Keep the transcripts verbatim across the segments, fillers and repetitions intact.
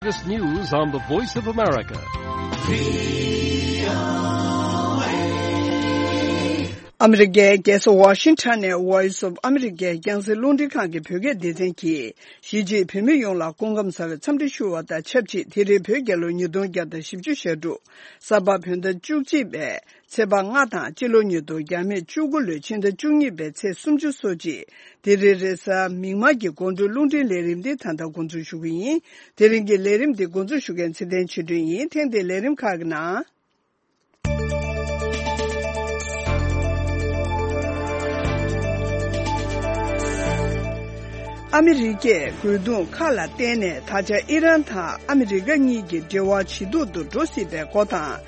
This news on the Voice of America. ཨ་མི་རི་ཀའི་རྒྱལ་ས་ཝ་ཤིང་ཊོན་ནས་Voice of America རྒྱང་སྲིང་རླུང་འཕྲིན་ཁང་གི་བོད་སྐད་སྡེ་ཚན་གྱིས། གཞིས་བྱེས་བོད་མི་ཡོངས་ལ་སྐུ་ཁམས་བཟང་བའི་འཚམས་འདྲི་ཞུ་བ་དང་ཆབས་ཅིག་དེ་རིང་བོད་རྒྱལ་ལོ་ཉིས་སྟོང་བརྒྱ་དང་བཞི་བཅུ་ཞེ་དྲུག་གཟའ་པ་བོད་ཟླ་བཅུ་གཅིག་པའི་ཚེས་པ་ལྔ་དང་། སྤྱི་ལོ་ཉིས་སྟོང་བརྒྱ་མེད་བཅུ་དགུ་ལོའི་ཕྱི་ཟླ་བཅུ་གཉིས་པའི་ཚེས་སུམ་ཅུ་སོ་གཅིག་དེ་རིང་རེས་གཟའ་མིག་དམར་གྱི་དགོང་དྲོའི་རླུང་འཕྲིན་ལས་རིམ་འདི་ད་ལྟ་འགོ་འཛུགས་ཞུ་གི་ཡིན། དེ་རིང་གི་ལས་རིམ་འདི་འགོ་འཛུགས་ཞུ་མཁན་ཚེ་བརྟན་ཆོས་སྒྲོན་ཡིན། ཐེངས་འདིའི་ལས་རིམ་ཁག་གི་ནང་། ཨ་མི་རི་ཀས་རྒོལ་རྡུང་ཁག་ལ་བརྟེན་ནས་ད་ཆ་ཨི་རན་དང་ཨ་མི་རི་ཀ་གཉིས་ཀྱི་འབྲེལ་བ་ཇེ་སྡུག་ཏུ་འགྲོ་སྲིད་པའི་སྐོར་དང་།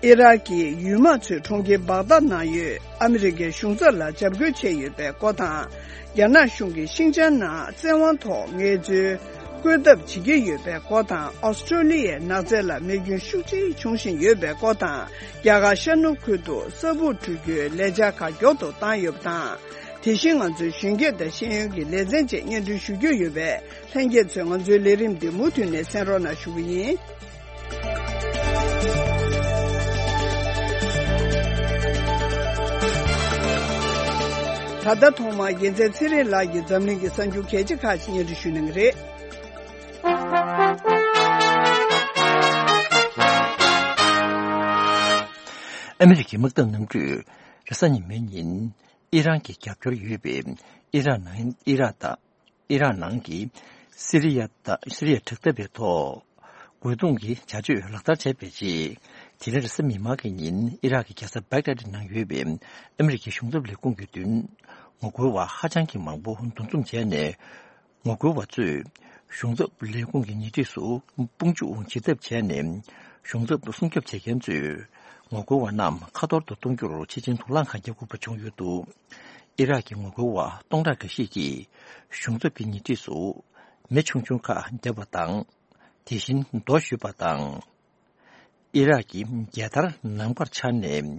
ཨི་རག་གི་ཡུལ་དམག་ཚོས་གྲོང་ཁྱེར་བག་དཱད་ནང་ཡོད་ཨ་མི་རི་ཀའི་གཞུང་ཚབ་ལ་འཇབ་རྒོལ་བྱས་ཡོད་པའི་སྐོར་དང་། རྒྱ་ནག་གཞུང་གིས་ཤིང་ཅང་ནང་བཙན་དབང་ཐོག་ངལ་རྩོལ་བཀོད་ཐབས་བྱེད་ཀྱི་ཡོད་པའི་སྐོར་དང་། ཨོ་སི་ཀྲོ་ལི་ཡའི་ནགས་ཚལ་ལ་མེ་སྐྱོན་ཤུགས་ཆེ་བྱུང་བཞིན་ཡོད་པའི་སྐོར་དང་། རྒྱ་གར་ཤར་ནུབ་ཁུལ་དུ་ས་སྦུག་འཁྲུ་རྒྱུའི་ལས་འཆར་ཁག་མགྱོགས་སུ་བཏང་ཡོད་པ་དང་། དེ་བཞིན་ང་ཚོའི་གཞོན་སྐྱེས་དང་ཤེས་ཡོན་གྱི་ལེ་ཚན་བཅས་སྙན་སྒྲོན་ཞུ་རྒྱུ་ཡོད་པས། ལྷན་རྒྱས་ཚོས་ང་ཚོའི་ལས་རིམ་འདི་མུ་མཐུད་ནས་གསན་རོགས་གནང་ཞུ་གི་ཡིན། ད་ལྟ་ཐོག་མར་རྒྱལ་མཚན་ཚེ་རིང་ལགས་ཀྱིས་འཛམ་གླིང་གི་གསར་འགྱུར་གལ་ཆེ་ཁག་ཅིག་སྙན་སྒྲོན་ཞུ་གནང་གི་རེད། ཨ་མི་རི་ཀའི་དམག་འཐབ་གནམ་གྲུས་རེས་གཟའ་ཉི་མའི་ཉིན་ཨི་རན་གྱི་རྒྱབ་སྐྱོར་ཡོད་པའི་ཨི་རག་ནང་ཨི་རག་དང་། ཨི་རག་ནང་གི་སི་རི་ཡ་དང་སི་རི་ཡ་དྲག་འཐབ་པའི་ཐོག་རྒོལ་རྡུང་གི་བྱ་སྤྱོད་ལག་བསྟར་བྱས་པའི་རྗེས། དེ་རིང་རེས་གཟའ་མིག་དམར་གྱི་ཉིན་ཨི་རག་གི་རྒྱལ་ས་བེག་དཱད་ནང་ཡོད་པའི་ཨ་མི་རི་ཀའི་གཞུང་ཚབ་ལས་ཁུངས་ཀྱི་མདུན། ངོ་རྒོལ་བ་ཧ་ཅང་གི་མང་པོ་འདུ་འཛོམས་བྱས་ནས། ངོ་རྒོལ་བ་ཚོས་གཞུང་ཚབ་ལས་ཁུངས་ཀྱི་ཉེ་འཁྲིས་སུ་དཔུང་འཇུག་བྱེད་ཐབས་བྱས་ནས། གཞུང་ཚབ་སྲུང་སྐྱོབ་བྱེད་མཁན་ཚོས་ངོ་རྒོལ་བ་རྣམས་ཁ་ཐོར་དུ་གཏོང་རྒྱུར་ཆེད་ཅིང་དུག་རླངས་ཁག་བརྒྱབ་དགོས་པ་བྱུང་ཡོད་འདུག་ཨི་རག་གི་ངོ་རྒོལ་བ་སྟོང་ཕྲག་འགའ་ཤས་ཀྱིས་གཞུང་ཚབ་ཀྱི་ཉེ་འཁྲིས་སུ་མེ་ཆུང་ཆུང་ཁག་བརྒྱབ་པ་དང་། དེ་བཞིན་རྡོ་གཞུས་པ་དང་། ཨི་རག་གི་རྒྱལ་དར་ནམ་མཁར་འཕྱར་ནས།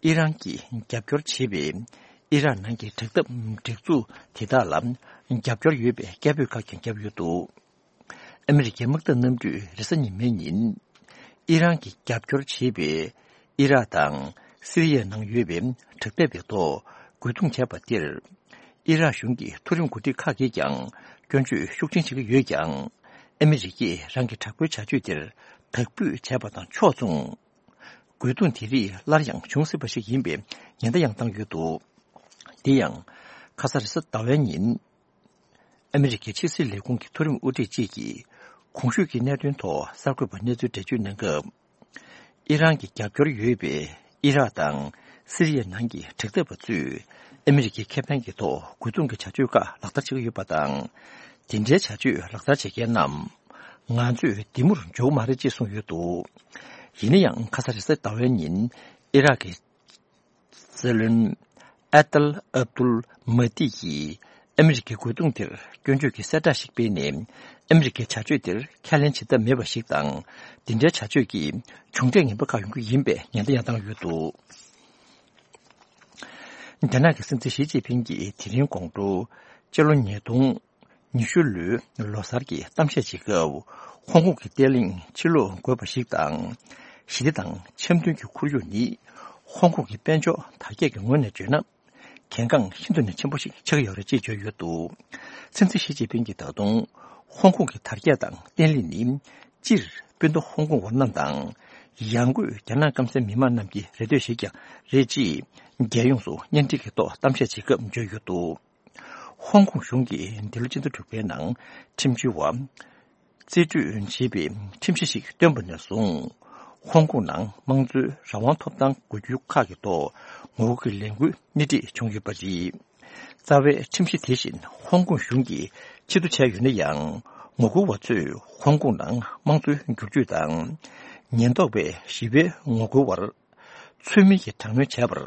ཨི་རན་གྱིས་རྒྱབ་སྐྱོར་བྱེད་པའི་ཨི་རག་ནང་གི་དྲག་འཐབ་སྒྲིག་འཛུགས་དེ་དག་ལ་རྒྱབ་སྐྱོར་ཡོད་པའི་སྐད་འབོད་ཁག་ཀྱང་བརྒྱབ་ཡོད་འདུག་ཨ་མི་རི་ཀའི་དམག་འཐབ་གནམ་གྲུས་རེས་གཟའ་ཉི་མའི་ཉིན་ཨི་རན་གྱིས་རྒྱབ་སྐྱོར་བྱེད་པའི་ཨི་རག་དང་སི་རི་ཡའི་ནང་ཡོད་པའི་དྲག་འཐབ་པའི་ཐོག་རྒོལ་རྡུང་བྱས་པ་དེར། ཨི་རག་གཞུང་གི་མཐོ་རིམ་འགོ་ཁྲིད་ཁག་གིས་ཀྱང་སྐྱོན་བརྗོད་ཤུགས་ཆེན་བྱེད་ཀྱི་ཡོད་ཀྱང་། ཨ་མི་རི་ཀས་རང་གི་དྲག་པོའི་བྱ་སྤྱོད་དེར་དག་འབུད་བྱས་པ་དང་ཕྱོགས་མཚུངས། རྒོལ་རྡུང་དེ་རིགས་སླར་ཡང་འབྱུང་སྲིད་པ་ཞིག་ཡིན་པའི་ཉེན་བརྡ་ཡང་བཏང་ཡོད་འདུག་དེ་ཡང་། ཁ་ས་རེས་གཟའ་ཟླ་བའི་ཉིན། ཨ་མི་རི་ཀའི་ཕྱི་སྲིད་ལས་ཁུངས་ཀྱི་མཐོ་རིམ་དབུ་ཁྲིད་ཅིག་གིས། གོང་ཞུས་ཀྱི་གནད་དོན་ཐོག་གསར་འགོད་པར་གནས་ཚུལ་འགྲེལ་བརྗོད་གནང་སྐབས། ཨི་རན་གྱི་རྒྱབ་སྐྱོར་ཡོད་པའི་ཨི་རག་དང་སི་རི་ཡའི་ནང་གི་དྲག་འཐབ་པ་ཚོས་ཨ་མི་རི་ཀའི་ཁེ་ཕན་གྱི་ཐོག་རྒོལ་རྡུང་གི་བྱ་སྤྱོད་ཁག་ལག་བསྟར་བྱེད་ཀྱི་ཡོད་པ་དང་། དེ་འདྲའི་བྱ་སྤྱོད་ལག་བསྟར་བྱེད་མཁན་རྣམས་ང་ཚོས་འདི་མུར་འཇོག་མ་རེད་ཅེས་གསུངས་ཡོད་འདུག་ཡིན་ན་ཡང་ཁ་ས་རེས་གཟའ་ཟླ་བའི་ཉིན་ཨི་རག་གི་སྲིད་བློན་ཨ་ཏལ་ཨབ་དུལ་མ་ཏི་ཡིས་ཨ་མི་རི་ཀའི་རྒོལ་རྡུང་དེར་སྐྱོན་བརྗོད་ཀྱི་གསལ་བསྒྲགས་ཤིག་སྤེལ་ནས། ཨ་མི་རི་ཀའི་བྱ་སྤྱོད་དེར་ཁས་ལེན་བྱེད་ཐབས་མེད་པ་ཞིག་དང་། འདི་འདྲའི་བྱ་སྤྱོད་ཀྱིས་མཇུག་འབྲས་ངན་པ་ཁག་ཡོང་རྒྱུ་ཡིན་པའི་ཉེན་བརྡ་ཡང་བཏང་ཡོད་འདུག་རྒྱ་ནག་གི་སྲིད་འཛིན་ཞི་ཅིན་ཕིང་གིས་དེ་རིང་དགོང་དྲོ་སྤྱི་ལོ་ཉིས་སྟོང་ཉི་ཤུ་ལོའི་ལོ་གསར་གྱི་གཏམ་བཤད་བྱེད་སྐབས། ཧོང་ཀོང་གི་བརྟན་ལྷིང་ཕྱིར་ལོག་དགོས་པ་ཞིག་དང་། ཞི་བདེ་དང་འཆམ་མཐུན་གྱི་ཁོར་ཡུག་ནི་ཧོང་ཀོང་གི་དཔལ་འབྱོར་དར་རྒྱས་ཀྱི་ངོས་ནས་བརྗོད་ན། གལ་འགངས་ཤིན་ཏུ་ནས་ཆེན་པོ་ཞིག་ཆགས་ཀྱི་ཡོད་རེད་ཅེས་བརྗོད་ཡོད་འདུག་སྲིད་འཛིན་ཞི་ཅིན་ཕིང་གིས་ད་དུང་ཧོང་ཀོང་གི་དར་རྒྱས་དང་བརྟན་ལྷིང་ནི་སྤྱིར་སྤུན་ཟླ་ཧོང་ཀོང་བ་རྣམས་དང་། ཡང་སྒོས་རྒྱ་ནག་སྐམ་སའི་མི་མང་རྣམས་ཀྱི་རེ་འདོད་ཞིག་ཀྱང་རེད་ཅེས་རྒྱལ་ཡོངས་སུ་གཉེན་སྒྲིག་གི་ཐོག་གཏམ་བཤད་བྱེད་སྐབས་བརྗོད་ཡོད་འདུག་ཧོང་ཀོང་གཞུང་གིས་འདི་ལོ་སྤྱི་ཟླ་དྲུག་པའི་ནང་ཁྲིམས་བྱོལ་བ་རྩིས་སྤྲོད་བྱེད་པའི་ཁྲིམས་གཞི་ཞིག་བཏོན་པ་ནས་བཟུང་། ཧོང་ཀོང་ནང་དམངས་གཙོའི་རང་དབང་ཐོབ་ཐང་དགོས་རྒྱུ་ཁག་གི་ཐོག་ངོ་རྒོལ་གྱི་ལས་འགུལ་སྣེ་ཁྲིད་བྱུང་ཡོད་པ་རེད། རྩ་བའི་ཁྲིམས་གཞི་དེ་བཞིན་ཧོང་ཀོང་གཞུང་གིས་ཕྱིར་བསྡུ་བྱས་ཡོད་ན་ཡང་། ངོ་རྒོལ་བ་ཚོས་ཧོང་ཀོང་ནང་དམངས་གཙོའི་འགྱུར་བཅོས་དང་། ཉེན་རྟོག་པས་ཞི་བའི་ངོ་རྒོལ་བར་ཚུལ་མིན་གྱི་དྲག་གནོན་བྱས་པར་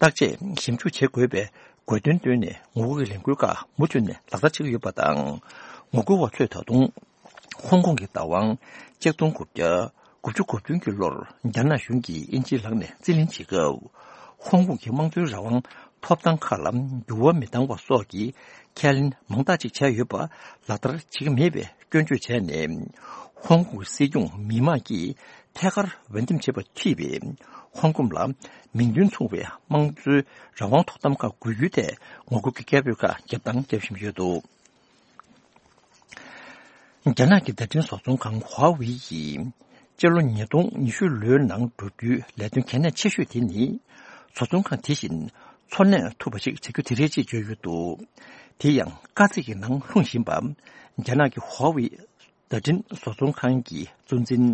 བརྟག་དཔྱད་ཞིབ་འཇུག་བྱེད་དགོས་པའི་དགོས་འདུན་བཏོན་ནས། ངོ་རྒོལ་གྱི་ལས་འགུལ་ཁག་མུ་མཐུད་ནས་ལག་བསྟར་བྱེད་ཀྱི་ཡོད་པ་དང་། ངོ་རྒོལ་བ་ཚོས་ད་དུང་ཧོང་ཀོང་གི་བདག་དབང་ཆིག་སྟོང་དགུ་བརྒྱ་དགུ་བཅུ་གོ་བདུན་གྱི་ལོར་རྒྱ་ནག་གཞུང་གིས་དབྱིན་ཇིའི་ལག་ནས་རྩིས་ལེན་བྱེད་སྐབས། ཧོང་ཀོང་གི་དམངས་གཙོའི་རང་དབང་ཐོབ་ཐང་ཁག་ལ་འགྱུར་བ་མི་གཏང་བ་སོགས་ཀྱི་ཁས་ལེན་མང་དག་ཅིག་བྱས་ཡོད་པ་ལག་བསྟར་བྱེད་ཀྱི་མེད་པའི་སྐྱོན་བརྗོད་བྱས་ནས། ཧོང་ཀོང་གི་སྲིད་སྐྱོང་མི་མང་གིས་ཐད་ཀར་འོས་འདེམས་བྱས་པ་མཐུད་པའི་ཧོང་ཀོང་ལ་མིང་དོན་མཚུངས་པའི་དམངས་གཙོའི་རང་དབང་ཐོག་གཏམ་ཁ་དགོས་རྒྱུའི་ཐད་ངོ་རྒོལ་གྱི་སྐད་འབོད་ཁག་བརྒྱབ་དང་བརྒྱབ་བཞིན་ཡོད་འདུག་རྒྱ་ནག་གི་བརྡ་འཕྲིན་བཟོ་ཚོང་ཁང་ཧྭ་ཝེ་ཡིས་སྤྱི་ལོ་ཉིས་སྟོང་ཉི་ཤུ་ལོའི་ནང་བསྒྲུབ་རྒྱུའི་ལས་དོན་གལ་གནད་ཆེ་ཤོས་དེ་ནི། བཟོ་ཚོང་ཁང་དེ་བཞིན་འཚོ་གནས་ཐུབ་པ་ཞིག་བྱ་རྒྱུ་དེ་རེད་ཅེས་བརྗོད་ཡོད་འདུག་དེ་ཡང་དཀའ་ཚེགས་ཀྱི་ནང་ལྷུང་བཞིན་པ། རྒྱ་ནག་གི་ཧྭ་ཝེ་བརྡ་འཕྲིན་བཟོ་ཚོང་ཁང་གི་གཙོ་འཛིན་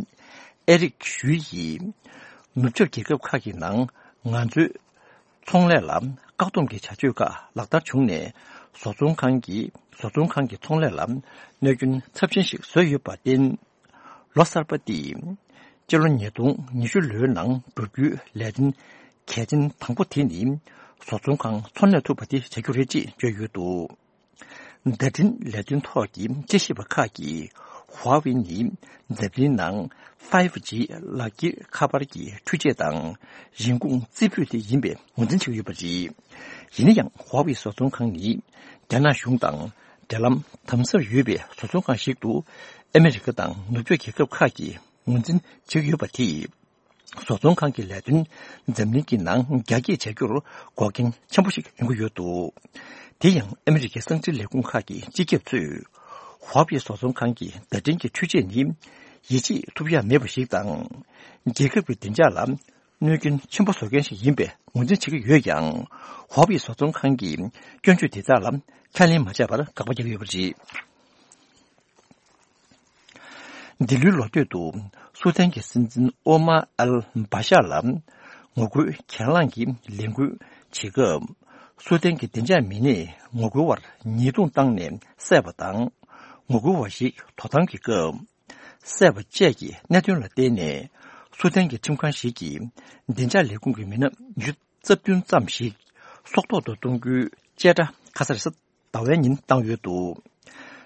ཨེ་རིག་ཞུའི་ཡིས། ནུབ་ཕྱོགས་རྒྱལ་ཁབ་ཁག་གི་ནང་ང་ཚོའི་ཚོང་ལས་ལ་བཀག་སྡོམ་གྱི་བྱ་སྤྱོད་ཁག་ལག་བསྟར་བྱུང་ནས། བཟོ་ཚོང་ཁང་གིས་བཟོ་ཚོང་ཁང་གི་ཚོང་ལས་ལ་གནོད་སྐྱོན་ཚབས་ཆེན་ཞིག་བཟོས་ཡོད་པར་བརྟེན། ལོ་གསར་པ་འདི་སྤྱི་ལོ་ཉིས་སྟོང་ཉི་ཤུ་ལོའི་ནང་བསྒྲུབ་རྒྱུའི་ལས་དོན་གལ་ཆེན་དང་པོ་དེ་ནི། བཟོ་ཚོང་ཁང་འཚོ་གནས་ཐུབ་པ་དེ་བྱ་རྒྱུ་རེད་ཅེས་བརྗོད་ཡོད་འདུག་བརྡ་འཕྲིན་ལས་དོན་ཐོག་གི་དཔྱད་ཞིབ་པ་ཁག་གིས་ཧྭ་ཝེ་ནི་འཛམ་གླིང་ནང་ཕའི་ཝི་ཇི་ལག་འཁྱེར་ཁ་པར་གྱི་འཕྲུལ་ཆས་དང་རིན་གོང་རྩེ་ཕུད་དེ་ཡིན་པའི་ངོས་འཛིན་བྱེད་ཀྱི་ཡོད་པ་རེད། ཡིན་ན་ཡང་ཧྭ་ཝེ་བཟོ་ཚོང་ཁང་ནི་རྒྱ་ནག་གཞུང་དང་འབྲེལ་ལམ་དམ་ཟབ་ཡོད་པའི་བཟོ་ཚོང་ཁང་ཞིག་ཏུ་ཨ་མི་རི་ཀ་དང་ནུབ་ཕྱོགས་རྒྱལ་ཁབ་ཁག་གིས་ངོས་འཛིན་བྱེད་ཀྱི་ཡོད་པ་དེས། བཟོ་ཚོང་ཁང་གི་ལས་དོན་འཛམ་གླིང་གི་ནང་རྒྱ་སྐྱེད་བྱ་རྒྱུར་འགོག་རྐྱེན་ཆེན་པོ་ཞིག་ཡོང་གི་ཡོད་འདུག་དེ་ཡང་ཨ་མི་རི་ཀའི་གསང་འཕྲིན་ལས་ཁུངས་ཁག་གི་སྤྱི་ཁྱབ་ཚོས། ཧྭ་ཝེ་བཟོ་ཚོང་ཁང་གི་བརྡ་འཕྲིན་གྱི་འཕྲུལ་ཆས་ནི་ཡིད་ཆེས་ཐུབ་ཡག་མེད་པ་ཞིག་དང་། རྒྱལ་ཁབ་ཀྱི་བདེ་འཇགས་ལ་གནོད་སྐྱོན་ཆེན་པོ་བཟོ་མཁན་ཞིག་ཡིན་པའི་ངོས་འཛིན་བྱེད་ཀྱི་ཡོད་ཀྱང་། ཧྭ་ཝེ་བཟོ་ཚོང་ཁང་གིས་སྐྱོན་བརྗོད་དེ་དག་ལ་ཁས་ལེན་མ་བྱས་པར་དགག་པ་བརྒྱབ་ཡོད་པ་རེད། འདི་ལོའི་ལོ་སྟོད་དུ་སུའུ་ཏན་གྱི་སྲིད་འཛིན་ཨོ་མ་ཨལ་བྷ་ཤ་ལ་ངོ་རྒོལ་གྱེན་ལངས་ཀྱི་ལས་འགུལ་བྱེད་སྐབས། སུའུ་ཏན་གྱི་བདེ་འཇགས་མི་སྣས་ངོ་རྒོལ་བར་ཉེས་རྡུང་བཏང་ནས་བསད་པ་དང་། ངོ་རྒོལ་བ་ཞིག་དོ་དམ་གྱི་སྐབས་བསད་པ་བཅས་ཀྱི་གནད་དོན་ལ་བརྟེན་ནས། སུའུ་ཏན་གྱི་ཁྲིམས་ཁང་ཞིག་གིས་བདེ་འཇགས་ལས་ཁུངས་ཀྱི་མི་སྣ་ཉི་ཤུ་རྩ་བདུན་ཙམ་ཞིག་སྲོག་ཐོག་ཏུ་གཏོང་རྒྱུའི་བཅད་ཁྲ་ཁ་སང་རེས་གཟའ་ཟླ་བའི་ཉིན་བཏང་ཡོད་འདུག་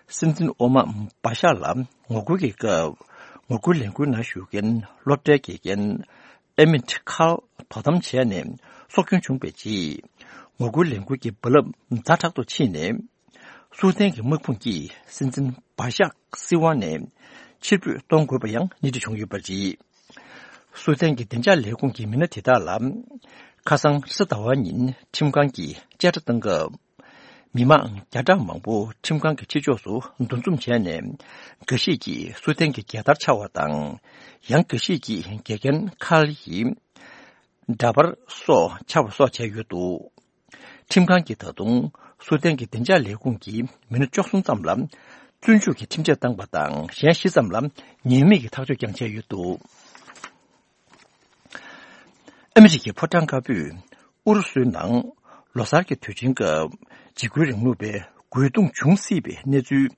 སྲིད་འཛིན་ཨོ་མ་བྷ་ཤ་ལ་ངོ་རྒོལ་གྱི་སྐབས། ངོ་རྒོལ་ལས་འགུལ་ནང་ཞུགས་མཁན་སློབ་གྲྭའི་དགེ་རྒན་ཨེ་མིན་ཁཱལ་དོ་དམ་བྱས་ནས་སྲོག་སྐྱོན་བྱུང་བའི་རྗེས། ངོ་རྒོལ་ལས་འགུལ་གྱི་རྦ་རླབས་ཛ་དྲག་ཏུ་ཕྱིན་ནས། སུའུ་ཏན་གྱི་དམག་དཔུང་གིས་སྲིད་འཛིན་བྷ་ཤ་སྲིད་དབང་ནས་ཕྱིར་འབུད་གཏོང་དགོས་པ་ཡང་སྣེ་ཁྲིད་བྱུང་ཡོད་པ་རེད། སུའུ་ཏན་གྱི་བདེ་འཇགས་ལས་ཁུངས་ཀྱི་མི་སྣ་དེ་དག་ལ། ཁ་སང་རེས་གཟའ་ཟླ་བ་ཉིན་ཁྲིམས་ཁང་གིས་བཅད་ཁྲ་བཏང་སྐབས། མི་མང་བརྒྱ་ཕྲག་མང་པོ་ཁྲིམས་ཁང་གི་ཕྱི་ཕྱོགས་སུ་འདུ་འཛོམས་བྱས་ནས། འགའ་ཞིག་གིས་སུའུ་ཏན་གྱི་རྒྱལ་དར་འཕྱར་བ་དང་། ཡང་འགའ་ཞིག་གིས་དགེ་རྒན་ཁཱལ་ཡི་འདྲ་པར་སོགས་འཕྱར་བ་སོགས་བྱས་ཡོད་འདུག་ཁྲིམས་ཁང་གིས་ད་དུང་སུའུ་ཏན་གྱི་བདེ་འཇགས་ལས་ཁུངས་ཀྱི་མི་སྣ་བཅུ་གསུམ་ཙམ་ལ་བཙོན་འཇུག་གི་ཁྲིམས་ཆད་བཏང་པ་དང་། གཞན་བཞི་ཙམ་ལ་ཉེས་མེད་ཀྱི་ཐག་གཅོད་ཀྱང་བྱས་ཡོད་འདུག་ཨ་མི་རི་ཀའི་ཕོ་བྲང་དཀར་པོས་ཨུ་རུ་སུའི་ནང་ལོ་གསར་གྱི་དུས་ཆེན་སྐབས་འཇིགས་སྐུལ་རིང་ལུགས་པའི་རྒོལ་རྡུང་བྱུང་སྲིད་པའི་གནས་ཚུལ།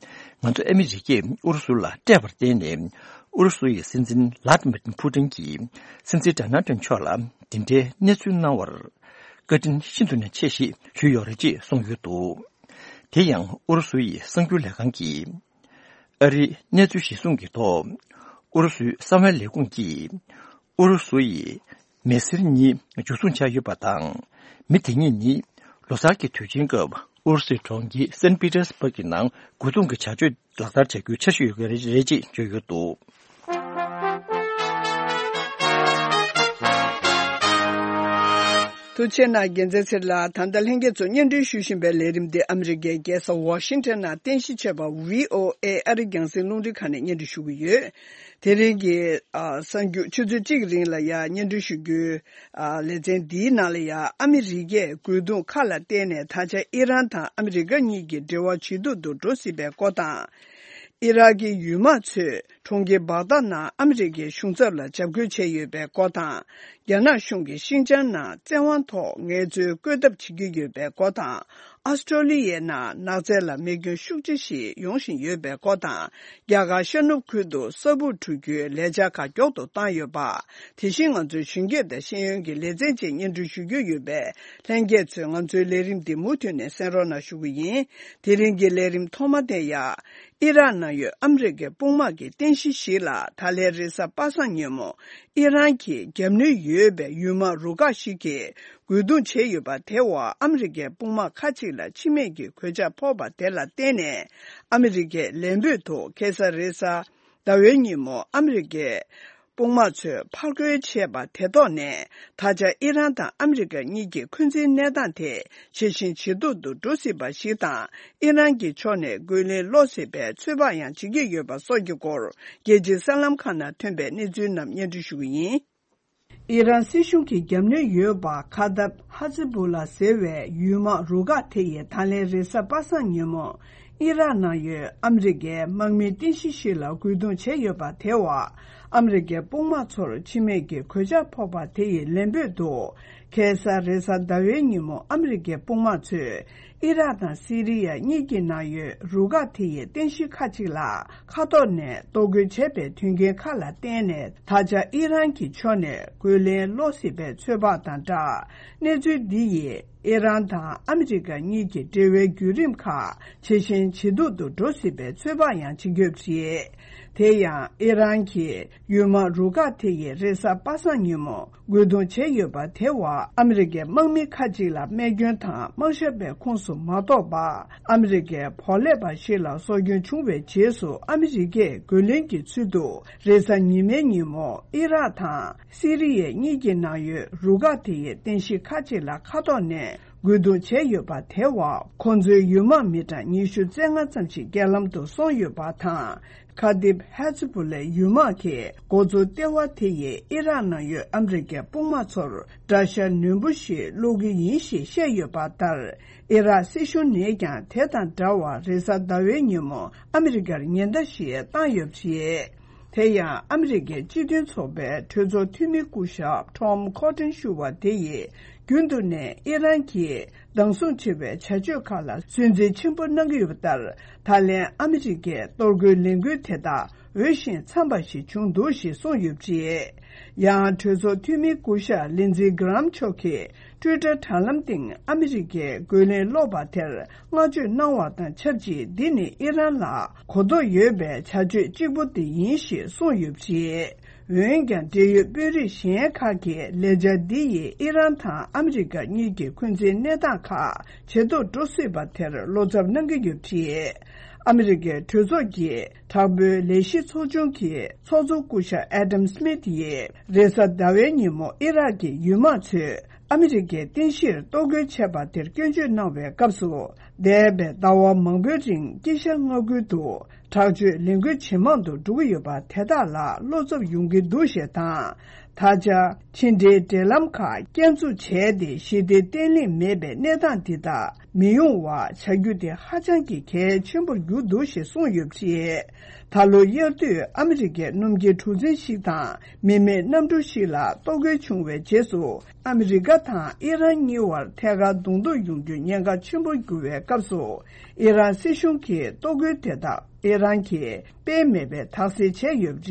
ང་ཚོ་ཨ་མི་རི་ཀས་ཨུ་རུ་སུ་ལ་སྤྲད་པར་བརྟེན་ནས། ཨུ་རུ་སུ་ཡི་སྲིད་འཛིན་ལཱ་ཏི་མིར་ཕུ་ཏིན་གྱིས་སྲིད་འཛིན་ཌོ་ནལ་ཏྲམ་མཆོག་ལ་འདི་འདྲའི་གནས་ཚུལ་གནང་བར་བཀའ་དྲིན་ཤིན་ཏུ་ནས་ཆེ་ཞེས་ཞུས་ཡོད་རེད་ཅེས་གསུངས་ཡོད་འདུག་དེ་ཡང་ཨུ་རུ་སུ་ཡི་གསར་འགྱུར་ལས་ཁང་གིས། ཨ་རིའི་གནས་ཚུལ་གཞིར་བཟུང་གི་ཐོག་ཨུ་རུ་སུའི་གསང་བའི་ལས་ཁུངས་ཀྱིས། ཨུ་རུ་སུ་ཡི་མི་སེར་གཉིས་འཇུ་བཟུང་བྱས་ཡོད་པ་དང་། མི་དེ་གཉིས་ནི་ལོ་གསར་གྱི་དུས་ཆེན་སྐབས་ཨུ་རུ་སུའི་གྲོང་ཁྱེར་སན་པི་ཏེར་སྦུག་གི་ནང་རྒོལ་རྡུང་གི་བྱ་སྤྱོད་ལག་བསྟར་བྱ་རྒྱུའི་འཆར་གཞི་ཡོད་པ་རེད་ཅེས་བརྗོད་ཡོད་འདུག་ཐུགས་རྗེ་གནང་རྒྱལ་མཚན་ཚེ་རིང་ལགས། ད་ལྟ་ལྷན་རྒྱས་ཚོ་སྙན་སྒྲོན་ཞུ་བཞིན་པའི་ལས་རིམ་འདི་ཨ་མི་རི་ཀའི་རྒྱལ་ས་ཝ་ཤིང་ཊོན་ནང་རྟེན་གཞི་བྱས་པ་བྷི་ཨོ་ཨེ་ཨ་རི་རྒྱང་སྲིང་རླུང་འཕྲིན་ཁང་ནས་སྙན་སྒྲོན་ཞུ་གི་ཡོད། དེ་རིང་གི་ཨ་གསར་འགྱུར་ཆུ་ཚོད་གཅིག་གི་རིང་ལ་ཡང་སྙན་སྒྲོན་ཞུ་རྒྱུའི་ཨ་ལེ་ཚན་འདིའི་ནང་ལ་ཡང་ཨ་མི་རི་ཀས་རྒོལ་རྡུང་ཁག་ལ་བརྟེན་ནས་ད་ཆ་ཨི་རན་དང་ཨ་མི་རི་ཀ་གཉིས་ཀྱི་འབྲེལ་བ་ཇེ་སྡུག་ཏུ་འགྲོ་སྲིད་པའི་སྐོར་དང་། ཨི་རག་གི་ཡུལ་དམག་ཚོས་གྲོང་ཁྱེར་སྦག་དཱད་ནང་ཨ་མི་རི་ཀའི་གཞུང་ཚབ་ལ་འཇབ་རྒོལ་བྱས་ཡོད་པའི་སྐོར་དང་། རྒྱ་ནག་གཞུང་གིས་ཤིན་ཅང་ནང་བཙན་དབང་ཐོག་ངལ་རྩོལ་བཀོད་ཐབས་བྱེད་ཀྱི་ཡོད་པའི་སྐོར་དང་། ཨོ་སི་ཀྲོ་ལི་ཡའི་ནང་ནགས་ཚལ་ལ་མེ་སྐྱོན་ཤུགས་ཆེ་ཞིག་ཡོང་བཞིན་ཡོད་པའི་སྐོར་དང་། རྒྱ་གར་ཤར་ནུབ་ཁུལ་དུ་ས་སྦུག་འཁྲུ་རྒྱུའི་ལས་འཆར་ཁག་མགྱོགས་སུ་བཏང་ཡོད་པ། དེ་བཞིན་ང་ཚོའི་གཞོན་སྐྱེས་དང་ཤེས་ཡོན་གྱི་ལེ་ཚན་བཅས་སྙན་སྒྲོན་ཞུ་རྒྱུ་ཡོད་པས། ལྷན་རྒྱས་ཚོས་ང་ཚོའི་ལས་རིམ་འདི་མུ་མཐུད་ནས་གསན་རོགས་གནང་ཞུ་གི་ཡིན། དེ་རིང་གི་ལས་རིམ་ཐོག་མ་དེ་ཡང་། ཨི་རག་ནང་ཡོད་ཨ་མི་རི་ཀའི་དཔུང་དམག་གི་རྟེན་གཞི་ཞིག་ལ་ད་ལན་རེས་གཟའ་པ་སངས་ཉིན་མོ་ཨི་རན་གྱིས་རྒྱབ་གནོན་ཡོད་པའི་ཡུལ་དམག་རུ་ཁག་ཞིག་གིས་རྒོལ་རྡུང་བྱས་ཡོད་པ་དེའི་འོག་ཨ་མི་རི་ཀའི་དཔུང་དམག་ཁག་ཅིག་ལ་འཆི་རྨས་ཀྱི་གོད་ཆག་ཕོག་པ་དེ་ལ་བརྟེན་ནས། ཨ་མི་རི་ཀས་ལན་འབོད་དུ་ཁ་སང་རེས་གཟའ་ ཟླ་བའི་ཉིན་མོ་ཨ་མི་རི་ཀའི་དཔུང་དམག་ཚོས་ཕར་རྒོལ་བྱས་པ་དེ་ཐོག་ནས། ད་ཆ་ཨི་རན་དང་ཨ་མི་རི་ཀ་གཉིས་ཀྱི་འཁོན་འཛིན་གནས་སྟངས་དེ་ཇེ་ཞན་ཇེ་སྡུག་ཏུ་འགྲོ་སྲིད་པ་ཞིག་དང་། ཨི་རན་གྱི་ཕྱོགས་ནས་རྒོལ་ལན་སློག་སྲིད་པའི་ཚོད་དཔག་ཡང་བྱེད་ཀྱི་ཡོད་པ་སོགས་ཀྱི་སྐོར། རྒྱལ་སྤྱིའི་གསར་ལམ་ཁག་ནང་ཐོན་པའི་གནས་ཚུལ་རྣམས་སྙན་སྒྲོན་ཞུ་གི་ཡིན། ཨི་རན་སྲིད་གཞུང་གི་རྒྱབ་གནོན་ཡོད་པ་ཁ་ཏབ་ཧ་ཛི་བུ་ལ་ཟེར་བའི་ཡུལ་དམག་རུ་ཁག་དེ་ཡིས་ད་ལན་རེས་གཟའ་པ་སངས་ཉིན་མོ། ཨི་རག་ནང་ཡོད་ཨ་མི་རི་ཀའི་དམག་མིའི་རྟེན་གཞི་ཞིག་ལ་རྒོལ་རྡུང་བྱས་ཡོད་པ་དེ་བ། ཨ་མི་རི་ཀའི་དཔུང་དམག་ཚོར་འཆི་རྨས་ཀྱི་གོད་ཆག་ཕོག་པ་དེ་ཡི་ལན་འབོད་དུ། ཁ་སང་རེས་གཟའ་ཟླ་བའི་ཉིན་མོ་ཨ་མི་རི་ཀའི་དཔུང་དམག་ཚོས་ཨི་རག་དང་སི་རི་ཡ་གཉིས་ཀྱི་ནང་ཡོད་རུ་ཁག་དེ་ཡི་རྟེན་གཞི་ཁག་ཅིག་ལ་མཁའ་ཐོག་ནས་གཏོར་རྒོལ་བྱས་པའི་དོན་རྐྱེན་ཁག་ལ་བརྟེན་ནས། ད་ཆ་ཨི་རན་གྱི་ཕྱོགས་ནས་རྒོལ་ལན་སློག་སྲིད་པའི་ཚོད་དཔག་དང་སྦྲགས། གནས་ཚུལ་འདི་ཡིས་ཨི་རན་དང་ཨ་མི་རི་ཀ་གཉིས་ཀྱི་འབྲེལ་བའི་བརྒྱུད་རིམ་ཁག་ཇེ་ཞན་ཇེ་སྡུག་ཏུ་འགྲོ་སྲིད་པའི་ཚོད་དཔག་ཡང་བྱེད་ཀྱི་ཡོད་པ་རེད། དེ་ཡང་ཨི་རན་གྱི་ཡུལ་དམག་རུ་ཁག་དེ་ཡིས་རེས་གཟའ་པ་སངས་ཉིན་མོ་རྒོལ་རྡུང་བྱས་ཡོད་པ་དེ་བ། ཨ་མི་རི་ཀའི་དམག་མི་ཁག་ཅིག་ལ་རྨས་སྐྱོན་དང་དམག་ཞབས་པའི་ཁོངས་སུ་མ་གཏོགས་པ། ཨ་མི་རི་ཀའི་བོར་ཀླད་པ་ཞིག་ལ་སྲོག་སྐྱོན་བྱུང་བའི་རྗེས་སུ། ཨ་མི་རི་ཀས་རྒོལ་ལན་གྱི་ཚུལ་དུ་རེས་གཟའ་ཉི་མའི་ཉིན་མོ་ཨི་རག་དང་སི་རི་ཡའི་གཉིས་ཀྱི་ནང་ཡོད་རུ་ཁག་དེ་ཡི་རྟེན་གཞི་ཁག་ཅིག་ལ་མཁའ་ཐོག་ནས་རྒོལ་རྡུང་བྱས་ཡོད་པ་དེ་བ། ཁོང་ཚོའི་ཡུལ་དམག་མི་གྲངས་ཉི་ཤུ་རྩ་ལྔ་ཙམ་ཞིག་རྐྱེན་ལམ་དུ་སོང་ཡོད་པ་དང་། ཁ་ཏིབ་ཧ་ཛི་བུ་ལའི་ཡུལ་དམག་གི་འགོ་གཙོ་ལྟེ་བ་དེ་ཡིས་ཨི་རག་ནང་ཡོད་ཨ་མི་རི་ཀའི་དཔུང་དམག་ཚོར་དགྲ་ཤ་ནན་པོ་ཞིག་བླུག་གི་ཡིན་ཞེས་བཤད་ཡོད་པ་ལྟར། ཨི་རག་སྲིད་གཞུང་ནས་ཀྱང་དེ་དང་འདྲ་བར་རེས་གཟའ་ཟླ་བའི་ཉིན་མོ་ཨ་མི་རི་ཀར་ཉེན་བརྡ་ཞིག་བཏང་ཡོད་པ་རེད། དེ་ཡང་ཨ་མི་རི་ཀའི་སྤྱི་མཐུན་ཚོགས་པའི་གྲོས་ཚོགས་འཐུས་མི་སྐུ་ཞབས་ཊོམ་ཁོ་ཊན་ཞུ་བ་དེ་ཡིས། རྒྱུན་དུ་ནས་ཨི་རན་གྱིས་སྡང་ཟུག་ཆེ་བའི་བྱ་སྤྱོད་ཁག་ལ་ཚོད་འཛིན་ཆེན་པོ་གནང་གི་ཡོད་པ་ལྟར། ད་ལན་ཨ་མི་རི་ཀའི་གཏོར་རྒོལ་ལས་འགུལ་དེ་དག་འོས་ཤིང་འཚམས་པ་ཞིག་བྱུང་འདུག་ཞེས་གསུངས་ཡོད་པ་རེད། ཡང་གྲོས་ཚོགས་འཐུས་མི་སྐུ་ཞབས་ལིན་ཛི་གྷི་རམ་མཆོག་གིས་ཊུའི་ཊར་དྲ་ལམ་སྟེང་ཨ་མི་རི་ཀས་རྒོལ་ལན་སློག་པ་དེར་བསྔགས་བརྗོད་གནང་བ་དང་ཆབས་ཅིག་འདི་ནི་ཨི་རན་ལ་གོ་རྟོགས་ཡོད་པའི་བྱ་སྤྱོད་གཅིག་པུ་དེ་ཡིན་ཞེས་གསུངས་ཡོད་པ་རེད། འོན་ཀྱང་འབྲེལ་ཡོད་དཔོན་རིགས་གཞན་ཁག་གིས་ལས་འཆར་འདི་ཡིས་ཨི་རན་དང་ཨ་མི་རི་ཀ་གཉིས་ཀྱི་འཁོན་འཛིན་གནས་སྟངས་ཁག་ཇེ་སྡུག་འགྲོ་སྲིད་པ་དེར་བློ་འཚབ་གནང་གི་ཡོད་པ་རེད། ཨ་མི་རི་ཀའི་གྲོས་ཚོགས་ཀྱི་དྲག་པོའི་ལས་གཞི་ཚོགས་ཆུང་གི་ཚོགས་གཙོ་སྐུ་ཞབས་ཨེ་ཌམ་སི་མིད་ཡིས་རེས་གཟའ་ཟླ་བའི་ཉིན་མོ་ཨི་རག་གི་ཡུལ་དམག་ཚོས་ཨ་མི་རི་ཀའི་རྟེན་གཞིར་གཏོར་རྒོལ་བྱས་པ་དེར་སྐྱོན་བརྗོད་གནང་བའི་སྐབས་སུ། འདས་པའི་ཟླ་བ་མང་པོའི་རིང་དཀྱིལ་ཤར་མངའ་ཁུལ་དུ་དྲག་སྤྱོད་ལས་འགུལ་ཇེ་མང་དུ་འགྲོ་གི་ཡོད་པ་དེ་དག་ལ་བློ་འཚབ་ཡོང་གི་འདུག་ཞེས་དང་། ད་ཆ་ཕྱི་འབྲེལ་འབྲེལ་ལམ་ཁག་བསྐྱར་འཛུགས་བྱས་ཏེ། ཞི་བདེ་བརྟན་ལྷིང་མེད་པའི་གནས་སྟངས་འདི་དག་མི་ཡོང་བ་བྱ་རྒྱུ་དེ་ཧ་ཅང་གི་གལ་ཆེན་པོར་གྱུར་འདུག་ཞེས་གསུངས་ཡོད་པ་རེད། ད་ལོ་དབྱར་དུས་ཨ་མི་རི་ཀའི་སྣུམ་འཁྱེར་གྲུ་གཟིངས་ཤིག་དང་མི་མེད་གནམ་གྲུ་ཞིག་ལ་གཏོར་རྒོལ་བྱུང་བའི་རྗེས་སུ། ཨ་མི་རི་ཀ་དང་ཨི་རན་གཉིས་བར་ཐད་ཀར་གདོང་ཐུག་ཡོང་རྒྱུའི་ཉེན་ཁ་ཆེན་པོར་གྱུར་བའི་སྐབས་སུ། ཨི་རན་སྲིད་གཞུང་གིས་གཏོར་རྒོལ་དེ་དག་ཨི་རན་གྱིས་དཔེ་མེད་པའི་དག་སེལ་བྱས་ཡོད་པ་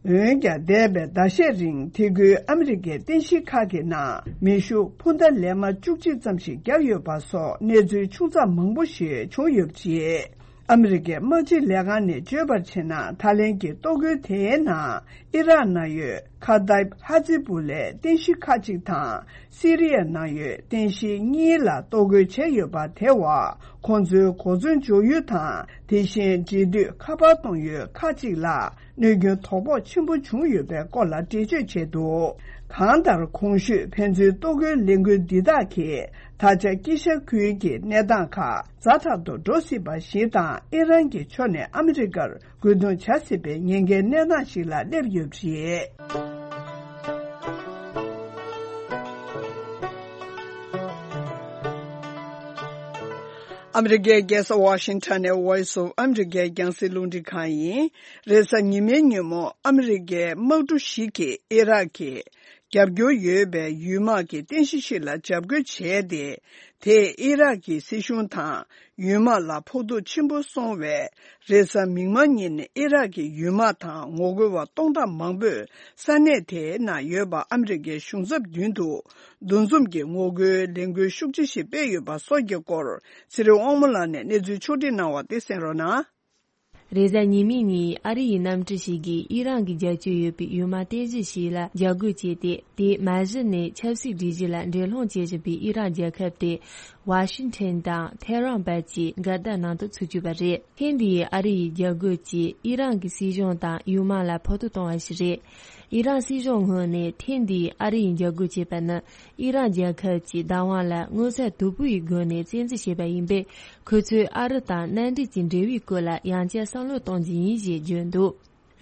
རེད། འོན་ཀྱང་། འདས་པའི་ཟླ་ཤས་རིང་དེ་ཁུལ་ཨ་མི་རི་ཀའི་རྟེན་གཞི་ཁག་གི་ནང་མེ་ཤུགས་འཕུར་མདའ་ལན་མ་བཅུ་གཅིག་ཙམ་ཞིག་བརྒྱབ་ཡོད་པ་སོགས་གནས་ཚུལ་ཆུང་ཙག་མང་པོ་ཞིག་བྱུང་ཡོད་པ་རེད། ཨ་མི་རི་ཀའི་དམག་སྤྱི་ལས་ཁང་ནས་བརྗོད་པར་བྱས་ན། ད་ལན་གྱི་གཏོར་རྒོལ་དེའི་ནང་ཨི་རག་ནང་ཡོད་ཁ་ཏའིབ་ཧ་ཛི་བུ་ལའི་རྟེན་གཞི་ཁག་ཅིག་དང་། སི་རི་ཡ་ནང་ཡོད་རྟེན་གཞི་གཉིས་ལ་གཏོར་རྒོལ་བྱས་ཡོད་པ་དེ་བ། ཁོང་ཚོའི་གོ་མཚོན་འཇོག་ཡུལ་དང་། དེ་བཞིན་འབྲེལ་མཐུད་ཁ་པར་གཏོང་ཡུལ་ཁག་ཅིག་ལ་གནོད་སྐྱོན་དོ་ཕོག་ཆེན་པོ་བྱུང་ཡོད་པའི་སྐོར་ལ་འགྲེལ་བརྗོད་བྱས་འདུག་གང་ལྟར། གོང་ཞུས་ཕན་ཚུན་གཏོར་རྒོལ་ལས་འགུལ་འདི་དག་གིས་ད་ཆ་དཀྱིལ་ཤར་ཁུལ་གྱི་གནས་སྟངས་ཁག་ཛ་དྲག་ཏུ་འགྲོ་སྲིད་པ་ཞིག་དང་། ཨི་རན་གྱི་ཕྱོགས་ནས་ཨ་མི་རི་ཀར་རྒོལ་རྡུང་བྱ་སྲིད་པའི་ཉེན་ཁའི་གནས་སྟངས་ཤིག་ལ་སླེབས་ཡོད་པ་རེད། ཨ་མི་རི་ཀའི་རྒྱལ་ས་ཝ་ཤིང་ཊོན་ནས་Voice of America རྒྱང་སྲིང་རླུང་འཕྲིན་ཁང་ཡིན། རེས་གཟའ་ཉི་མའི་ཉིན་མོ་ཨ་མི་རི་ཀའི་དམག་གྲུ་ཞིག་གིས་ཨི་རག་གི་རྒྱབ་སྐྱོར་ཡོད་པའི་ཡུལ་དམག་གི་རྟེན་གཞི་ཞིག་ལ་འཇབ་རྒོལ་བྱས་ཏེ། དེས་ཨི་རག་གི་སྲིད་གཞུང་དང་ཡུལ་དམག་ལ་ཕོག་ཐུག་ཆེན་པོ་སོང་བས། རེས་གཟའ་མིག་དམར་ཉིན་ཨི་རག་གི་ཡུལ་དམག་དང་ངོ་རྒོལ་བ་སྟོང་ཕྲག་མང་པོས་ས་གནས་དེའི་ནང་ཡོད་པ་ཨ་མི་རི་ཀའི་གཞུང་ཚབ་མདུན་དུ་འདུ་འཛོམས་ཀྱི་ངོ་རྒོལ་ལས་འགུལ་ཤུགས་ཆེ་ཞིག་སྤེལ་ཡོད་པ་སོགས་ཀྱི་སྐོར། ཚེ་རིང་དབང་མོ་ལགས་ནས་གནས་ཚུལ་ཕྱོགས་སྒྲིག་གནང་བ་དེ་གསན་རོགས་གནང་། རེས་གཟའ་ཉི་མའི་ཉིན་ཨ་རི་ཡི་གནམ་གྲུ་ཞིག་གིས་ཨི་རན་གྱི་རྒྱབ་སྐྱོར་ཡོད་པའི་གཡུལ་མ་རྟེན་གཞི་ཞིག་ལ་འཇབ་རྒོལ་བྱས་ཏེ། དེས་མ་གཞི་ནས་ཆབ་སྲིད་སྒྲིག་གཞི་ལ་འགྲན་སློང་བྱེད་བཞིན་པའི་ཨི་རན་རྒྱལ་ཁབ་དེ་ཝ་ཤིང་ཊོན་དང་ཐེ་རང་བར་གྱི་འགལ་ཟླ་ནང་དུ་ཚུད་བཅུག་པ་རེད། ཐེངས་འདིའི་ཨ་རི་ཡི་རྒྱབ་རྒོལ་གྱིས་ཨི་རན་གྱི་སྲིད་གཞུང་དང་གཡུལ་མ་ལ་ཕོག་ཐུག་བཏང་བ་ཞིག་རེད། ཨི་རན་སྲིད་གཞུང་ངོས་ནས་ཐེངས་འདིའི་ཨ་རི་ཡི་འཇབ་རྒོལ་བྱས་པ་ནི། ཨི་རན་རྒྱལ་ཁབ་ཀྱི་བདག་དབང་ལ་མངོན་གསལ་དོད་པོ་ཡི་སྒོ་ནས་བཙན་འཛུལ་བྱས་པ་ཡིན་པས། ཁོ་ཚོས་ཨ་རི་དང་མནའ་འབྲེལ་གྱི་འབྲེལ་བའི་སྐོར་ལ་ཡང་བསྐྱར་བསམ་བློ་གཏོང་རྒྱུ་ཡིན་ཞེས་བརྗོད་འདུག་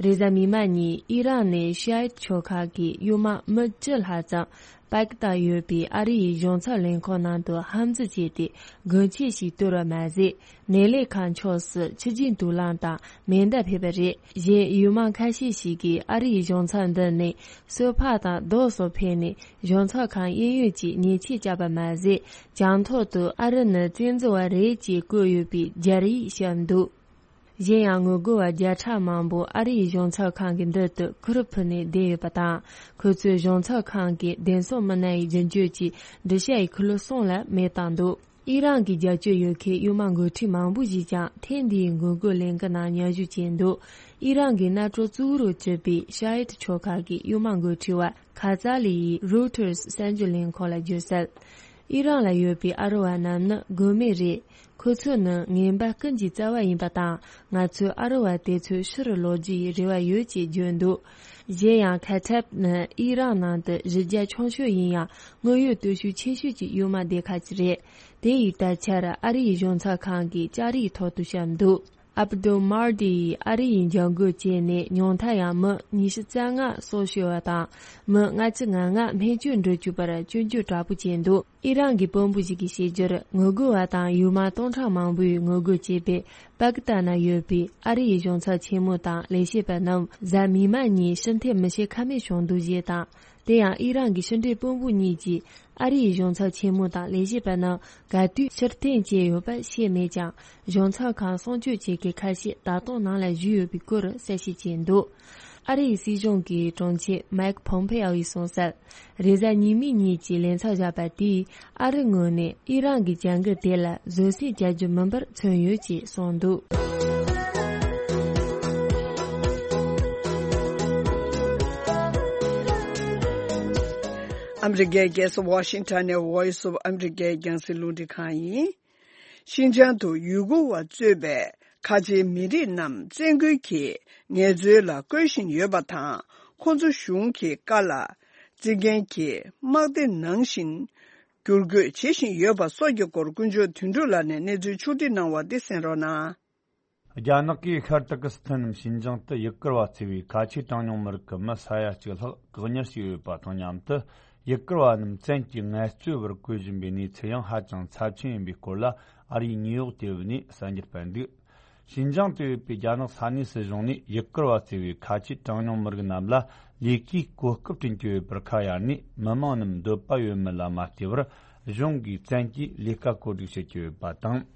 རེས་གཟའ་མིག་དམར་ཉིན་ཨི་རན་ནས་ཤི་ཨིཊ་ཆོལ་ཁ་གི་གཡུལ་མ་མི་བཅུ་ལྷག་ཙམ་པ་ཀི་སྟན་ཡོད་པའི་ཨ་རི་ཡི་གཞུང་ཚབ་ལས་ཁུངས་ནང་དུ་དམ་འཛིན་བྱས་ཏེ། དགུན་ཆས་ཤིག་བསྟོལ་བ་མ་ཟད། གནས་ལས་ཁང་ཕྱོགས་སུ་ཆུ་རྒྱུན་དུག་རླངས་དང་མེ་མདའ་ཕུལ་བ་རེད། གཞན་གཡུལ་མ་ཁ་ཤས་ཤིག་གིས་ཨ་རིའི་གཞུང་ཚབ་མདུན་ནས་སོ་ཕག་དང་རྡོ་སོགས་ཕུལ་ནས། གཞུང་ཚབ་ཁང་གཡས་གཡོན་གྱི་ཉེས་ཆད་བཅག་པ་མ་ཟད། བྱང་ཐོག་ཏུ་ཨ་རི་ནི་བཙན་འཛུལ་བ་རེད་ཅེས་བཀོད་ཡོད་པའི་རྒྱ་རིགས་བཤམས་འདུག་གཞན་ཡང་ངོ་རྒོལ་བ་བརྒྱ་ཕྲག་མང་པོ་ཨ་རིའི་གཞུང་ཚབ་ཁང་གི་མདུན་དུ་ཁུར་ཕུབ་ནས་བསྡད་ཡོད་པ་དང་། ཁོ་ཚོས་གཞུང་ཚབ་ཁང་གི་བདེན་སྲུང་མི་སྣ་ཡི་རྒྱུན་སྤྱོད་ཀྱི་འགྲུལ་བྱ་ཡི་ཁུ་ལུ་གསུམ་ལ་མེ་བཏང་འདུག་ཨི་རན་གྱི་རྒྱབ་སྐྱོར་ཡོད་མཁན་གཡུལ་མ་འགོ་ཁྲིད་མང་པོ་ཞིག་ཀྱང་ཐེངས་འདིའི་འགོག་རྒོལ་ལས་འགུལ་ནང་མཉམ་ཞུགས་བྱས་འདུག་ཨི་རན་གྱི་གནམ་གྲུ་གཙོ་བོར་གྱུར་པའི་ཤ་ཡིད་ཆོལ་ཁ་གི་གཡུལ་མ་འགོ་ཁྲིད་པ་ཁ་ཙ་ལི་ཡིས་རོའི་ཊར་གསར་འགྱུར་ལས་ཁང་ལ་བརྗོད་གསལ། ཨི་རན་ལ་ཡོད་པའི་ཨ་རི་བ་རྣམས་ནི་རྒོལ་མེད་རེད། ཁོ་ཚོ་ནི་ངན་པ་ཀུན་གྱི་རྩ་བ་ཡིན་པ་དང་། ང་ཚོས་ཨ་རི་བ་དེ་ཚོའི་ཕྱིར་ལོག་རྒྱུ་ཡི་རེ་བ་ཡོད་ཅེས་བརྗོད་འདུག་གཞན་ཡང་ཁ་ཐབ་ནི་ཨི་རན་ནང་དུ་གཞི་རྒྱ་ཆུང་ཤོས་ཡིན་ཡང་དངོས་ཡོད་སྟོབས་ཤུགས་ཆེ་ཤོས་ཀྱི་གཡུལ་མ་སྡེ་ཁག་ཅིག་རེད། དེ་ཡི་ད་ཆར་ཨ་རིའི་གཞུང་ཚབ་ཁང་གི་ལྕགས་རིའི་ཐོག་ཏུ་བཤམས་འདུག་ཨབ་དུལ་མར་དི་ཡིས་ཨ་རི་ཡི་འཇབ་རྒོལ་བྱས་ནས་ཉུང་མཐར་ཡང་མི་ཉི་ཤུ་རྩ་ལྔ་སྲོག་ཤོར་བ་དང་། མི་ལྔ་བཅུ་ང་ལྔ་སྨན་བཅོས་འགྲོ་བཅུག་པར་སྐྱོན་བརྗོད་དྲག་པོ་བྱས་འདུག་ཨི་རན་གྱི་དཔོན་པོ་ཞིག་གིས་བཤད་རྒྱུར། ངོ་རྒོལ་བ་དང་གཡུལ་མ་སྟོང་ཕྲག་མང་པོས་ངོ་རྒོལ་བྱས་པས། པ་ཀི་སྟན་ན་ཡོད་པའི་ཨ་རི་ཡི་གཞུང་ཚབ་ཆེན་མོ་དང་ལས་བྱེད་པ་རྣམས་གཟའ་མིག་དམར་ཉིན་ཕྱིར་འཐེན་མི་བྱེད་ཁ་མེད་བྱུང་འདུག་ཅེས་དང་། དེ་ཡང་ཨི་རན་གྱི་ཕྱི་འབྲེལ་དཔོན་པོ་གཉིས་ཀྱིས་ཨ་རི་ཡི་གཞུང་ཚབ་ཆེན་མོ་དང་ལས་བྱེད་པ་རྣམས་ག་དུས་ཕྱིར་འཐེན་བྱས་ཡོད་པ་ཤེས་མེད་ཀྱང་། གཞུང་ཚབ་ཁང་སྲུང་སྐྱོབ་བྱེད་མཁན་ཁ་ཤས་ད་དུང་ནང་ལ་བཞུགས་ཡོད་པའི་སྐོར་གསལ་བཤད་བྱས་འདུག་ཨ་རིའི་སྲིད་གཞུང་གི་དྲུང་ཆེ་མའེ་ཁི་ཕོམ་ཕེ་ཨོ་ཡིས་གསུངས་གསལ། རེས་གཟའ་ཉི་མའི་ཉིན་གྱི་ལས་འཚབ་བཞག་པ་དེས་ཨ་རི་ངོས་ནས་ཨི་རན་གྱི་བྱ་འགུལ་དེ་ལ་བཟོད་བསྲན་བྱ་རྒྱུ་མིན་པར་མཚོན་ཡོད་ཅེས་གསུངས་འདུག་ཨ་མི་རི་ཀའི་རྒྱལ་ས་ཝ་ཤིང་ཊོན་ནས་Voice of America རྒྱང་སྲིང་རླུང་འཕྲིན་ཁང་ཡིན། ཤིན་ཅང་དུ་ཡུ་གུར་བ་གཙོས་པའི་ཁ་ཆེའི་མི་རིགས་རྣམས་བཙན་རྒོལ་གྱིས་ངལ་རྩོལ་ལ་བཀོལ་བཞིན་ཡོད་པ་དང་། ཁོང་ཚོ་གཞུང་གི་བཀའ་ལ་བརྩི་མཁན་གྱི་དམག་སྡེ་ནང་བཞིན་བསྒྱུར་བཀོད་བྱེད་བཞིན་ཡོད་པ་སོགས་ཀྱི་སྐོར་ཀུན་སྤྱོད་དོན་གྲུབ་ལགས་ནས་གནས་ཚུལ་ཕྱོགས་སྒྲིག་གནང་བ་འདི་གསན་རོགས་གནང་། རྒྱ་ནག་གིས་ཤར་ཏུར་ཀི་སི་ཐན་ནམ་ཤིན་ཅང་དུ་ཡུ་གུར་བ་གཙོས་པའི་ཁ་ཆེའི་གྲངས་ཉུང་མི་རིགས་ཀྱི་མི་ས་ཡ་གཅིག་ལྷག་བཀག་ཉར་བྱས་ཡོད་པ་དང་མཉམ་དུ། ཡུ་གུར་བ་རྣམས་བཙན་གྱིས་ངལ་རྩོལ་བར་བཀོལ་བཞིན་པའི་གནས་ཚུལ་ཡང་ཧ་ཅང་ཚབས་ཆེན་ཡིན་པའི་སྐོར་ལ། ཨ་རིའི་ནིའུ་ཡོག་དེ་བུ་ནས་གསར་འགྱུར་སྤེལ་འདུག་ཤིན་ཅང་དུ་ཡོད་པའི་རྒྱ་ནག་ས་གནས་སྲིད་གཞུང་ནས་ཡུ་གུར་བ་གཙོས་པའི་ཁ་ཆེའི་གྲངས་ཉུང་མི་རིགས་རྣམས་ལ་ལས་ཀའི་གོ་སྐབས་བསྐྲུན་གྱི་ཡོད་པར་ཁ་གཡར་ནས། མི་མང་རྣམས་འདོད་པ་ཡོད་མེད་ལ་མ་ལྟོས་པར། གཞུང་གིས་བཙན་གྱིས་ལས་ཀ་བཀོད་སྒྲིག་བྱེད་ཀྱི་ཡོད་པ་དང་།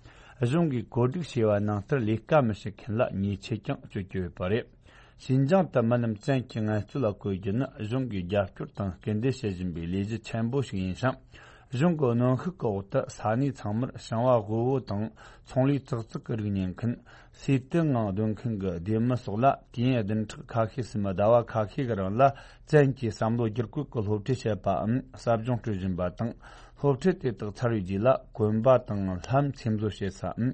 གཞུང་གིས་བཀོད་སྒྲིག་བྱས་པ་ནང་ལྟར་ལས་ཀ་མི་བྱེད་མཁན་ལ་ཉེས་ཆད་ཀྱང་གཅོད་ཀྱི་ཡོད་པ་རེད། ཤིན་ཅང་དུ་མི་རྣམས་བཙན་གྱིས་ངལ་རྩོལ་ལ་བཀོལ་རྒྱུ་ནི་གཞུང་གིས་རྒྱབ་སྐྱོར་དང་སྐུལ་འདེད་བྱེད་བཞིན་པའི་ལས་གཞི་ཆེན་པོ་ཞིག་ཡིན་ཞིང་། གཞུང་གི་གནོན་ཤུགས་ཀྱི་འོག་ཏུ་ས་གནས་ཚང་མར་ཞིང་བ་དབུལ་བོ་དང་། ཚོང་ལས་ཙག་ཙིག་གི་རིགས་ཉོ་མཁན། ཟས་དུག་ངང་སྡོད་མཁན་གྱི་སྡེ་མི་སོགས་ལ་དུས་ཡུན་བདུན་ཕྲག་ཁ་ཤས་སུ་མི་ཟླ་བ་ཁ་ཤས་ཀྱི་རིང་ལ་བཙན་གྱིས་བསམ་བློ་བསྒྱུར་བཀོད་ཀྱི་སློབ་ཁྲིད་བྱེད་པའམ་ཟབ་སྦྱོང་སྤྲོད་བཞིན་པ་དང་། སློབ་ཁྲིད་དེ་དག་ཚར་བའི་རྗེས་ལ་གོན་པ་དང་ལྷམ་འཚེམ་བཟོ་བྱེད་སའམ་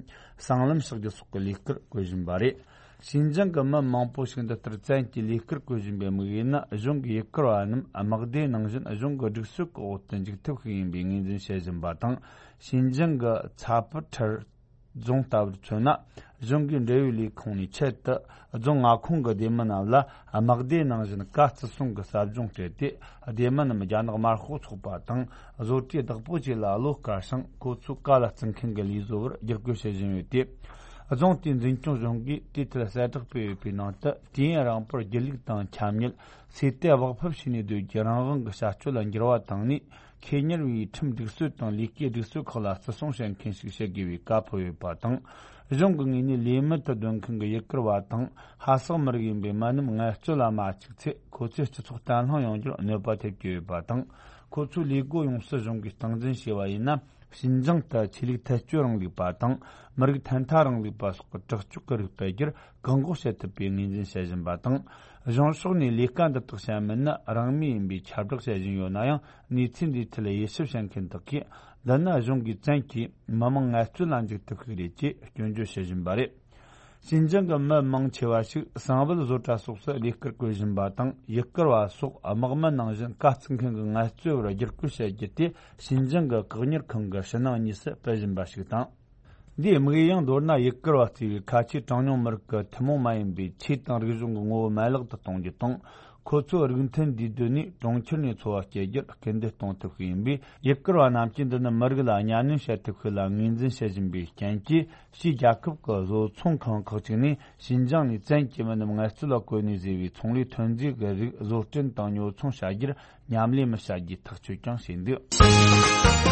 སྲང་ལམ་གཤགས་རྒྱུ་སོགས་ཀྱི་ལས་ཀར་བཀོལ་བཞིན་པ་རེད། ཤིན་ཅང་གི་མི་མང་པོ་ཞིག་འདི་ལྟར་བཙན་གྱིས་ལས་ཀར་བཀོལ་བཞིན་པའི་དམིགས་ཡུལ་ནི། གཞུང་གི་ཡུ་གུར་བ་རྣམས་དམག་སྡེ་ནང་བཞིན་གཞུང་གི་སྒྲིག་སྲོལ་གྱི་འོག་ཏུ་འཇུག་ཐབས་ཤིག་ཡིན་པའི་ངོས་འཛིན་བྱེད་བཞིན་པ་དང་། ཤིན་ཅང་གི་ཚ་པུ་ཁྲེར་རྫོང་ལྟ་བུར་མཚོན་ན། གཞུང་གི་འབྲེལ་ཡོད་ལས་ཁུངས་ནས་ཆེད་དུ་རྫོང་མངའ་ཁོངས་ཀྱི་སྡེ་མི་རྣམས་ལ་དམག་སྡེ་ནང་བཞིན་ཀ་བརྩི་སྲུང་གི་ཟབ་སྦྱོང་སྤྲད་དེ། སྡེ་མི་རྣམས་རྒྱ་ནག་དམར་ཤོག་ཚོགས་པ་དང་བཟོ་གྲྭའི་བདག་པོ་བཅས་ལ་བློ་དཀར་ཞིང་། ཁོ་ཚོའི་བཀའ་ལ་བརྩི་མཁན་གྱི་ལས་བཟོ་བར་བསྒྱུར་བཀོད་བྱེད་བཞིན་ཡོད་དེ། རྫོང་དེའི་འཛིན་སྐྱོང་གཞུང་གིས་དེའི་ཐད་གསལ་བསྒྲགས་སྤེལ་ཡོད་པའི་ནང་དུ། དུས་ཡུན་རིང་པོར་སྒྱིད་ལུག་དང་འཁྱམ་ཉུལ། ཟས་དུག་སྦགས་ཕབ་བྱས་ནས་སྡོད་རྒྱུའི་རང་དབང་གི་བྱ་སྤྱོད་ལ་འགྱུར་བ་བཏང་ནས། ཁེ་གཉེར་བའི་ཁྲིམས་སྒྲིག་སྲོལ་དང་ལས་ཀའི་སྒྲིག་སྲོལ་ཁག་ལ་བརྩི་སྲུང་བྱེད་མཁན་ཞིག་བྱེད་དགོས་པའི་བཀའ་ཕབ་ཡོད་པ་དང་། གཞུང་གི་ངོས་ནས་ལས་མི་དུ་སྡོད་མཁན་གྱི་ཡུ་གུར་བ་དང་ཧ་སག་མི་རིགས་ཡིན་པའི་མི་རྣམས་ངལ་རྩོལ་ལ་མ་བཅུག་ཚེ། ཁོ་ཚོས་སྤྱི་ཚོགས་བརྟན་ལྷིང་ཡོང་རྒྱུར་གནོད་པ་ཐེབས་ཀྱི་ཡོད་པ་དང་། ཁོ་ཚོའི་ལས་སྒོ་ཡོངས་སུ་གཞུང་གིས་སྟངས་འཛིན་བྱས་པ་ཡིན་ན། ཞིན་ཅང་དུ་ཆོས་ལུགས་ཐལ་སྐྱོད་རིང་ལུགས་པ་དང་མི་རིགས་ཐོག་མཐའ་རིང་ལུགས་པ་སོགས་ཀྱི་དྲག་སྤྱོད་ཀྱི་རིགས་སྤེལ་རྒྱུར་བཀག་འགོག་བྱེད་ཐུབ་པའི་ངོས་འཛིན་བྱེད་བཞིན་པ་དང་། གཞུང་ཕྱོགས་ནས་ལས་ཀ་འདི་དག་བྱ་མིན་ནི་རང་མོས་ཡིན་པའི་ཁྱབ་བསྒྲགས་བྱེད་བཞིན་ཡོད་ན་ཡང་། གནས་ཚུལ་འདིའི་ཐད་དབྱེ་ཞིབ་བྱེད་མཁན་དག་གིས། འདི་ནི་གཞུང་གིས་བཙན་གྱིས་མི་མང་ངལ་རྩོལ་ལ་འཇུག་ཐུབ་ཤིག་རེད་ཅེས་སྐྱོན་བརྗོད་བྱེད་བཞིན་པ་རེད། ཞིན་ཅང་གི་མི་མང་ཆེ་བ་ཞིག་གསང་བའི་བཟོ་གྲྭ་སོགས་སུ་ལས་ཀར་བཀོལ་བཞིན་པ་དང་། ཡུལ་སྐོར་བ་སོགས་དམག་མི་ནང་བཞིན་དཀའ་བརྩི་མཁན་གྱི་ངལ་རྩོལ་བར་བསྒྱུར་བཀོད་བྱེད་རྒྱུ་དེ། ཞིན་ཅང་གི་བཀག་ཉར་ཁང་གི་ཕྱི་ནང་གཉིས་སུ་སྤེལ་བཞིན་པ་ཞིག་དང་། འདིའི་དམིགས་ཡུལ་ཡང་མདོར་ན་ཡུལ་སྐོར་བ་གཙོས་པའི་ཁ་ཆེའི་གྲངས་ཉུང་མི་རིགས་ཀྱི་ཐུན་མོང་མ་ཡིན་པའི་ཆོས་དང་རིག་གཞུང་གི་ངོ་བོ་མ་ལག་ཏུ་གཏོང་རྒྱུ་དང་། ཁོ་ཚོའི་རིགས་མཐུན་འདུས་སྡོད་ནས་གྲོང་ཁྱེར་ནས་འཚོ་བ་སྐྱེལ་རྒྱུར་སྐུལ་འདེད་གཏོང་ཐུབ་ཀྱི་ཡིན་པས། ཡུལ་སྐོར་བ་རྣམས་ཀྱིས་འདི་ནི་མི་རིགས་ལ་གཉའ་གནོན་བྱེད་ཐུབ་ཤིག་ལ་ངོས་འཛིན་བྱེད་བཞིན་པའི་རྐྱེན་གྱིས། ཕྱིའི་རྒྱལ་ཁབ་ཀྱི་བཟོ་ཚོང་ཁང་ཁག་ཅིག་ནས་ཞིན་ཅང་ནས་བཙན་གྱིས་མི་རྣམས་ངལ་རྩོལ་ལ་བཀོལ་ནས་བཟོས་པའི་ཚོང་ལས་ཐོན་རྫས་ཀྱི་རིགས་བཟོ་སྐྲུན་དང་ཉོ་ཚོང་བྱ་རྒྱུར་མཉམ་ལས་མི་བྱ་རྒྱུའི་ཐག་གཅོད་ཀྱང་བྱས་འདུག།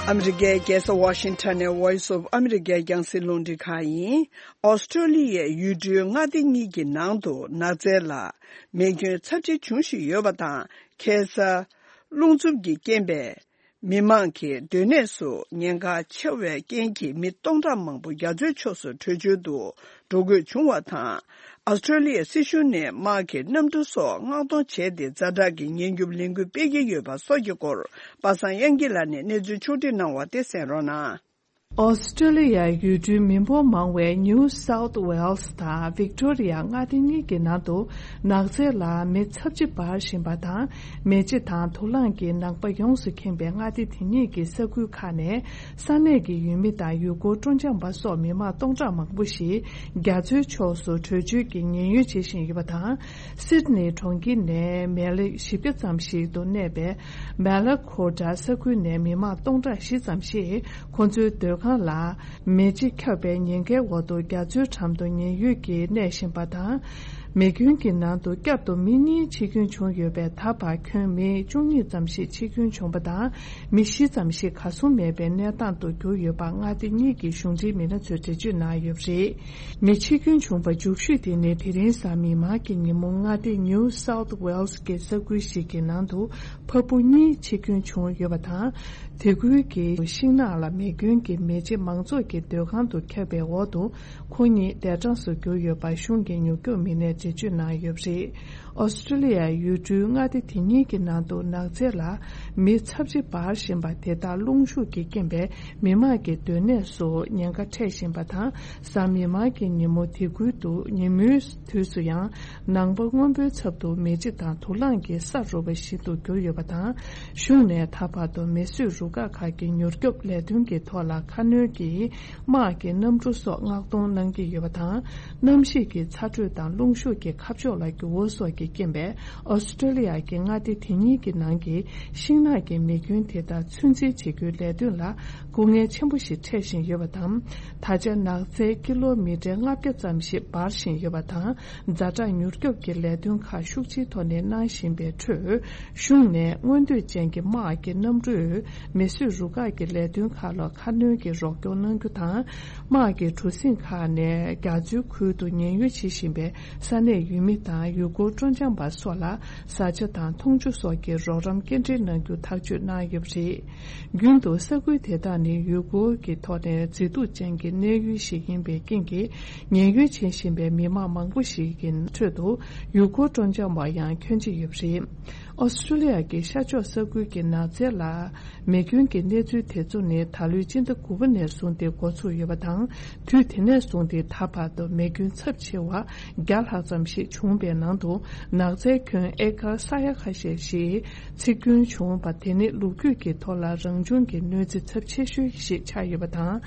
ཨ་མི་རི་ཀའི་རྒྱལ་ས་ཝ་ཤིང་ཊོན་ནས་Voice of America རྒྱང་སྲིང་རླུང་འཕྲིན་ཁང་ཡིན། ཨོ་སི་ཀྲོ་ལི་ཡའི་ཡུལ་གྲུའི་མངའ་སྡེ་གཉིས་ཀྱི་ནང་དུ་ནགས་ཚལ་ལ་མེ་སྐྱོན་ཚབས་ཆེ་འབྱུང་བཞིན་ཡོད་པ་དང་། ཁ་སང་རླུང་འཚུབ་ཀྱི་རྐྱེན་པས། མི་མང་གི་སྡོད་གནས་སུ་ཉེན་ཁ་ཆེ་བའི་རྐྱེན་གྱིས་མི་སྟོང་ཕྲག་མང་པོ་རྒྱ་མཚོའི་ཕྱོགས་སུ་བྲོས་བྱོལ་དུ་འགྲོ་དགོས་བྱུང་བ་དང་། ཨོ་སི་ཀྲོ་ལི་ཡའི་སྲིད་གཞུང་ནས་དམག་གི་གནམ་གྲུ་སོགས་མངགས་གཏོང་བྱས་ཏེ། ཛ་དྲག་གི་ཉེན་སྐྱོབ་ལས་འགུལ་སྤེལ་གྱི་ཡོད་པ་སོགས་ཀྱི་སྐོར། པ་སངས་དབྱངས་སྐྱིད་ལགས་ནས་གནས་ཚུལ་ཕྱོགས་བསྒྲིགས་གནང་བ་དེ་གསན་རོགས་གནང་། ཨོ་སི་ཀྲོ་ལི་ཡའི་ཡུལ་གྲུའི་མི་འབོར་མང་བའི་New South Wales དང་Victoria མངའ་སྡེ་གཉིས་ཀྱི་ནང་དུ་ནགས་ཚལ་ལ་མེ་ཚབས་ཆེ་འབར་བཞིན་པ་དང་། མེ་ལྕེ་དང་དུག་རླངས་ཀྱི་ནམ་མཁའ་ཡོངས་སུ་ཁེངས་པའི་མངའ་སྡེ་དེ་གཉིས་ཀྱི་ས་ཁུལ་ཁག་ནས་ས་གནས་ཀྱི་ཡུལ་མི་དང་ཡུལ་སྐོར་སྤྲོ་འཆམ་པ་སོགས་མི་མང་སྟོང་ཕྲག་མང་པོ་ཞིག་རྒྱ་མཚོའི་ཕྱོགས་སུ་བྲོས་བྱོལ་གྱི་ཉེན་གཡོལ་བྱེད་བཞིན་ཡོད་པ་དང་། སིད་ནི་གྲོང་ཁྱེར་ནས་མལ་ལེ་བཞི་བརྒྱ་ཙམ་ཞིག་ཏུ་གནས་པའི་མེ་ལ་ཁོ་ཏྲ་ས་ཁུལ་ནས་མི་མང་སྟོང་ཕྲག་བཞི་ཙམ་ཞིག་ཁོ་ཚོའི་སྡོད་ཁང་ལ་མེ་ལྕེ་ཁྱབ་པའི་ཉེན་ཁའི་འོག་ཏུ་རྒྱ་མཚོའི་འགྲམ་དུ་ཉེན་གཡོལ་གྱིས་གནས་བཞིན་པ་དང་། མེ་སྐྱོན་གྱི་ནང་དུ་བསྐྱར་དུ་མི་གཉིས་འཆི་སྐྱོན་བྱུང་ཡོད་པས། ད་བར་ཁྱོན་མི་བཅུ་གཉིས་ཙམ་ཞིག་འཆི་སྐྱོན་བྱུང་བ་དང་། མི་བཞི་ཙམ་ཞིག་གར་སོང་མེད་པའི་གནས་སྟངས་སུ་གྱུར་ཡོད་པ་མངའ་སྡེ་གཉིས་ཀྱི་གཞུང་འབྲེལ་མི་སྣ་ཚོས་འགྲེལ་བརྗོད་གནང་ཡོད་པ་རེད། མི་འཆི་སྐྱོན་བྱུང་བ་མཇུག་ཤོས་དེ་ནི་དེ་རིང་གཟའ་མིག་དམར་གྱི་ཉིན་མོ་མངའ་སྡེ་New South Wales གྱི་ས་ཁུལ་ཞིག་གི་ནང་དུ་ཕ་བུ་གཉིས་འཆི་སྐྱོན་བྱུང་ཡོད་པ་དང་། དེ་ཁུལ་གྱི་ཤིང་ནགས་ལ་མེ་སྐྱོན་གྱི་མེ་ལྕེ་མང་ཚོགས་ཀྱི་སྡོད་ཁང་དུ་ཁྱབ་པའི་འོག་ཏུ་ཁོ་གཉིས་འདས་གྲོངས་སུ་གྱུར་ཡོད་པ་གཞུང་གི་མྱུར་སྐྱོབ་མི་སྣས་འགྲེལ་བརྗོད་གནང་ཡོད་པ་རེད། ཨོ་སི་ཀྲོ་ལི་ཡའི་ཡུལ་གྲུའི་མངའ་སྡེ་དེ་གཉིས་ཀྱི་ནང་དུ་ནགས་ཚལ་ལ་མེ་ཚབས་ཆེ་འབར་བཞིན་པ་དེ་དག་རླུང་ཤུགས་ཀྱི་རྐྱེན་པས་མི་མང་གི་སྡོད་གནས་སུ་ཉེན་ཁ་འཕྲད་བཞིན་པ་དང་། གཟའ་མིག་དམར་གྱི་ཉིན་མོ་དེ་ཁུལ་དུ་ཉིན་མོའི་དུས་སུ་ཡང་ནངས་པ་སྔོན་པོའི་ཚབ་ཏུ་མེ་ལྕེ་དང་དུག་རླངས་ཀྱི་ས་རུབ་པ་ཞིག་ཏུ་གྱུར་ཡོད་པ་དང་། གཞུང་ནས་ད་བར་དུ་མེ་གསོད་རུ་ཁག་ཁག་གི་མྱུར་སྐྱོབ་ལས་དོན་གྱི་ཐོག་ལ་ཁ་སྣོན་གྱིས་དམག་གི་གནམ་གྲུ་སོགས་མངགས་གཏོང་གནང་གི་ཡོད་པ་དང་། གནམ་གཤིས་ཀྱི་ཚ་དྲོད་དང་རླུང་ཤུགས་ཀྱི་ཁ་ཕྱོགས་ལ་འགྱུར་བ་སོགས་ཀྱི་རྐྱེན་པས། ཨོ་སི་ཀྲོ་ལི་ཡ་གི་མངའ་སྡེ་དེ་གཉིས་ཀྱི་ནང་གི་ཤིང་ནགས་ཀྱི་མེ་སྐྱོན་དེ་དག་ཚོད་འཛིན་བྱེད་རྒྱུའི་ལས་དོན་ལ་སྐུ་ངལ་ཆེན་པོ་ཞིག་འཕྲད་བཞིན་ཡོད་པ་དང་། ད་ཆ་ནགས་ཚལ་ཀི་ལོ་མི་ཊར་ལྔ་བརྒྱ་ཙམ་ཞིག་འབར་བཞིན་ཡོད་པ་དང་། ཛ་དྲག་མྱུར་སྐྱོབ་ཀྱི་ལས་དོན་ཁག་ཤུགས་ཆེའི་ཐོག་ནས་གནང་བཞིན་པའི་ཁྲོད། གཞུང་ནས་མངོན་འདོད་ཅན་གྱི་དམག་གི་གནམ་གྲུས་མེ་གསོད་རུ་ཁག་གི་ལས་དོན་ཁག་ལ་ཁ་སྣོན་གྱིས་རོགས་སྐྱོར་གནང་རྒྱུ་དང་། དམག་གི་གྲུ་གཟིངས་ཁག་ནས་རྒྱ་མཚོའི་ཁུལ་དུ་ཉེན་གཡོལ་བྱེད་བཞིན་པའི་ས་གནས་ཡུལ་མི་དང་ཡུལ་སྐོར་སྤྲོ་འཆམ་པ་སོགས་ལ་བཟའ་བཅའ་དང་འཐུང་ཆུ་སོགས་ཀྱི་རོགས་རམ་སྐྱེལ་འདྲེན་གནང་རྒྱུ་ཐག་གཅོད་གནང་ཡོད་པ་རེད། རྒྱུན་དུ་ས་ཁུལ་དེ་དག་ནི་ཡུལ་སྐོར་གྱི་ཐོག་ནས་མཛེས་སྡུག་ཅན་གྱི་གནས་ཡུལ་ཞིག་ཡིན་པའི་རྐྱེན་གྱིས། ཉེན་གཡོལ་བྱེད་བཞིན་པའི་མི་མང་མང་པོ་ཞིག་གི་ཁྲོད་དུ་ཡུལ་སྐོར་སྤྲོ་འཆམ་པ་ཡང་ཁྱོན་ཆེ་ཡོད་པ་རེད། ཨོ་སི་ཀྲོ་ལི་ཡ་གི་ཤར་ཕྱོགས་ས་ཁུལ་གྱི་ནགས་ཚལ་ལ་མེ་སྐྱོན་གྱི་གནས་ཚུལ་དེ་ཚོ་ནི་ད་ལོའི་སྤྱི་ཟླ་དགུ་པ་ནས་བཟུང་སྟེ་འགོ་ཚུགས་ཡོད་པ་དང་། དུས་དེ་ནས་བཟུང་སྟེ་ད་བར་དུ་མེ་སྐྱོན་ཚབས་ཆེ་བ་བརྒྱ་ལྷག་ཙམ་ཞིག་བྱུང་བའི་ནང་དུ། ནགས་ཚལ་ཁྱོན་ཨེ་ཀར་ས་ཡ་ཁ་ཤས་ཤིག་འཚིག་སྐྱོན་བྱུང་བ་དེ་ནི་ལོ་རྒྱུས་ཀྱི་ཐོག་ལ་རང་བྱུང་གི་གནོད་འཚེ་ཚབས་ཆེ་ཤོས་ཤིག་ཆགས་ཡོད་པ་དང་།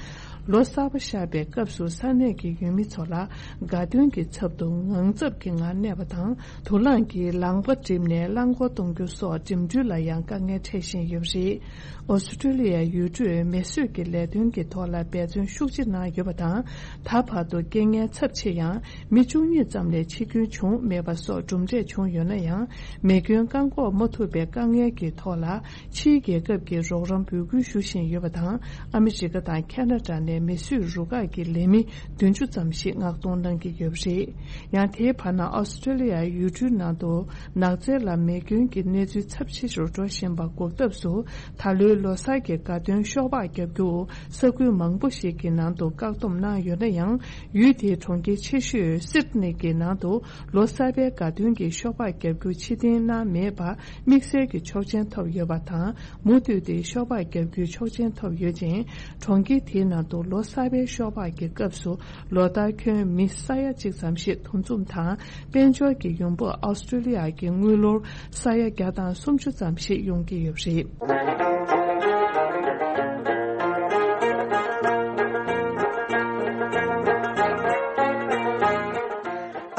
ལོ་གསར་པ་ཤར་བའི་སྐབས་སུ་ས་གནས་ཀྱི་ཡུལ་མི་ཚོ་ལ་དགའ་སྟོན་གྱི་ཚབ་ཏུ་ངང་ཚབ་ཀྱི་ངང་གནས་པ་དང་། དུག་རླངས་ཀྱིས་ལངས་པ་བསྒྲིབས་ནས་རླངས་འཁོར་གཏོང་རྒྱུ་སོགས་འགྲིམ་འགྲུལ་ལ་ཡང་དཀའ་ངལ་འཕྲད་བཞིན་ཡོད་པ་རེད། ཨོ་སི་ཀྲོ་ལི་ཡ་ཡུལ་གྲུས་མེ་གསོད་ཀྱི་ལས་དོན་གྱི་ཐོག་ལ་འབད་བརྩོན་ཤུགས་ཆེ་གནང་ཡོད་པ་དང་། ད་བར་དུ་རྐྱེན་ངན་ཚབས་ཆེ་ཡང་མི་བཅུ་གཉིས་ཙམ་ལས་འཆི་སྐྱོན་བྱུང་མེད་པ་སོགས་གྲུབ་འབྲས་བྱུང་ཡོད་ན་ཡང་། མེ་སྐྱོན་བཀག་འགོག་མ་ཐུབ་པའི་དཀའ་ངལ་གྱི་ཐོག་ལ་ཕྱིའི་རྒྱལ་ཁབ་ཀྱིས་རོགས་རམ་འབོད་སྐུལ་ཞུ་བཞིན་ཡོད་པ་དང་། ཨ་མི་རི་ཀ་དང་ཁ་ན་ཌ་ནས། མེ་གསོད་རུ་ཁག་གི་ལས་མི་བདུན་ཅུ་ཙམ་ཞིག་མངགས་གཏོང་གནང་གི་ཡོད་པ་རེད། ཡང་དེའི་བར་ན་ཨོ་སི་ཀྲོ་ལི་ཡའི་ཡུལ་གྲུའི་ནང་དུ་ནགས་ཚལ་ལ་མེ་སྐྱོན་གྱི་གནས་ཚུལ་ཚབས་ཆེ་རུ་འགྲོ་བཞིན་པ་འགོག་ཐབས་སུ། ད་ལོའི་ལོ་གསར་གྱི་དགའ་སྟོན་ཤོག་སྦག་བརྒྱབ་རྒྱུ་ས་ཁུལ་མང་པོ་ཞིག་གི་ནང་དུ་བཀག་སྡོམ་གནང་ཡོད་ན་ཡང་། ཡུལ་དེའི་གྲོང་ཁྱེར་ཆེ་ཤོས་སིད་ནི་གི་ནང་དུ་ལོ་གསར་པའི་དགའ་སྟོན་གྱི་ཤོག་སྦག་བརྒྱབ་རྒྱུ་ཕྱིར་འཐེན་གནང་མེད་པ་དམིགས་བསལ་གྱི་ཆོག་མཆན་ཐོབ་ཡོད་པ་དང་། མུ་མཐུད་དེ་ཤོག་སྦག་བརྒྱབ་རྒྱུའི་ཆོག་མཆན་ཐོབ་ཡོད་ཅིང་། གྲོང་ཁྱེར་དེའི་ནང་དུ་ལོ་གསར་པའི་ཤོག་སྦག་གི་སྐབས་སུ་ལོ་ལྟར་ཁྱོན་མི་ས་ཡ་གཅིག་ཙམ་ཞིག་འདུ་འཛོམས་དང་། དཔལ་འབྱོར་གྱི་ཡོང་འབབ་ཨོ་སི་ཀྲོ་ལི་ཡ་གི་དངུལ་ལོར་ས་ཡ་བརྒྱ་དང་སུམ་ཅུ་ཙམ་ཞིག་ཡོང་གི་ཡོད་པ་རེད།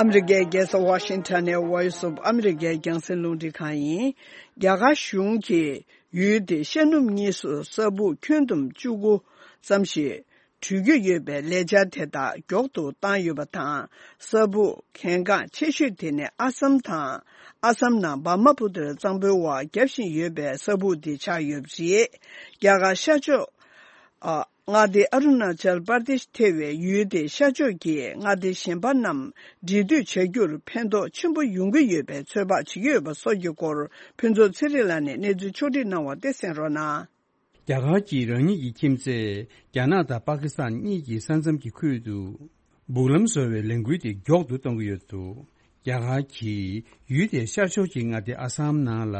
ཨ་མི་རི་ཀའི་རྒྱལ་ས་ཝ་ཤིང་ཊོན་ནས་Voice of America་རྒྱང་སྲིང་རླུང་འཕྲིན་ཁང་ཡིན། རྒྱ་གར་གཞུང་གིས་ཡུལ་དེའི་ཤར་ནུབ་གཉིས་སུ་ས་སྦུག་ཁྱོན་བསྡོམས་བཅུ་དགུ་ཙམ་ཞིག་དྲུད་ཀྱི་ཡོད་པའི་ལས་འཆར་དེ་དག་མགྱོགས་སུ་བཏང་ཡོད་པ་དང་། ས་སྦུག་གལ་འགངས་ཆེ་ཤོས་དེ་ནི་ཨ་སམ་དང་། ཨ་སམ་ནང་བྷར་མ་པུ་ཏར་གཙང་པོའི་འོག་བརྒྱབ་བཞིན་ཡོད་པའི་ས་སྦུག་དེ་ཆགས་ཡོད་པ་རེད། རྒྱ་གར་ཤར་ཕྱོགས། ཨ། མངའ་སྡེ་ཨ་རུ་ན་ཅལ་པར་དེཤ་ཐེ་བའི་ཡུལ་དེའི་ཤར་ཕྱོགས་ཀྱི་མངའ་སྡེ་གཞན་པ་རྣམས་འབྲེལ་མཐུད་བྱ་རྒྱུར་ཕན་ཐོགས་ཆེན་པོ་ཡོང་གི་ཡོད་པའི་ཚོད་དཔག་བྱེད་ཀྱི་ཡོད་པ་སོགས་ཀྱི་སྐོར་ཕུན་ཚོགས་ཚེ་རིང་ལགས་ནས་གནས་ཚུལ་ཕྱོགས་སྒྲིག་གནང་བ་དེ་གསན་རོགས་གནང་། རྒྱ་གར་གྱིས་རང་ཉིད་ཀྱི་ཁྱིམ་མཚེས་རྒྱ་ནག་དང་པ་ཀི་སི་ཐན་གཉིས་ཀྱི་ས་མཚམས་ཀྱི་ཁུལ་དུ་སྦུག་ལམ་བཟོ་བའི་ལས་འགུལ་དེ་མགྱོགས་སུ་གཏོང་གི་ཡོད་འདུག་རྒྱ་གར་གྱིས་ཡུལ་དེའི་ཤར་ཕྱོགས་ཀྱི་མངའ་སྡེ་ཨ་སམ་ནང་ལ་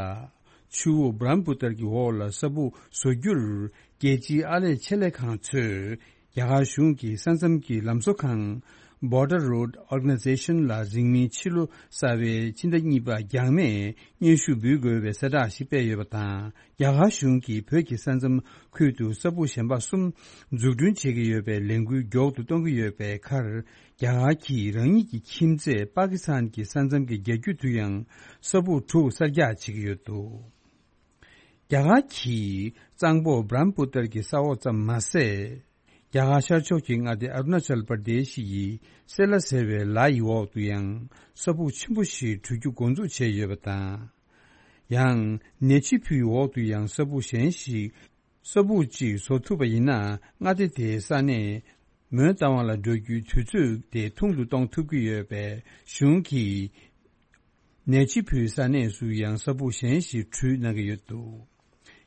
ཆུ་བོ་བྷ་རམ་པུ་ཏར་གྱི་འོག་ལ་ས་སྦུག་བཟོ་རྒྱུར་རྒྱལ་སྤྱིའི་ཨར་ལས་ཆེད་ལས་ཁང་ཚོས་རྒྱ་གར་གཞུང་གི་ས་མཚམས་ཀྱི་ལམ་བཟོ་ཁང་Border Road Organization་ལ་རིང་མིན་ཕྱི་ལོ་གསར་བའི་ཕྱི་ཟླ་གཉིས་པ་འགྱངས་མེད་སྙན་ཞུ་འབུལ་དགོས་པའི་གསལ་བསྒྲགས་ཤིག་སྤེལ་ཡོད་པ་དང་། རྒྱ་གར་གཞུང་གིས་བོད་ཀྱི་ས་མཚམས་ཁུལ་དུ་ས་སྦུག་གཞན་པ་གསུམ་འཛུགས་སྐྲུན་བྱེད་ཀྱི་ཡོད་པའི་ལས་འགུལ་མགྱོགས་སུ་གཏོང་གི་ཡོད་པའི་ཁར། རྒྱ་གར་གྱིས་རང་ཉིད་ཀྱི་ཁྱིམ་མཚེས་པ་ཀི་སི་ཐན་གྱི་ས་མཚམས་ཀྱི་རྒྱ་ཁྱོན་དུ་ཡང་ས་སྦུག་དྲུག་གསར་རྒྱག་བྱེད་ཀྱི་ཡོད་འདུག་རྒྱ་གར་གྱིས་གཙང་པོ་བྷ་རམ་པུ་ཏར་གྱི་ས་འོག་ཙམ་མ་ཟད། རྒྱ་གར་ཤར་ཕྱོགས་ཀྱི་མངའ་སྡེ་ཨ་རུ་ན་ཅལ་པར་དེ་ཤི་ཡི་སེ་ལ་ཟེར་བའི་ལ་ཡི་འོག་ཏུ་ཡང་ས་སྦུག་ཆེན་པོ་ཞིག་དྲུད་རྒྱུ་འགོ་འཛུགས་བྱས་ཡོད་པ་དང་། ཡང་ནེ་ཆི་ཕུའི་འོག་ཏུ་ཡང་ས་སྦུག་གཞན་ཞིག་ས་སྦུག་ཅིག་བཟོ་ཐུབ་པ་ཡིན་ན། མངའ་སྡེ་དེའི་ས་གནས་མོན་རྟ་དབང་ལ་འགྲོ་རྒྱུའི་དུས་ཚོད་དེ་ཐུང་དུ་གཏོང་ཐུབ་ཀྱི་ཡོད་པས། གཞུང་གིས་ནེ་ཆི་ཕུའི་ས་གནས་སུ་ཡང་ས་སྦུག་གཞན་ཞིག་དྲུད་གནང་གི་ཡོད་འདུག་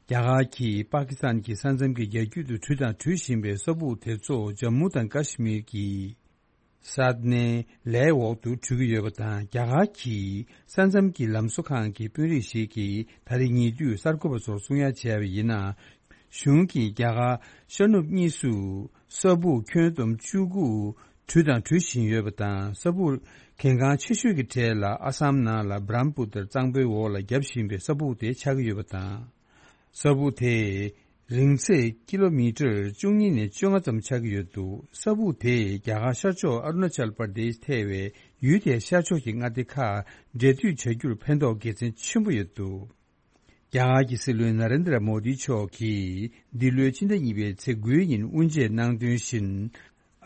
རྒྱ་གར་གྱིས་པ་ཀི་སི་ཐན་གྱི་ས་མཚམས་ཀྱི་རྒྱ་ཁྱོན་དུ་དྲུད་དང་དྲུད་བཞིན་པའི་ས་སྦུག་དེ་ཚོ་ཇམ་མུ་དང་ཀ་ཤི་མིར་གྱི་སཱད་ནེ་ལའི་འོག་ཏུ་དྲུད་ཀྱི་ཡོད་པ་དང་། རྒྱ་གར་གྱི་ས་མཚམས་ཀྱི་ལམ་བཟོ་ཁང་གི་དཔོན་རིགས་ཤིག་གིས་ད་རེས་ཉེ་དུས་གསར་འགོད་པ་ཚོར་གསུང་ཡ་བྱས་པ་ཡིན་ན། གཞུང་གིས་རྒྱ་གར་ཤར་ནུབ་གཉིས་སུ་ས་སྦུག་ཁྱོན་བསྡོམས་བཅུ་དགུ་དྲུད་དང་དྲུད་བཞིན་ཡོད་པ་དང་། ས་སྦུག་གལ་འགངས་ཆེ་ཤོས་ཀྱི་གྲས་ལ་ཨ་སམ་ནང་ལ་བྷ་རམ་པུ་ཏར་གཙང་པོའི་འོག་ལ་བརྒྱབ་བཞིན་པའི་ས་སྦུག་དེ་ཆགས་ཀྱི་ཡོད་པ་དང་། ས་སྦུག་དེ་རིང་ཚད་ཀི་ལོ་མི་ཊར་བཅུ་གཉིས་ནས་བཅོ་ལྔ་ཙམ་ཆགས་ཀྱི་ཡོད་འདུག་ས་སྦུག་དེས་རྒྱ་གར་ཤར་ཕྱོགས་ཨ་རུ་ན་ཅལ་པར་དེཤ་ཐེ་བའི་ཡུལ་དེའི་ཤར་ཕྱོགས་ཀྱི་མངའ་སྡེ་ཁག་འབྲེལ་མཐུད་བྱ་རྒྱུར་ཕན་ཐོགས་དགེ་མཚན་ཆེན་པོ་ཡོད་འདུག་རྒྱ་གར་གྱི་སྲིད་བློན་ན་རེན་དྲ་མོ་དི་མཆོག་གིས་འདི་ལོའི་ཕྱི་ཟླ་གཉིས་པའི་ཚེས་དགུའི་ཉིན་དབུ་འབྱེད་གནང་དོན་བཞིན།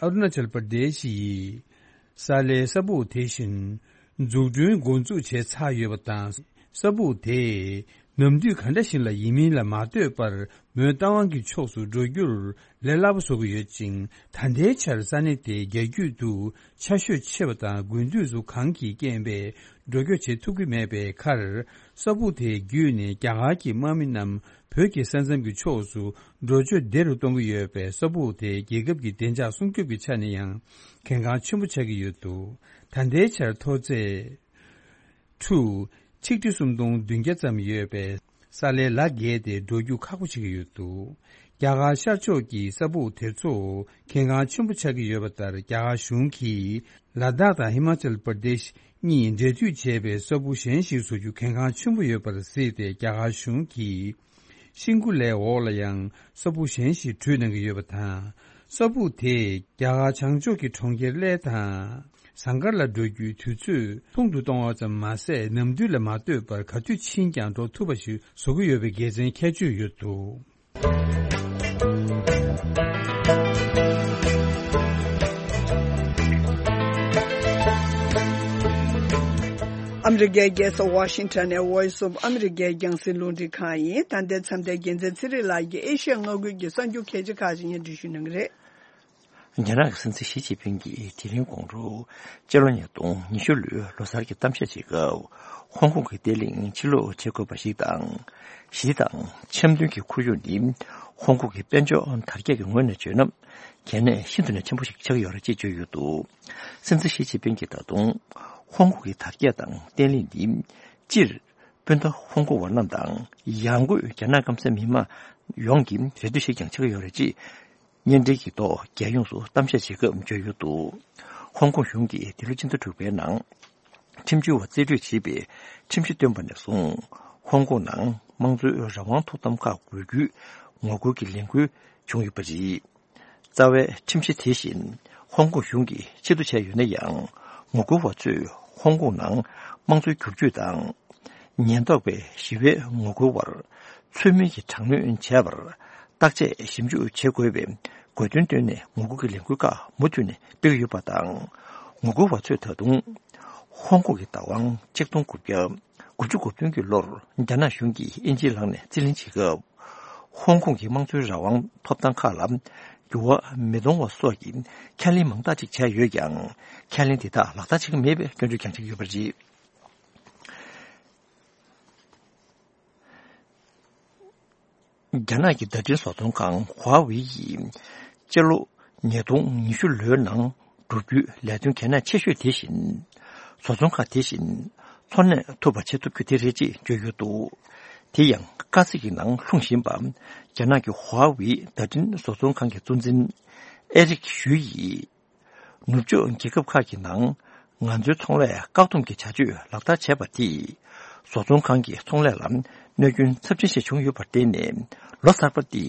ཨ་རུ་ན་ཅལ་པར་དེཤ་ཡི་ས་ལའི་ས་སྦུག་དེ་བཞིན་འཛུགས་སྐྲུན་འགོ་འཛུགས་བྱས་ཚར་ཡོད་པ་དང་། ས་སྦུག་དེས་ནམ་དུས་ག་འདྲ་ཞིག་ལ་ཡིན་མིན་ལ་མ་ལྟོས་པར་མོན་རྟ་དབང་གི་ཕྱོགས་སུ་འགྲོ་རྒྱུར་ལས་སླ་པོ་བཟོ་གི་ཡོད་ཅིང་། ད་ལྟའི་ཆར་ས་གནས་དེའི་རྒྱ་ཁྱོན་དུ་ཆར་ཞོད་ཆེ་བ་དང་དགུན་དུས་སུ་གངས་ཀྱི་རྐྱེན་པས་འགྲོ་སྐྱོད་བྱེད་ཐུབ་ཀྱི་མེད་པའི་ཁར། ས་སྦུག་དེ་བརྒྱུད་ནས་རྒྱ་གར་གྱི་དམག་མི་རྣམས་བོད་ཀྱི་ས་མཚམས་ཀྱི་ཕྱོགས་སུ་འགྲོ་སྐྱོད་བདེ་རུ་གཏོང་གི་ཡོད་པས། ས་སྦུག་དེ་རྒྱལ་ཁབ་ཀྱི་བདེ་འཇགས་སྲུང་སྐྱོབ་ཀྱི་ཆ་ནས་ཡང་གལ་འགངས་ཆེན་པོ་ཆགས་ཀྱི་ཡོད་འདུག་ད་ལྟའི་ཆར་མཐོ་ཚད་ཁྲུ་ཆིག་ཁྲི་སུམ་སྟོང་བདུན་བརྒྱ་ཙམ་ཡོད་པའི་ས་ལའི་ལ་བརྒལ་ཏེ་འགྲོ་རྒྱུ་ཁག་པོ་ཆགས་ཀྱི་ཡོད་འདུག་རྒྱ་གར་ཤར་ཕྱོགས་ཀྱི་ས་སྦུག་དེ་ཚོ་གལ་འགངས་ཆེན་པོ་ཆགས་ཀྱི་ཡོད་པ་ལྟར། རྒྱ་གར་གཞུང་གིས་ལ་དྭགས་དང་ཧི་མ་ཅལ་པར་དེཤ་གཉིས་འབྲེལ་མཐུད་བྱས་པའི་ས་སྦུག་གཞན་ཞིག་བཟོ་རྒྱུ་གལ་འགངས་ཆེན་པོ་ཡོད་པར་གཟིགས་ཏེ། རྒྱ་གར་གཞུང་གིས་ཤིང་ཀུ་ལའི་འོག་ལ་ཡང་ས་སྦུག་གཞན་ཞིག་དྲུད་གནང་གི་ཡོད་པ་དང་། ས་སྦུག་དེས་རྒྱ་གར་བྱང་ཕྱོགས་ཀྱི་གྲོང་ཁྱེར་གླེ་དང་ཟངས་དཀར་ལ་འགྲོ་རྒྱུའི་དུས་ཚོད་ཐུང་དུ་གཏོང་བ་ཙམ་མ་ཟད། ནམ་དུས་ལ་མ་ལྟོས་པར་ག་དུས་ཕྱིན་ཀྱང་འགྲོ་ཐུབ་པ་ཞིག་བཟོ་གི་ཡོད་པའི་དགེ་མཚན་ཁྱད་ཆོས་ཡོད་འདུག་ཨ་མི་རི་ཀའི་རྒྱལ་ས་ཝ་ཤིང་ཊོན་ནས་Voice of America་རྒྱང་སྲིང་རླུང་འཕྲིན་ཁང་ཡིན། ད་ལྟའི་མཚམས་དེར་རྒྱལ་མཚན་ཚེ་རིང་ལགས་ཀྱིས་ཨེ་ཤི་ཡ་མངའ་ཁུལ་གྱི་གསར་འགྱུར་གལ་ཆེ་ཁག་ཅིག་སྙན་སྒྲོན་ཞུ་གནང་གི་རེད། རྒྱ་ནག་གི་སྲིད་འཛིན་ཞི་ཅིན་ཕིང་གིས་དེ་རིང་དགོང་དྲོ་སྤྱི་ལོ་ཉིས་སྟོང་ཉི་ཤུ་ལོའི་ལོ་གསར་གྱི་གཏམ་བཤད་བྱེད་སྐབས། ཧོང་ཀོང་གི་བརྟན་ལྷིང་ཕྱིར་སློག་བྱེད་དགོས་པ་ཞིག་དང་། ཞི་དང་འཆམ་མཐུན་གྱི་ཁོར་ཡུག་ནི་ཧོང་ཀོང་གི་དཔལ་འབྱོར་དར་རྒྱས་ཀྱི་ངོས་ནས་བརྗོད་ན། གལ་གནད་ཤིན་ཏུ་ནས་ཆེན་པོ་ཞིག་ཆགས་ཀྱི་ཡོད་རེད་ཅེས་བརྗོད་ཡོད་འདུག། སྲིད་འཛིན་ཞི་ཅིན་ཕིང་གིས་ད་དུང་ཧོང་ཀོང་གི་དར་རྒྱས་དང་བརྟན་ལྷིང་འདི་སྤྱིར་སྤུན་ཟླ་ཧོང་ཀོང་བ་རྣམས་དང་ཡང་སྒོས་རྒྱ་ནག་སྐམ་སའི་མི་དམངས་ཡོངས་ཀྱི་རེ་འདུན་ཞིག་ཀྱང་ཆགས་ཀྱི་ཡོད་རེད་ཅེས། བརྙན་འཕྲིན་གྱི་ཐོག་རྒྱལ་ཡོངས་སུ་གཏམ་བཤད་བྱེད་སྐབས་བརྗོད་ཡོད་འདུག། ཧོང་ཀོང་གཞུང་གིས་འདི་ལོ་ཕྱི་ཟླ་དྲུག་པའི་ནང་ཁྲིམས་བྱོལ་བ་རྩིས་སྤྲོད་བྱས་པའི་ཁྲིམས་གཞི་བཏོན་པ་ནས་བཟུང་། ཧོང་ཀོང་ནང་དམངས་གཙོའི་རང་དབང་ཐོབ་ཐང་ཁག་དགོས་རྒྱུའི་ངོ་རྒོལ་གྱི་ལས་འགུལ་བྱུང་ཡོད་པ་རེད། རྩ་བའི་ཁྲིམས་གཞི་དེ་བཞིན་ཧོང་ཀོང་གཞུང་གིས་ཕྱིར་བསྡུ་བྱས་ཡོད་ན་ཡང་། ངོ་རྒོལ་བ་ཚོས་ཧོང་ཀོང་ནང་དམངས་གཙོའི་བསྒྱུར་བཅོས་དང་། ཉེན་རྟོག་པས་ཞི་བའི་ངོ་རྒོལ་བར་ཚུལ་མིན་གྱི་དྲག་གནོན་བྱས་པར་བརྟག་དཔྱད་ཞིབ་འཇུག་བྱེད་དགོས་པའི་དགོས་འདུན་བཏོན་ནས་ངོ་རྒོལ་གྱི་ལས་འགུལ་ཁག་མུ་མཐུད་ནས་སྤེལ་གྱི་ཡོད་པ་དང་། ངོ་རྒོལ་བ་ཚོས་ད་དུང་ཧོང་ཀོང་གི་བདག་དབང་ཆིག་སྟོང་དགུ་བརྒྱ་དགུ་བཅུ་གོ་བདུན་གྱི་ལོར་རྒྱ་ནག་གཞུང་གིས་དབྱིན་ཇིའི་ལག་ནས་རྩིས་ལེན་བྱེད་སྐབས། ཧོང་ཀོང་གི་དམངས་གཙོའི་རང་དབང་ཐོབ་ཐང་ཁག་ལ་འགྱུར་བ་མི་གཏོང་བ་སོགས་ཀྱི་ཁས་ལེན་མང་དག་ཅིག་བྱས་ཡོད་ཀྱང་། ཁས་ལེན་དེ་དག་ལག་བསྟར་བྱེད་ཀྱི་མེད་པའི་སྐྱོན་བརྗོད་ཀྱང་བྱེད་ཀྱི་ཡོད་པ་རེད། རྒྱ་ནག་གི་བརྡ་འཕྲིན་བཟོ་ཚོང་ཁང་ཧྭ་ཝེ་ཡིས་སྤྱི་ལོ་ཉིས་སྟོང་ཉི་ཤུ་ལོའི་ནང་བསྒྲུབ་རྒྱུའི་ལས་དོན་གལ་གནད་ཆེ་ཤོས་དེ་བཞིན། བཟོ་ཚོང་ཁང་དེ་བཞིན་འཚོ་གནས་ཐུབ་པ་བྱེད་ཐུབ་རྒྱུ་དེ་རེད་ཅེས་བརྗོད་ཡོད་འདུག། དེ་ཡང་དཀའ་ཚེགས་ཀྱི་ནང་ལྷུང་བཞིན་པ། རྒྱ་ནག་གི་ཧྭ་ཝེ་བརྡ་འཕྲིན་བཟོ་ཚོང་ཁང་གི་གཙོ་འཛིན་ཨེ་རིག་ཞུའེ་ཡིས། ནུབ་ཕྱོགས་རྒྱལ་ཁབ་ཁག་གི་ནང་ང་ཚོའི་ཚོང་ལས་བཀག་སྡོམ་གྱི་བྱ་སྤྱོད་ལག་བསྟར་བྱས་པ་དེས། བཟོ་ཚོང་ཁང་གི་ཚོང་ལས་ལ་གནོད་སྐྱོན་ཚབས་ཆེན་ཞིག་བྱུང་ཡོད་པར་བརྟེན་ནས། ལོ་གསར་པ་འདི་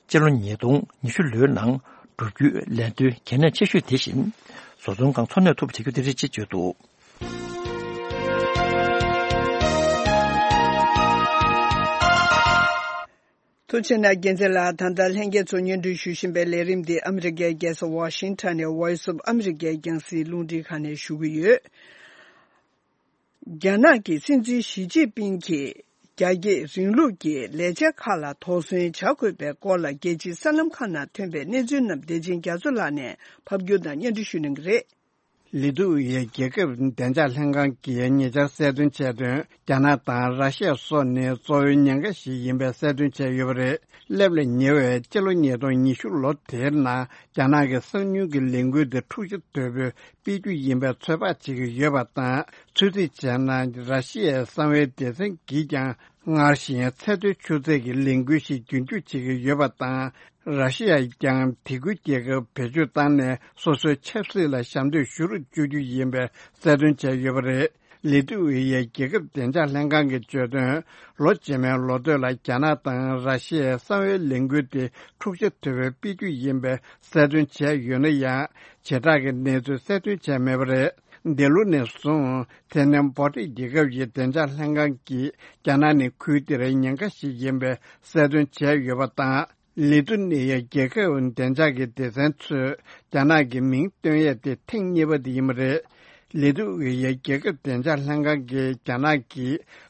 སྤྱི་ལོ་ཉིས་སྟོང་ཉི་ཤུ་ལོའི་ནང་བསྒྲུབ་རྒྱུའི་ལས་དོན་གལ་གནད་ཆེ་ཤོས་དེ་བཞིན། བཟོ་ཚོང་ཁང་འཚོ་གནས་ཐུབ་པ་བྱེད་རྒྱུ་དེ་རེད་ཅེས་བརྗོད་འདུག། ཐུགས་རྗེ་གནང་། རྒྱལ་མཚན་ལགས། ད་ལྟ་ལྷན་རྒྱས་ཚོ་སྙན་སྒྲོན་ཞུ་བཞིན་པའི་ལས་རིམ་འདི་ཨ་མི་རི་ཀའི་རྒྱལ་ས་ཝ་ཤིང་ཊོན་ནས་Voice of America་རྒྱང་སྲིང་རླུང་འཕྲིན་ཁང་ནས་ཞུ་གི་ཡོད། རྒྱ་ནག་གི་སྲིད་འཛིན་ཞི་ཅིན་ཕིང་གིས་རྒྱ་སྐྱེད་རིང་ལུགས་ཀྱི་ལས་འཆར་ཁག་ལ་དོགས་ཟོན་བྱ་དགོས་པའི་སྐོར་ལ། རྒྱལ་སྤྱིའི་གསར་ལམ་ཁག་ནང་ཐོན་པའི་གནས་ཚུལ་རྣམས་བདེ་ཆེན་རྒྱ་མཚོ་ལགས་ནས་ཕབ་སྒྱུར་དང་སྙན་སྒྲོན་ཞུ་གནང་གི་རེད། ལི་ཏུ་ཝེ་ཡའི་རྒྱལ་ཁབ་བདེ་འཇགས་ལྷན་ཁང་གིས་ཉེ་ཆར་གསལ་སྟོན་བྱས་དོན། རྒྱ་ནག་དང་ར་ཤི་ཡ་སོགས་ནི་གཙོ་བོའི་ཉེན་ཁ་ཞིག་ཡིན་པའི་གསལ་སྟོན་བྱས་ཡོད་པ་རེད། སླེབས་ལ་ཉེ་བའི་སྤྱི་ལོ་ཉིས་སྟོང་ཉི་ཤུ་ལོ་དེའི་ནང་རྒྱ་ནག་གི་གསང་མྱུལ་གྱི་ལས་འགུལ་དེ་འཁྲུག་ཆ་དོད་པོས་སྤེལ་རྒྱུ་ཡིན་པའི་ཚོད་དཔག་བྱེད་ཀྱི་ཡོད་པ་དང་། ཚོད་རྩིས་བྱས་ན་ར་ཤི་ཡའི་གསང་བའི་སྡེ་ཚན་གྱིས་ཀྱང་སྔར་བཞིན་ཚད་མཐོའི་ཆུ་ཚད་ཀྱི་ལས་འགུལ་ཞིག་རྒྱུན་སྐྱོང་བྱེད་ཀྱི་ཡོད་པ་དང་། ར་ཤི་ཡས་ཀྱང་དེ་ཁུལ་རྒྱལ་ཁབ་བེད་སྤྱོད་བཏང་ནས་སོ་སོའི་ཆབ་སྲིད་ལ་ཞབས་འདེགས་ཞུ་རུ་བཅུག་རྒྱུ་ཡིན་པའི་གསལ་སྟོན་བྱས་ཡོད་པ་རེད། ལི་ཏུ་ཝེ་ཡའི་རྒྱལ་ཁབ་བདེ་འཇགས་ལྷན་ཁང་གིས་བརྗོད་དོན། ལོ་རྗེས་མའི་ལོ་སྟོད་ལ་རྒྱ་ནག་དང་ར་ཤི་ཡའི་གསང་བའི་ལས་འགུལ་དེ་འཁྲུག་ཆ་དོད་པོས་སྤེལ་རྒྱུ་ཡིན་པའི་གསལ་སྟོན་བྱས་ཡོད་ན་ཡང་། བྱེ་བྲག་གི་གནས་ཚུལ་གསལ་སྟོན་བྱས་མེད་པ་རེད། འདི་ལོ་ནས་བཟུང་དེ་ནས་འབོ་ཊི་རྒྱལ་ཁབ་ཀྱི་བདེ་འཇགས་ལྷན་ཁང་གིས་རྒྱ་ནག་ནི་ཁུལ་དེར་ཉེན་ཁ་ཞིག་ཡིན་པའི་གསལ་སྟོན་བྱས་ཡོད་པ་དང་། ལི་ཐུ་ནི་ཡའི་རྒྱལ་ཁབ་བདེ་འཇགས་ཀྱི་སྡེ་ཚན་ཚོས་རྒྱ་ནག་གི་མིང་བཏོན་ཡས་དེ་ཐེངས་གཉིས་པ་དེ་ཡིན་པ་རེད། ལི་ཐུ་ཝེ་ཡའི་རྒྱལ་ཁབ་བདེ་འཇགས་ལྷན་ཁང་གིས་རྒྱ་ནག་གི་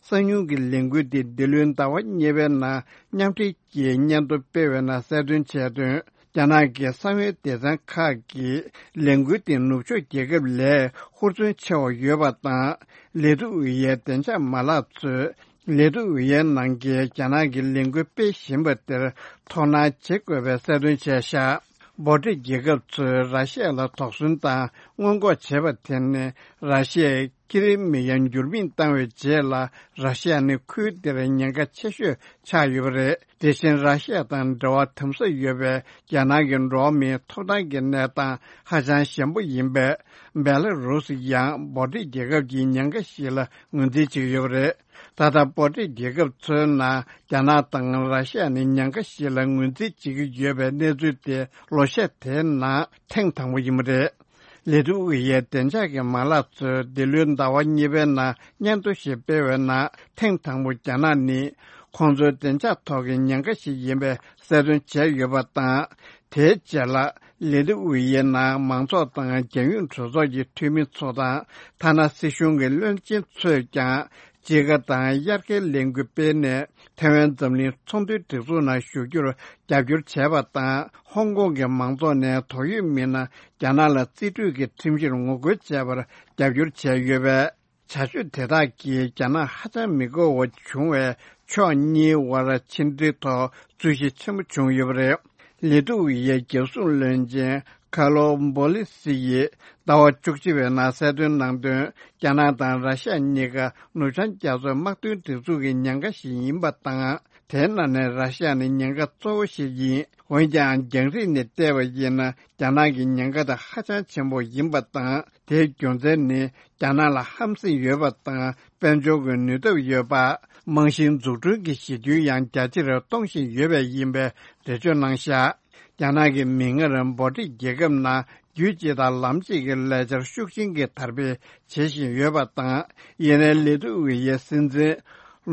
གསང་མྱུལ་གྱི་ལས་འགུལ་དེ་འདི་ལོའི་ཟླ་བ་གཉིས་པའི་ནང་མཉམ་འབྲེལ་གྱིས་སྙན་ཐོ་སྤེལ་བའི་ནང་གསལ་སྟོན་བྱས་དོན། རྒྱ་ནག་གི་གསང་བའི་སྡེ་ཚན་ཁག་གིས་ལས་འགུལ་དེ་ནུབ་ཕྱོགས་རྒྱལ་ཁབ་ལས་ཧུར་བརྩོན་ཆེ་བ་ཡོད་པ་དང་། ལི་ཐུ་ཝེ་ཡའི་བདེ་འཇགས་མ་ལག་ཚོས་ལི་ཐུ་ཝེ་ཡའི་ནང་གི་རྒྱ་ནག་གི་ལས་འགུལ་སྤེལ་བཞིན་པ་དེར་དོ་སྣང་བྱེད་དགོས་པའི་གསལ་སྟོན་བྱས་ཤག། འབོ་ཊི་རྒྱལ་ཁབ་ཚོས་ར་ཤི་ཡ་ལ་དོགས་ཟོན་དང་སྔོན་འགོག་བྱས་པ་དེ་ནི་ར་ཤི་ཡའི་ཀི་རི་མི་ཡ་འགྱུར་མེད་བཏང་བའི་རྗེས་ལ། ར་ཤི་ཡ་ནི་ཁུལ་དེར་ཉེན་ཁ་ཆེ་ཤོས་ཆགས་ཡོད་པ་རེད། དེ་བཞིན་ར་ཤི་ཡ་དང་འབྲེལ་བ་དམ་ཟབ་ཡོད་པའི་རྒྱ་ནག་གི་འགྲོ་བ་མིའི་ཐོབ་ཐང་གི་གནས་སྟངས་ཧ་ཅང་ཞན་པོ་ཡིན་པས། སྦེ་ལ་རུ་སི་ཡང་འབོ་ཊི་རྒྱལ་ཁབ་ཀྱི་ཉེན་ཁ་ཞིག་ལ་ངོས་འཛིན་བྱེད་ཀྱི་ཡོད་པ་རེད། ད་ལྟ་འབོ་ཊི་རྒྱལ་ཁབ་ཚོའི་ནང་རྒྱ་ནག་དང་ར་ཤི་ཡ་ནི་ཉེན་ཁ་ཞིག་ལ་ངོས་འཛིན་བྱེད་ཀྱི་ཡོད་པའི་གནས་ཚུལ་དེ་ལོ་ཤས་དེའི་ནང་ཐེངས་དང་པོ་ཡིན་པ་རེད། ལི་ཐུ་ཝེ་ཡའི་བདེ་འཇགས་ཀྱི་མ་ལག་ཚོས་འདི་ལོའི་ཟླ་བ་གཉིས་པའི་ནང་སྙན་ཐོ་ཞིག་སྤེལ་བའི་ནང་། ཐེངས་དང་པོ་རྒྱ་ནག་ནི་ཁོང་ཚོའི་བདེ་འཇགས་ཐོག་གི་ཉེན་ཁ་ཞིག་ཡིན་པའི་གསལ་སྟོན་བྱས་ཡོད་པ་དང་། དེའི་རྗེས་ལ་ལི་ཐུ་ཝེ་ཡའི་ནང་མང་ཚོགས་དང་རྒྱལ་ཡོངས་གྲོས་ཚོགས་ཀྱི་འཐུས་མི་ཚོ་དང་། ཐ་ན་སྲིད་གཞུང་གི་བློན་ཆེན་ཚོས་ཀྱང་ དཔྱིད་ཀ་དང་དབྱར་ཁའི་ལས་འགུལ་སྤེལ་ནས་ཐའེ་ཝན་འཛམ་གླིང་ཚོང་དོན་སྒྲིག་འཛུགས་ནང་ཞུགས་རྒྱུར་རྒྱབ་སྐྱོར་བྱས་པ་དང་། ཧོང་ཀོང་གི་མང་ཚོགས་ནས་དོགས་ཡོད་མི་སྣ་རྒྱ་ནག་ལ་རྩིས་སྤྲོད་ཀྱི་ཁྲིམས་གཞིར་ངོ་རྒོལ་བྱས་པར་རྒྱབ་སྐྱོར་བྱས་ཡོད་པས། བྱ་སྤྱོད་དེ་དག་གིས་རྒྱ་ནག་ཧ་ཅང་མི་དགའ་བ་བྱུང་བས། ཕྱོགས་གཉིས་དབར་ཕྱི་འབྲེལ་ཐོག་རྩོད་གཞི་ཆེན་པོ་བྱུང་ཡོད་པ་རེད། ལི་ཐུ་ཝེ་ཡའི་རྒྱལ་སྲུང་བློན་ཆེན་ཁ་ལོ་བྷོ་ལི་སི་ཡིས་ཟླ་བ་བཅུ་གཅིག་པའི་ནང་གསལ་སྟོན་གནང་དོན། རྒྱ་ནག་དང་ར་ཤ་ཡ་གཉིས་ཀ་ནུབ་བྱང་རྒྱ་མཚོའི་དམག་དོན་སྒྲིག་འཛུགས་ཀྱི་ཉེན་ཁ་ཞིག་ཡིན་པ་དང་། དེའི་ནང་ནས་ར་ཤ་ཡ་ནི་ཉེན་ཁ་གཙོ་བོ་ཞིག་ཡིན། འོན་ཀྱང་། རྒྱང་རིང་ནས་བལྟས་པ་ཡིན་ན། རྒྱ་ནག་གི་ཉེན་ཁ་དེ་ཧ་ཅང་ཆེན་པོ་ཡིན་པ་དང་། དེའི་རྒྱུ་མཚན་ནི། རྒྱ་ནག་ལ་ཧམ་སེམས་ཡོད་པ་དང་། དཔལ་འབྱོར་གྱི་ནུས་སྟོབས་ཡོད་པ། རྨང་གཞིའི་འཛུགས་སྐྲུན་གྱི་གཞི་ཁྱོན་ཡང་རྒྱ་ཆེར་གཏོང་བཞིན་ཡོད་པས་ཡིན་པའི་འགྲེལ་བརྗོད་གནང་བཞག་རྒྱ་ནག་གིས་མིག་སྔར་འབོ་ཊིག་རྒྱལ་ཁབ་ནང་རྒྱུད་གཅིག་དང་ལམ་གཅིག་གི་ལས་འཆར་ཤུགས་ཆེན་གྱིས་དར་སྤེལ་བྱེད་བཞིན་ཡོད་པ་དང་། ཡིན་ནའི་ལི་ཐུ་ཝེ་ཡའི་སྲིད་འཛིན་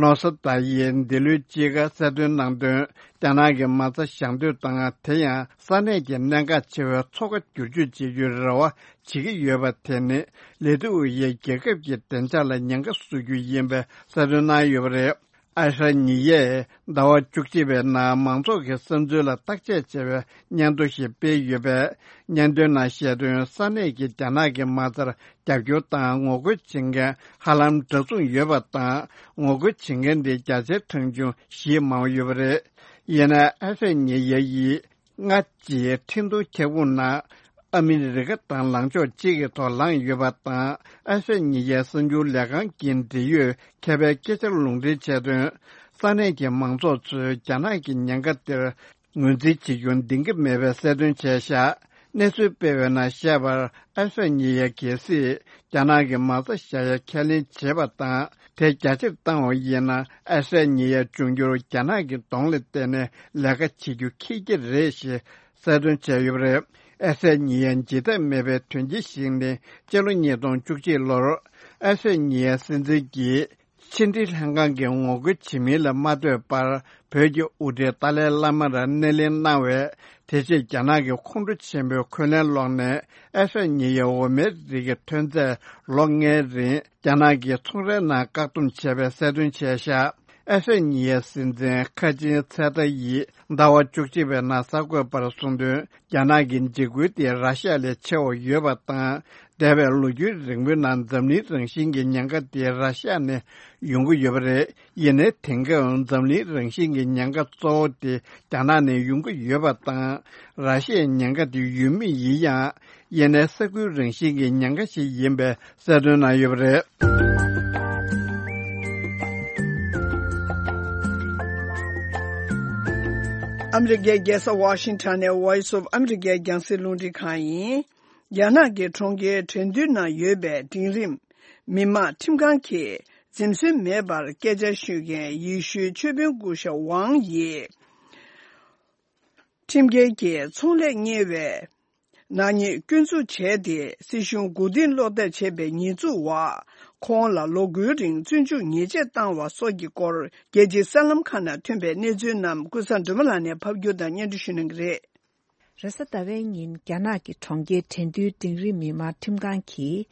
ནོ་སོ་ད་ཡིས་འདི་ལོའི་དཔྱིད་ཀ་གསལ་སྟོན་གནང་དོན། རྒྱ་ནག་གི་མ་རྩ་བཞག་འདོད་དང་། དེ་ཡང་ས་གནས་ཀྱི་གནད་འགག་ཆེ་བའི་མཚོ་ཁ་བསྒྱུར་བཅོས་བྱེད་རྒྱུའི་རེ་བ་བྱེད་ཀྱི་ཡོད་པ་དེ་ནི། ལི་ཐུ་ཝེ་ཡའི་རྒྱལ་ཁབ་ཀྱི་བདེ་འཇགས་ལ་ཉེན་ཁ་བཟོ་རྒྱུ་ཡིན་པའི་གསལ་སྟོན་གནང་ཡོད་པ་རེད། ཨ་ཧྲ་ཉི་ཡས་ཟླ་བ་བཅུ་གཅིག་པའི་ནང་མང་ཚོགས་ཀྱི་བསམ་ཚུལ་ལ་བརྟག་དཔྱད་བྱས་པའི་སྙན་ཐོ་ཞིག་སྤེལ་ཡོད་པས། སྙན་ཐོའི་ནང་བཤད་དོན། ས་གནས་ཀྱིས་རྒྱ་ནག་གི་མ་རྩར་རྒྱབ་སྐྱོར་དང་ངོ་རྒོལ་བྱེད་མཁན་ཧ་ལམ་འདྲ་མཚུངས་ཡོད་པ་དང་། ངོ་རྒོལ་བྱེད་མཁན་དེ་བརྒྱ་ཆའི་གྲངས་ཆུང་གཞིས་མང་བ་ཡོད་པ་རེད། ཡིན་ནའི་ཨ་ཧྲ་ཉི་ཡ་ཡིས། སྔ་ཕྱིའི་འཕྲིན་གཏོང་ཁྱབ་ཁོངས་ནང་ཨ་མི་རི་ཀ་དང་ལངས་ཕྱོགས་གཅིག་གི་ཐོག་ལངས་ཡོད་པ་དང་། ཨ་ཧྲ་ཉི་ཡའི་གསར་འགྱུར་ལས་ཁང་གི་འབྲེལ་ཡོད་མཁས་པའི་སྐད་ཆར་ལུང་འདྲེན་བྱས་དོན། ས་གནས་ཀྱི་མང་ཚོགས་ཚོས་རྒྱ་ནག་གི་ཉེན་ཁ་དེར་ངོས་འཛིན་བྱེད་རྒྱུ་འདང་གི་མེད་པའི་གསལ་སྟོན་བྱས་བཞག་གནས་ཚུལ་སྤེལ་བའི་ནང་བཤད་པར། ཨ་ཧྲ་ཉི་ཡ་གལ་སྲིད་རྒྱ་ནག་གི་མ་རྩ་བཞག་ཡ་ཁས་ལེན་བྱེད་པ་དང་། དེ་རྒྱ་ཆེར་བཏང་བ་ཡིན་ན། ཨ་ཧྲ་ཉི་ཡ་འབྱུང་འགྱུར་རྒྱ་ནག་གི་གདོང་ལ་བལྟས་ནས་ལས་ཀ་བྱེད་རྒྱུ་ཁེལ་གྱི་རེད་ཞེས་གསལ་སྟོན་བྱས་ཡོད་པ་རེད། ཨ་ཧྲ་ཉི་ཡ་འཇིགས་ཐབས་མེད་པའི་དོན་རྐྱེན་ཞིག་ནི། སྤྱི་ལོ་ཉིས་སྟོང་བཅུ་གཅིག་ལོར་ཨ་ཧྲ་ཉི་ཡའི་སྲིད་འཛིན་གྱིས་ཕྱི་འབྲེལ་ལྷན་ཁང་གི་ངོ་རྒོལ་བྱེད་མིན་ལ་མ་ལྟོས་པར། བོད་ཀྱི་དབུ་ཁྲིད་ཏཱ་ལའི་བླ་མར་སྣེ་ལེན་གནང་བས། དེ་རྗེས་རྒྱ་ནག་གི་ཁོང་ཁྲོ་ཆེན་པོས་འཁོན་ལན་སློག་ནས། ཨ་ཧྲ་ཉི་ཡའི་འོ་མའི་རིགས་ཀྱི་ཐོན་རྫས་ལོ་ལྔའི་རིང་རྒྱ་ནག་གི་ཚོང་རའི་ནང་བཀག་སྡོམ་བྱས་པའི་གསལ་སྟོན་བྱས་བཞག་ཨ་ཧྲ་ཉི་ཡའི་སྲིད་འཛིན་ཁ་ཆེན་ཚེ་ཏཱ་ཡིས་ཟླ་བ་བཅུ་གཅིག་པའི་ནང་གསར་འགོད་པར་གསུངས་དོན། རྒྱ་ནག་གི་འཇིགས་སྐུལ་དེ་ར་ཤ་ལས་ཆེ་བ་ཡོད་པ་དང་། འདས་པའི་ལོ་རྒྱུས་རིང་པོའི་ནང་འཛམ་གླིང་རང་བཞིན་གྱི་ཉེན་ཁ་དེ་ར་ཤ་ནས་ཡོང་གི་ཡོད་པ་རེད། ཡིན་ནའི་དེང་སྐབས་འཛམ་གླིང་རང་བཞིན་གྱི་ཉེན་ཁ་གཙོ་བོ་དེ་རྒྱ་ནག་ནས་ཡོང་གི་ཡོད་པ་དང་། ར་ཤའི་ཉེན་ཁ་དེ་ཡོད་མུས་ཡིན་ཡང་། ཡིན་ནའི་ས་ཁུལ་རང་བཞིན་གྱི་ཉེན་ཁ་ཞིག་ཡིན་པའི་གསལ་སྟོན་གནང་ཡོད་པ་རེད། ཨ་མི་རི་ཀའི་རྒྱལ་ས་ཝ་ཤིང་ཊོན་ནས་Voice of America རྒྱང་སྲིང་རླུང་འཕྲིན་ཁང་ཡིན། རྒྱ་ནག་གི་གྲོང་ཁྱེར་ཁྲེང་ཏུའུ་ནང་ཡོད་པའི་འབྲིང་རིམ་མི་དམངས་ཁྲིམས་ཁང་གིས་འཛེམ་ཟོན་མེད་པར་སྐད་ཆ་ཤོད་མཁན་ཡེ་ཤུའི་ཆོས་དཔོན་སྐུ་ཞབས་ཝང་ཡིས། ཁྲིམས་འགལ་གྱིས་ཚོང་ལས་གཉེར་བའི་ནག་ཉེས་སྐྱོན་འཛུགས་བྱས་ཏེ། སྲིད་གཞུང་མགོ་རྟིང་སློག་ཐབས་བྱས་པའི་ཉེས་འཛུགས་འོག་ཁོང་ལ་ལོ་དགུའི་རིང་བཙོན་འཇུག་ཉེས་ཆད་བཏང་བ་སོགས་ཀྱི་སྐོར། རྒྱལ་སྤྱིའི་གསར་ལམ་ཁག་ནང་ཐོན་པའི་གནས་ཚུལ་རྣམས་ཀུན་བཟང་སྒྲོལ་མ་ལགས་ནས་ཕབ་སྒྱུར་དང་སྙན་སྒྲོན་ཞུ་གནང་གི་རེད། རེས་གཟའ་ཟླ་བའི་ཉིན་རྒྱ་ནག་གི་གྲོང་ཁྱེར་ཁྲེང་ཏུའུ་འབྲིང་རིམ་མི་དམངས་ཁྲིམས་ཁང་གིས།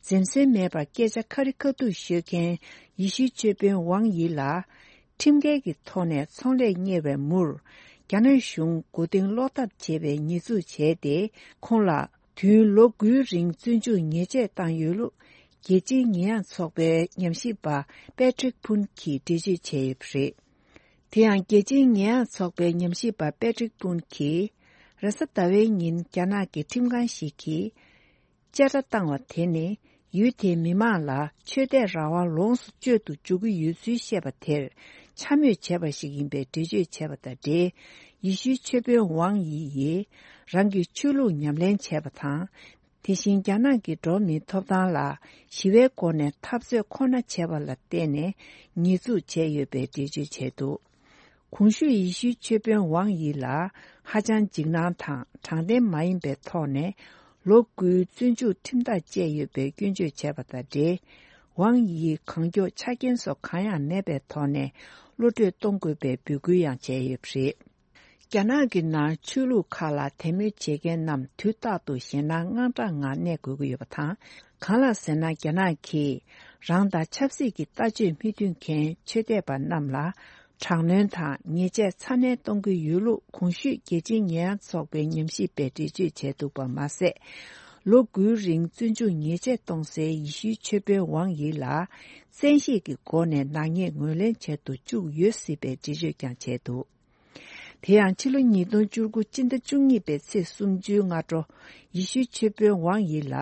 འཛེམ་ཟོན་མེད་པར་སྐད་ཆ་ཁ་རི་ཁ་ཐུག་ཤོད་མཁན་ཡེ་ཤུའི་ཆོས་དཔོན་ཝང་ཡི་ལ། ཁྲིམས་འགལ་གྱི་ཐོག་ནས་ཚོང་ལས་གཉེར་བའི་མུར། རྒྱ་ནག་གཞུང་མགོ་རྟིང་སློག་ཐབས་བྱས་པའི་ཉེས་འཛུགས་བྱས་ཏེ། ཁོང་ལ་དུས་ཡུན་ལོ་དགུའི་རིང་བཙོན་འཇུག་ཉེས་ཆད་བཏང་ཡོད་ལུགས། རྒྱལ་སྤྱིའི་ཉེས་ཡངས་ཚོགས་པའི་ཉམས་ཞིབ་པ་པེ་ཏྲིག་ཕུན་གྱིས་འགྲེལ་བརྗོད་བྱས་ཡོད་པ་རེད། དེ་ཡང་རྒྱལ་སྤྱིའི་ཉེས་ཡངས་ཚོགས་པའི་ཉམས་ཞིབ་པ་པེ་ཏྲིག་ཕུན་གྱིས། རེས་གཟའ་ཟླ་བའི་ཉིན་རྒྱ་ནག་གི་ཁྲིམས་ཁང་ཞིག་གིས། བཅད་ཁྲ་བཏང་བ་དེ་ནི། ཡུལ་དེའི་མི་དམངས་ལ་ཆོས་དད་རང་དབང་ལོངས་སུ་སྤྱོད་དུ་འཇུག་གི་ཡོད་ཚུལ་བཤད་པ་དེར་འཕྱ་སྨོད་བྱས་པ་ཞིག་ཡིན་པའི་འགྲེལ་བརྗོད་བྱས་པ་དང་འབྲེལ། ཡེ་ཤུའི་ཆོས་དཔོན་ཝང་ཡི་ཡིས། རང་གི་ཆོས་ལུགས་ཉམས་ལེན་བྱས་པ་དང་། དེ་བཞིན་རྒྱ་ནག་གི་འགྲོ་བ་མིའི་ཐོབ་ཐང་ལ་ཞི་བའི་སྒོ་ནས་འཐབ་རྩོད་ཁོ་ན་བྱས་པ་ལ་བརྟེན་ནས་ཉེས་འཛུགས་བྱས་ཡོད་པའི་འགྲེལ་བརྗོད་བྱས་འདུག་གོང་ཞུས་ཡེ་ཤུའི་ཆོས་དཔོན་ཝང་ཡི་ལ་ཧ་ཅང་འཇིགས་སྣང་དང་དྲང་བདེན་མ་ཡིན་པའི་ཐོག་ནས་ལོ་དགུའི་བཙོན་འཇུག་ཁྲིམས་ཐག་བཅད་ཡོད་པའི་སྐྱོན་བརྗོད་བྱས་པ་དང་འབྲེལ། ཝང་ཡིས་གང་མགྱོགས་ཆ་རྐྱེན་སོགས་གང་ཡང་མེད་པའི་ཐོག་ནས་གློད་གྲོལ་གཏོང་དགོས་པའི་འབོད་སྐུལ་ཡང་བྱས་ཡོད་པ་རེད། རྒྱ་ནག་གི་ནང་ཆོས་ལུགས་ཁག་ལ་དད་མོས་བྱེད་མཁན་རྣམས་དུས་རྟག་ཏུ་ཞེད་སྣང་དངངས་སྐྲག་ངང་གནས་དགོས་ཀྱི་ཡོད་པ་དང་། གང་ལགས་ཟེར་ན། རྒྱ་ནག་གིས་ རང་དང་ཆབ་སྲིད་ཀྱི་ལྟ་སྤྱོད་མི་མཐུན་མཁན་ཆོས་དད་པ་རྣམས་ལ་དྲག་གནོན་དང་ཉེས་ཆད་ཚ་ནན་གཏོང་གི་ཡོད་ལུགས་གོང་ཞུས་རྒྱལ་སྤྱིའི་ཉེས་ཡངས་ཚོགས་པའི་ཉམས་ཞིབ་པས་འགྲེལ་བརྗོད་བྱས་འདུག་པ་མ་ཟད། ལོ་དགུའི་རིང་བཙོན་འཇུག་ཉེས་ཆད་གཏོང་སའི་ཡེ་ཤུའི་ཆོས་དཔོན་ཝང་ཡི་ལ་བཙན་ཤེད་ཀྱི་སྒོ་ནས་ནག་ཉེས་ངོས་ལེན་བྱེད་དུ་བཅུག་ཡོད་སྲིད་པའི་འགྲེལ་བརྗོད་ཀྱང་བྱས་འདུག་དེ་ཡང་ཕྱི་ལོ་ཉིས་སྟོང་བཅུ་དགུ་སྤྱི་ཟླ་བཅུ་གཉིས་པའི་ཚེས་སུམ་ཅུའི་སྔ་དྲོ། ཡེ་ཤུའི་ཆོས་དཔོན་ཝང་ཡི་ལ།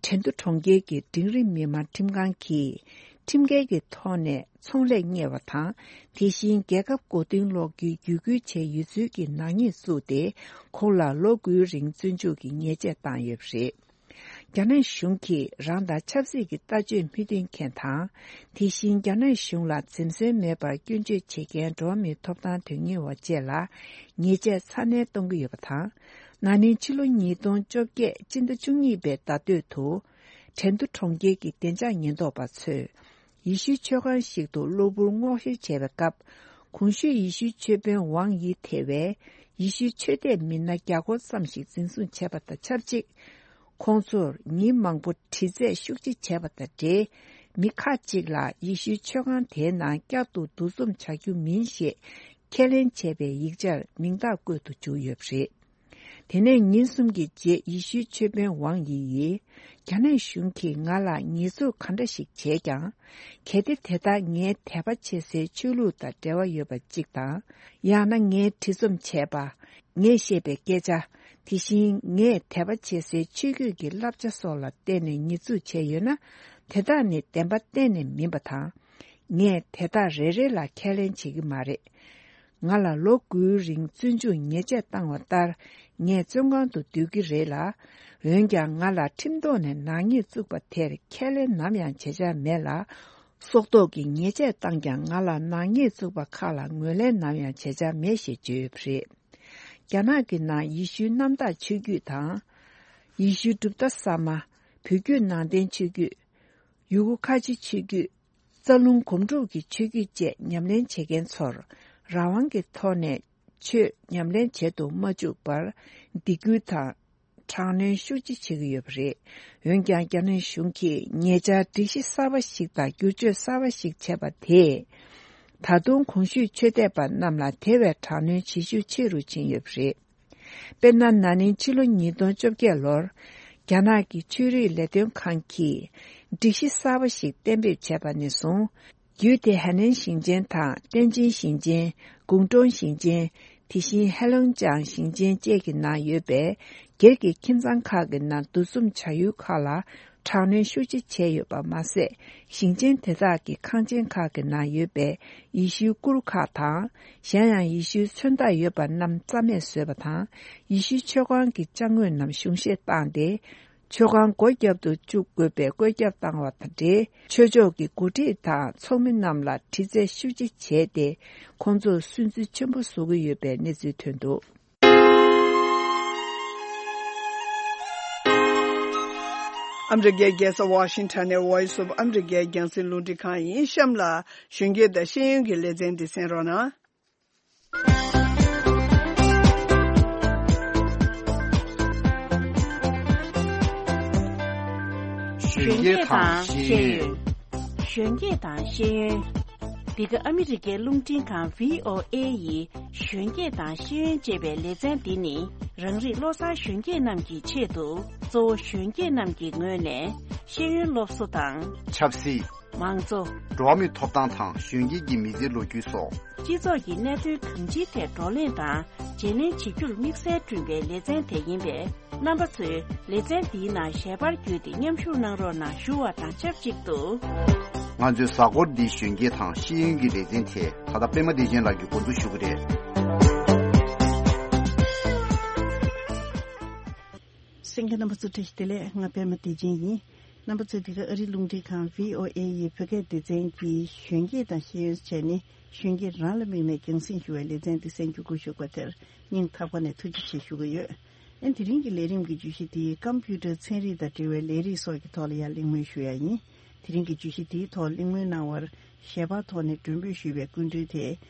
ཁྲེང་ཏུའུ་གྲོང་ཁྱེར་གྱི་འབྲིང་རིམ་མི་དམངས་ཁྲིམས་ཁང་གིས། ཁྲིམས་འགལ་གྱི་ཐོག་ནས་ཚོང་ལས་གཉེར་བ་དང་། དེ་བཞིན་རྒྱལ་ཁབ་མགོ་རྟིང་སློག་རྒྱུའི་བརྒྱུད་སྐུལ་བྱས་ཡོད་ཚུལ་གྱི་ནག་ཉེས་བཙུགས་ཏེ། ཁོང་ལ་ལོ་དགུའི་རིང་བཙོན་འཇུག་གི་ཉེས་ཆད་བཏང་ཡོད་པ་རེད། རྒྱ་ནག་གཞུང་གིས་རང་དང་ཆབ་སྲིད་ཀྱི་ལྟ་སྤྱོད་མི་མཐུན་མཁན་དང་། དེ་བཞིན་རྒྱ་ནག་གཞུང་ལ་འཛེམ་ཟོན་མེད་པར་སྐྱོན་བརྗོད་བྱེད་མཁན་འགྲོ་བ་མིའི་ཐོབ་ཐང་དོན་གཉེར་བ་བཅས་ལ་ཉེས་ཆད་ཚ་ནན་གཏོང་གི་ཡོད་པ་དང་། ན་ནིང་ཕྱི་ལོ་ཉིས་སྟོང་བཅོ་བརྒྱད་སྤྱི་ཟླ་བཅུ་གཉིས་པའི་ཟླ་སྟོད་དུ། ཁྲེང་ཏུའུ་གྲོང་ཁྱེར་གྱི་བདེ་འཇགས་ཉེན་རྟོག་པ་ཚོས། ཡེ་ཤུའི་ཆོས་ཁང་ཞིག་ཏུ་གློ་བུར་སྔོག་བཤེར་བྱས་པའི་སྐབས། གོང་ཞུས་ཡེ་ཤུའི་ཆོས་དཔོན་ཝང་ཡི་ཐེ་བའི་ཡེ་ཤུའི་ཆོས་དད་མི་སྣ་བརྒྱ་སྐོར་ཙམ་ཞིག་འཛིན་བཟུང་བྱས་པ་དང་ཆབས་ཅིག་ཁོང་ཚོར་ཉིན་མང་པོ་དྲི་རྩད་ཤུགས་ཆེ་བྱས་པ་དང་འབྲེལ། མི་ཁག་ཅིག་ལ་ཡེ་ཤུའི་ཆོས་ཁང་དེའི་ནང་བསྐྱར་དུ་འདུ་འཛོམས་བྱ་རྒྱུ་མིན་ཞེས་ཁས་ལེན་བྱས་པའི་ཡིག་ཆར་མིང་རྟགས་བཀོད་དུ་བཅུག་ཡོད་པ་རེད། དེ་ནས་ཉིན་གསུམ་གྱི་རྗེས་ཡེ་ཤུའི་ཆོས་དཔོན་ཝང་ཡི་ཡིས། རྒྱ་ནག་གཞུང་གིས་ང་ལ་ཉེས་འཛུགས་ག་འདྲ་ཞིག་བྱས་ཀྱང་། གལ་ཏེ་དེ་དག་ངའི་དད་པ་བྱེད་སའི་ཆོས་ལུགས་དང་འབྲེལ་བ་ཡོད་པ་གཅིག་དང་། ཡང་ན་ངས་བྲིས་རྩོམ་བྱས་པ། ངས་བཤད་པའི་སྐད་ཆ། དེ་བཞིན་ངས་དད་པ་བྱེད་སའི་ཆོས་བརྒྱུད་ཀྱི་བསླབ་བྱ་སོགས་ལ་བརྟེན་ནས་ཉེས་འཛུགས་བྱས་ཡོད་ན། དེ་དག་ནི་བདེན་པ་གཏན་ནས་མིན་པ་དང་། ངས་དེ་དག་རེ་རེ་ལ་ཁས་ལེན་བྱེད་ཀྱི་མ་རེད། ང་ལ་ལོ་དགུའི་རིང་བཙོན་འཇུག་ཉེས་ཆད་བཏང་བ་ལྟར། ངས་བཙོན་ཁང་དུ་སྡོད་ཀྱི་རེད་ལ། འོན་ཀྱང་ང་ལ་ཁྲིམས་ཐོག་ནས་ནག་ཉེས་བཙུགས་པ་དེར་ཁས་ལེན་ནམ་ཡང་བྱེད་འཆར་མེད་ལ། སྲོག་ཐོག་གི་ཉེས་ཆད་བཏང་ཀྱང་ང་ལ་ནག་ཉེས་བཙུགས་པ་ཁག་ལ་ངོས་ལེན་ནམ་ཡང་བྱེད་འཆར་མེད་ཞེས་བརྗོད་ཡོད་པ་རེད། རྒྱ་ནག་གི་ནང་ཡེ་ཤུའི་གནམ་བདག་ཆོས་བརྒྱུད་དང་། ཡེ་ཤུའི་གྲུབ་མཐའ་གསར་མ། བོད་བརྒྱུད་ནང་བསྟན་ཆོས་བརྒྱུད། ཡུ་གུར་ཁ་ཆེ་ཆོས་བརྒྱུད། རྩ་རླུང་སྒོམ་སྒྲུབ་ཀྱི་ཆོས་བརྒྱུད་བཅས་ཉམས་ལེན་བྱེད་མཁན་ཚོར་རང་དབང་གི་ཐོག་ནས་ཆོས་ཉམས་ལེན་བྱེད་དུ་མ་བཅུག་པར་སྡིགས་སྐུལ་དང་དྲག་གནོན་ཤུགས་ཆེ་བྱེད་ཀྱི་ཡོད་པ་རེད། འོན་ཀྱང་རྒྱ་ནག་གཞུང་གིས་ཉེ་ཆར་སྒྲིག་གཞི་གསར་པ་ཞིག་དང་བསྒྱུར་བཅོས་གསར་པ་ཞིག་བྱས་པ་དེས། ད་དུང་གོང་ཞུས་ཆོས་དད་པ་རྣམས་ལ་དེ་བས་དྲག་གནོན་བྱེད་ཤུགས་ཆེ་རུ་ཕྱིན་ཡོད་པ་རེད། དཔེར་ན། ན་ནིང་ཕྱི་ལོ་ཉིས་སྟོང་བཅོ་བརྒྱད་ལོར། རྒྱ་ནག་གི་ཆོས་རིག་ལས་དོན་ཁང་གིས་སྒྲིག་གཞི་གསར་པ་ཞིག་གཏན་འབེབས་བྱས་པ་ནས་བཟུང་། རྒྱུད་དེ་ཧའེ་ནན་ཞིང་ཆེན་དང་ཏན་ཅིན་ཞིང་ཆེན། ཀུང་ཀྲུང་ཞིང་ཆེན། དེ་བཞིན་ཧེ་ལུང་ཅང་ཞིང་ཆེན་བཅས་ཀྱི་ནང་ཡོད་པའི་སྒེར་གྱི་ཁྱིམ་ཚང་ཁག་གི་ནང་འདུ་འཛོམས་བྱ་ཡུལ་ཁག་ལ། དྲག་གནོན་ཤུགས་ཆེ་བྱས་ཡོད་པ་མ་ཟད། ཞིང་ཆེན་དེ་དག་གི་ཁང་ཆེན་ཁག་གི་ནང་ཡོད་པའི་ཡེ་ཤུའི་གུར་ཁག་དང་། གཞན་ཡང་ཡེ་ཤུའི་མཚོན་རྟགས་ཡོད་པ་རྣམས་རྩ་མེད་བཟོས་པ་དང་། ཡེ་ཤུའི་ཆོས་ཁང་གི་ཅ་དངོས་རྣམས་གཞུང་བཞེས་བཏང་སྟེ། ཆོས་ཁང་སྒོ་བརྒྱབ་ཏུ་བཅུག་དགོས་པའི་བཀོད་ཁྱབ་བཏང་བ་དང་འབྲེལ། ཆོས་ཕྱོགས་ཀྱི་འགོ་ཁྲིད་དང་ཚོགས་མི་རྣམས་ལ་དྲི་རྩད་ཤུགས་ཆེ་བྱས་ཏེ། ཁོང་ཚོར་སུན་གཙེར་ཆེན་པོ་བཟོ་གི་ཡོད་པའི་གནས་ཚུལ་ཐོན་འདུག་ཨ་མི་རི་ཀའི་རྒྱལ་ས་ཝ་ཤིང་ཊོན་ནས་Voice of America་རྒྱང་སྲིང་རླུང་འཕྲིན་ཁང་ཡིན། གཤམ་ལ་གཞོན་སྐྱེས་དང་ཤེས་ཡོན་གྱི་ལེ་ཚན་འདི་གསན་རོགས་གནང་། གཞོན་སྐྱེས་དང་ཤེས་ཡོན། གཞོན་སྐྱེས་དང་ཤེས་ཡོན། འདི་ག་ཨ་མི་རི་ཀའི་རླུང་འཕྲིན་ཁང་བྷི་ཨོ་ཨེ་ཡི་གཞོན་སྐྱེས་དང་ཤེས་ཡོན་ཅེས་པའི་ལེ་ཚན་འདི་ནི། རང་རིགས་བློ་བཟང་གཞོན་སྐྱེས་རྣམས་ཀྱི་ཆེད་དུ། གཙོ་བོ་གཞོན་སྐྱེས་རྣམས་ཀྱི་ངོས་ནས་ཤེས་ཡོན་སློབ་གསོ་དང་། ཆབ་སྲིད། མང་གཙོ། འགྲོ་བ་མིའི་ཐོབ་ཐང་དང་གཞོན་སྐྱེས་ཀྱི་མི་ཚེའི་ལོ་རྒྱུས་སོགས། སྤྱི་ཚོགས་ཀྱི་གནད་དོན་གང་ཅིའི་ཐད་བགྲོ་གླེང་དང་བརྗེ་ལེན་བྱེད་རྒྱུར་དམིགས་བསལ་བསྐྲུན་པའི་ལེ་ཚན་དེ་ཡིན་པས། རྣམ་པ་ཚོས་ལེ་ཚན་འདིའི་ནང་ཞལ་པར་བརྒྱུད་དེ་མཉམ་ཞུགས་གནང་རོགས་གནང་ཞུ་བ་དང་ཆབས་ཅིག་ཏུ། ང་ཚོའི་གཟའ་འཁོར་འདིའི་གཞོན་སྐྱེས་དང་ཤེས་ཡོན་གྱི་ལེ་ཚན་དེ་ད་ལྟ་པད་མ་བདེ་ཆེན་ལགས་ཀྱིས་འགོ་འཛུགས་ཞུ་གི་རེད། གསན་མཁན་རྣམ་པ་ཚོ་བཀྲ་ཤིས་བདེ་ལེགས། ང་པད་མ་བདེ་ཆེན་ཡིན། རྣམ་པ་ཚོས་འདི་ག་ཨ་རིའི་རླུང་འཕྲིན་ཁང་བྷི་ཨོ་ཨེ་ཡི་བོད་སྐད་སྡེ་ཚན་གྱི་གཞོན་སྐྱེས་དང་ཤེས་ཡོན་བྱས་ནས་གཞོན་སྐྱེས་རང་ལ་དམིགས་ནས་རྒྱང་སྲིང་ཞུ་བའི་ལེ་ཚན་འདི་གསན་རྒྱུ་སྒུག་བཞུགས་པ་དེར་སྙིང་ཐག་པ་ནས་ཐུགས་རྗེ་ཆེ་ཞུ་གི་ཡོད། ཨན་དེ་རིང་གི་ལས་རིམ་གྱི་བརྗོད་གཞི་འདི་ཀམ་པུ་ཊར་ཚན་རིག་དང་འབྲེལ་བའི་ལས་རིགས་སོགས་ཀྱི་ཐོག་ལ་ཡང་གླེང་མོལ་ཞུ་ཡ་ཡིན། དེ་རིང་གི་བརྗོད་གཞི་འདིའི་ཐོག་གླེང་མོལ་གནང་བར་ཞལ་པར་ཐོག་ནས་མགྲོན་འབོད་ཞུས་པའི་སྐུ་མགྲོན་དེ་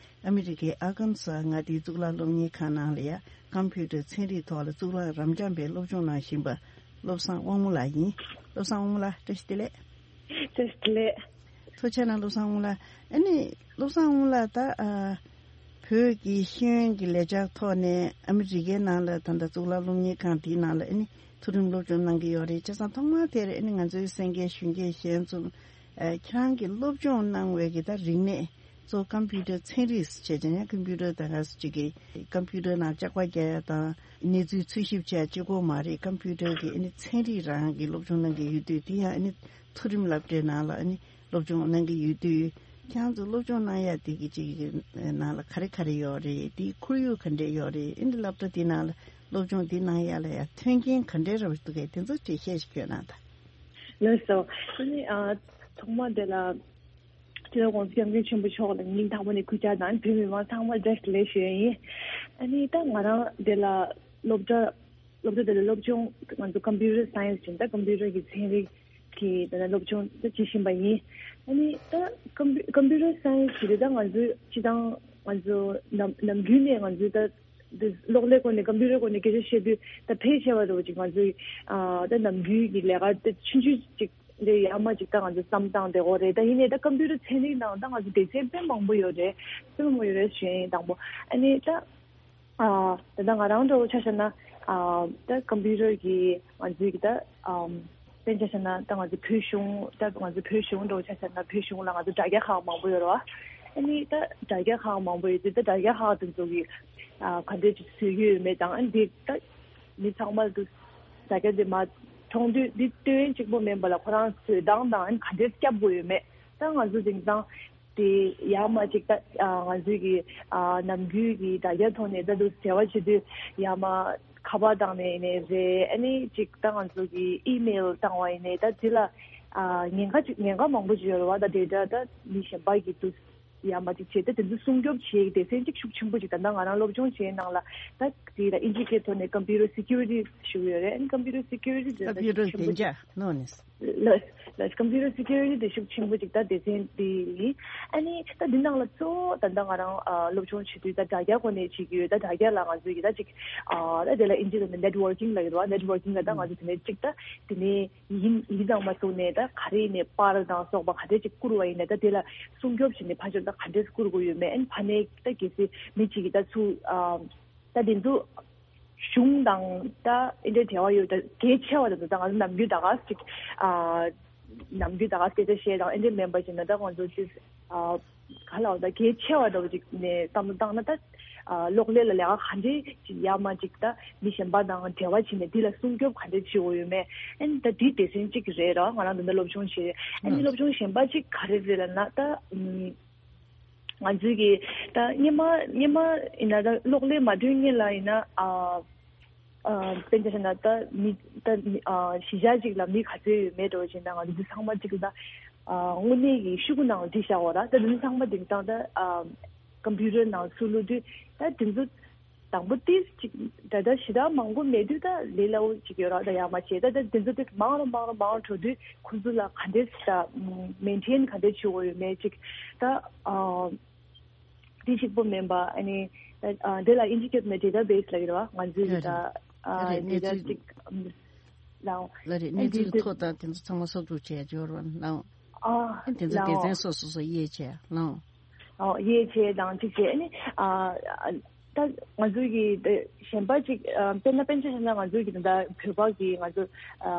ཨ་མི་རི་ཀའི་ཨར་ཀན་སོ་མངའ་སྡེའི་གཙུག་ལག་སློབ་གཉེར་ཁང་ནང་ལ་ཡང་ཀམ་པུ་ཊར་ཚན་རིག་ཐོག་ལ་གཙུག་ལག་རབ་འབྱམས་པའི་སློབ་སྦྱོང་གནང་བཞིན་པ་བློ་བཟང་དབང་མོ་ལགས་ཡིན། བློ་བཟང་དབང་མོ་ལགས་བཀྲ་ཤིས་བདེ་ལེགས། བཀྲ་ཤིས་ བཀྲ་ཤིས་བདེ་ལེགས། ཐུགས་རྗེ་གནང་བློ་བཟང་དབང་ལགས། ཨ་ནི་བློ་བཟང་དབང་ལགས་ད་ཨ་བོད་ཀྱི་ཤེས་ཡོན་གྱི་ལས་འཆར་ཐོག་ནས་ཨ་མི་རི་ཀའི་ནང་ལ་ད་ལྟ་གཙུག་ལག་སློབ་གཉེར་ཁང་དེའི་ནང་ལ་ཨ་ནི་མཐོ་རིམ་སློབ་སྦྱོང་གནང་གི་ཡོད་རེད། བྱས་ཙང་ཐོག་མར་དེར་ཨ་ནི་ང་ཚོའི་གསན་མཁན་གཞོན་སྐྱེས་གཞན་ཚོ་ཨ་ཁྱེད་རང་གིས་སློབ་སྦྱོང་གནང་བའི་གི་ད་རིག་གནས་གཙོ་བོ་ཀམ་པུ་ཊར་ཚན་རིག་བྱས་ཙང་ཡང་ཀམ་པུ་ཊར་ད་ག་ཅིག་གི་ཀམ་པུ་ཊར་ནང་ལྕགས་པ་རྒྱག་ཡ་དང་གནས་ཚུལ་འཚོལ་ཞིབ་བྱས་གཅིག་པོ་མ་རེད། ཀམ་པུ་ཊར་གི་ཨ་ནི་ཚན་རིག་རང་གི་སློབ་སྦྱོང་གནང་གི་ཡོད་དུས་དེ་ཡང་ཨ་ནི་མཐོ་རིམ་སློབ་གྲྭའི་ནང་ལ་ཨ་ནི་སློབ་སྦྱོང་གནང་གི་ཡོད་དུས་ཁྱེད་རང་ཚོ་སློབ་སྦྱོང་གནང་ཡ་དེ་གི་ཅིག་གི་ནང་ལ་ག་རེ་ག་རེ་ཡོད་རེད། དེའི་ཁོར་ཡུག་ག་འདྲས་ཡོད་རེད། ཨ་ནི་སློབ་གྲྭ་དེ་ནང་ལ་སློབ་སྦྱོང་དེ་གནང་ཡ་ལ་ཡ་མཐུན་རྐྱེན་ག་འདྲས་རག་འདུག་གས། དེ་ཚོ་འགྲེལ་བཤད་ཞིག་སྐྱོན་གནང་དང་། ལགས་སོ། ཨ་ནི་ཨ་ཐོག་མ་དེ་ལ་སྤྱི་ནོར་༸གོང་ས་༸སྐྱབས་མགོན་ཆེན་པོ་མཆོག་ལ་སྙིང་ཐག་པ་ནས་གུས་ཕྱག་དང་། བོད་མི་མང་ཚང་མར་བཀྲ་ཤིས་བདེ་ལེགས་ཞུ་ཡ་ཡིན། ཨ་ནི་ད་ང་རང་དེ་ལ་སློབ་གྲྭ་སློབ་གྲྭ་དེ་ལ་སློབ་སྦྱོང་ང་ཚོ་ཀམ་པུ་ཊར་སའེན་སི་ཅན་ད་ཀམ་པུ་ཊར་གྱི་ཚན་རིག་གི་དེ་ལ་སློབ་སྦྱོང་ད་བྱེད་བཞིན་པ་ཡིན། ཨ་ནི་ད་ཀམ་པུ་ཀམ་པུ་ཊར་སའེན་སི་དེ་ད་ང་ཚོའི་སྤྱི་བཏང་ང་ཚོ་ནམ་ནམ་རྒྱུན་ནས་ང་ཚོའི་ད་འདི་གློག་ཀླད་སྐོར་ནས་ཀམ་པུ་ཊར་སྐོར་ནས་སྐད་ཆ་བཤད་དུས་ད་ཕལ་ཆེ་བ་རུ་ཅིག་ང་ཚོའི་ཨ་ད་ནམ་རྒྱུན་གྱི་ལས་ཀ་ད་ཆུང་ཆུང་ཅིག་འདི་ཡར་མར་ཅིག་ད་ང་ཚོ་བསམ་སྟངས་དེ་འོ་རེད། ད་ཡིན་ནའི་ད་ཀམ་པུ་ཊར་ཚན་རིག་ནང་ད་ང་ཚོ་སྡེ་ཚན་དཔེ་མང་པོ་ཡོད་རེད། དཔེ་མང་པོ་ཡོད་རེད་ཞུ་ཡིན་དང་པོ། ཨ་ནི་ད་ཨ་ད་ལྟ་ང་རང་འདྲ་བོ་ཆ་བཞག་ན་ཨ་ད་ཀམ་པུ་ཊར་གི་ང་ཚོའི་གི་ད་ཨམ་དཔེར་ཆ་བཞག་ན་ད་ང་ཚོ་བོད་གཞུང་ད་ང་ཚོ་བོད་གཞུང་འདྲ་བོ་ཆ་བཞག་ན་བོད་གཞུང་ལ་ང་ཚོ་དྲ་རྒྱ་ཁག་མང་པོ་ཡོད་རེད་བ། ཨ་ནི་ད་དྲ་རྒྱ་ཁག་མང་པོ་ཡོད་དུས་ད་དྲ་རྒྱ་ཁག་དེ་ཚོ་གི་ཨ་ག་འདྲས་ཅིག་བཟོ་གི་ཡོད་མེད་དང་། ཨ་ནི་འདི་ད་མི་ཚང་མ་ལ་དུ་ཟ་རྒྱ་དེ་མ་མཐོང་དུས་འདི་སྟོན་གཅིག་པོ་མིན་པ་ལ་ཁོ་རང་བཟོས་སྟངས་དང་ཨ་ནི་ག་འདྲས་སྐྱབས་དགོས་ཡོད་མེད། ད་ང་ཚོ་དེང་སང་དེ་ཡར་མར་ཅིག་ད་ང་ཚོའི་གི་ནམ་རྒྱུན་གྱི་དྲ་རྒྱ་ཐོག་ནས་ད་དུ་འབྲེལ་བ་བྱེད་དུས་ཡར་མར་ཁ་པར་བཏང་ནས་ཡིན་ནའི་རེད། ཨ་ནི་ཅིག་ད་ང་ཚོ་གི་ཨི་མེལ་བཏང་བ་ཡིན་ནའི་ད་དེ་ལ་ཉེན་ཁ་ཅིག་ཉེན་ཁ་མང་པོ་ཅིག་ཡོད་རེད་བ། ད་ཌེ་ཊ་ད་མི་གཞན་པ་གི་དུ་ཡར་མར་ཅིག་བྱས་ཏེ་དེ་ཚོ་སྲུང་སྐྱོབ་བྱེད་སྡེ་ཚན་གཅིག་ཤུགས་ཆེན་པོ་ཅིག་ད་ལྟ་ང་རང་སློབ་སྦྱོང་བྱེད་ནང་ལ་ད་དེ་ལ་ཨིན་ཇི་སྐད་ཐོག་ནས་ཀམ་པུ་ཊར་སི་ཀིའུ་རི་ཊི་ཞུ་གི་ཡོད་རེད། ཨ་ནི་ཀམ་པུ་ཊར་སི་ཀིའུ་རི་ཊི་དེ་ཀམ་པུ་ཊར་ཤུགས་ཆེན་པོ་བདེ་ཅིག་འཇགས་ནོ་ནིས། ལགས་ལགས། ཀམ་པུ་ཊར་སི་ཀིའུ་རི་ཊི་དེ་ཤུགས་ཆེན་པོ་ཅིག་ད་སྡེ་ཚན་དེ་ཡིན། ཨ་ནི་ད་འདི་ནང་ལ་གཙོ་བོ་ད་ལྟ་ང་རང་ཨ་སློབ་སྦྱོང་བྱེད་དུས་ད་དྲ་རྒྱ་སྒོ་ནས་བྱེད་ཀྱི་ཡོད། ད་དྲ་རྒྱ་ལ་ང་ཚོས་ཀྱི་ད་ཅིག་ཨ་ད་དེ་ལ་ཨིན་ཇི་ཐོག་ནས་ནེཊ་ཝར་ཀིང་ལབ་ཀྱི་འདུག་བ། ནེཊ་ཝར་ཀིང་ལ་ད་ང་ཚོ་དེ་ནས་ཅིག་ད་དེ་ནས་ཡིན་ཡིན་ཙང་མ་གཏོགས་ནས་ད་ག་རེ་ནས་པར་དང་སོགས་པ་ག་འདྲས་ཅིག་བསྐུར་བ་ཡིན་ན་ད་དེ་ལ་སྲུང་སྐྱོབ་བྱས་ནས་ཕར་ཕྱོགས་ད་ག་འདྲས་བསྐུར་དགོས་ཡོད་མེད། ཨ་ནི་ཕ་ནས་ད་གལ་སྲིད་མི་གཅིག་གིས་ད་ཚུར་ཨ་ད་དེ་ཚོ་གཞུང་དང་ད་ཨེ་འདྲའི་འབྲེལ་བ་ཡོད་ད་གལ་ཆེ་བ་དེ་ཚོ་ད་ང་ཚོ་ནམ་རྒྱུན་ད་ག་ཅིག་ཨ་ནམ་རྒྱུན་ད་ག་སྐད་ཆ་བཤད་དང་ཨེ་འདྲའི་མིན་པ་ཅིག་ན་ད་ང་ཚོ་ཅིག་ཨ་ག་ལ་བ་ད་གལ་ཆེ་བ་འདྲ་བོ་ཅིག་ནས་བསམ་བློ་བཏང་ན་ད་ཨ་གློག་ཀླད་ལ་ལས་ཀ་ག་འདྲའི་ཅིག་ཡར་མར་ཅིག་ད་མི་གཞན་པ་དང་འབྲེལ་བ་བྱས་ནས་འདི་ལ་སྲུང་སྐྱོབ་ག་འདྲའི་བྱེད་དགོས་ཡོད་མེད། ཨ་ནི་ད་འདི་སྡེ་ཚན་གཅིག་རེད་ར། ང་རང་ད་ལྟ་སློབ་སྦྱོང་བྱེད་ཨ་ནི་སློབ་སྦྱོང་གཞན་པ་གཅིག་ག་རེ་རེད་ལབ་ན་ད་ཨམ། ང་ཚོའི་གི་ད་སྔོན་མ་སྔོན་མ་ཡིན་ན་ད་གློག་ཀླད་མ་ཐོན་སྔོན་ལ་ཡིན་ན་ཨ་ཨ་དཔེར་ན་ཆ་བཞག་ན་ད་མི་ད་མི་ཨ་གཞིས་ཆགས་གཅིག་ལ་མི་ག་ཚོད་ཡོད་མེད་འདྲ་བོ་བྱས་ན་ང་ཚོ་འདི་ཚང་མ་གཅིག་ལ་ཨ་དངོས་གནས་ཀྱི་ཤོག་གུ་ནང་བྲིས་བཞག་འོ་ར། ད་འདི་ཚང་མ་དེང་སང་ད་ཨ་ཀམ་པུ་ཊར་ནང་ཚུར་བླུགས་དུས་ད་དེ་ཚོ། དང་པོ་ཏིས་ཅིག་ད་ལྟ་ཞེ་དྲག་མང་པོ་མེད་དུས་ད་ལས་སླ་བོ་ཅིག་ཡོད་ར། ད་ཡར་མར་བྱས་ད་ད་དེ་ཚོ་ཏིས་མང་རུ་མང་རུ་མང་རུ་འགྲོ་དུས་ཁོ་ཚོ་ལ་ག་འདྲས་ད་མེན་ཊེན་ག་འདྲས་བྱེད་དགོས་ཡོད་མེད་ཅིག་ད་ཨ་དེ་གཅིག་པོ་མིན་པ་ཨ་ནི་ད་ཨ་དེ་ལ་ཨིན་ཇི་སྐད་ནས་ཌེ་ཊ་བེ་སི་ལབ་ཀྱི་རེད་བ། ང་ཚོའི་ད་ཨ་ཌེ་ཊ་ཅིག་ལའོ། ལ་རེད། གནས་ཚུལ་ཐོ་དང་དེ་ཚོ་ཚང་མ་སོབ་སྒྲུག་བྱས་འབྱོར་བ་ལའོ། ཨ་དེ་ཚོ་སྡེ་ཚན་སོ་སོ་སོ་དབྱེ་བྱས་ལའོ། ཨོ་དབྱེ་བྱས་དང་གཅིག་བྱས་ནི་ཨ་ད་ང་ཚོའི་གི་ད་གཞན་པ་ཅིག་ཨ་དཔེར་ན་དཔེར་ཆ་བཞག་ན་ང་ཚོའི་གི་ད་བོད་པ་གི་ང་ཚོ་ཨ་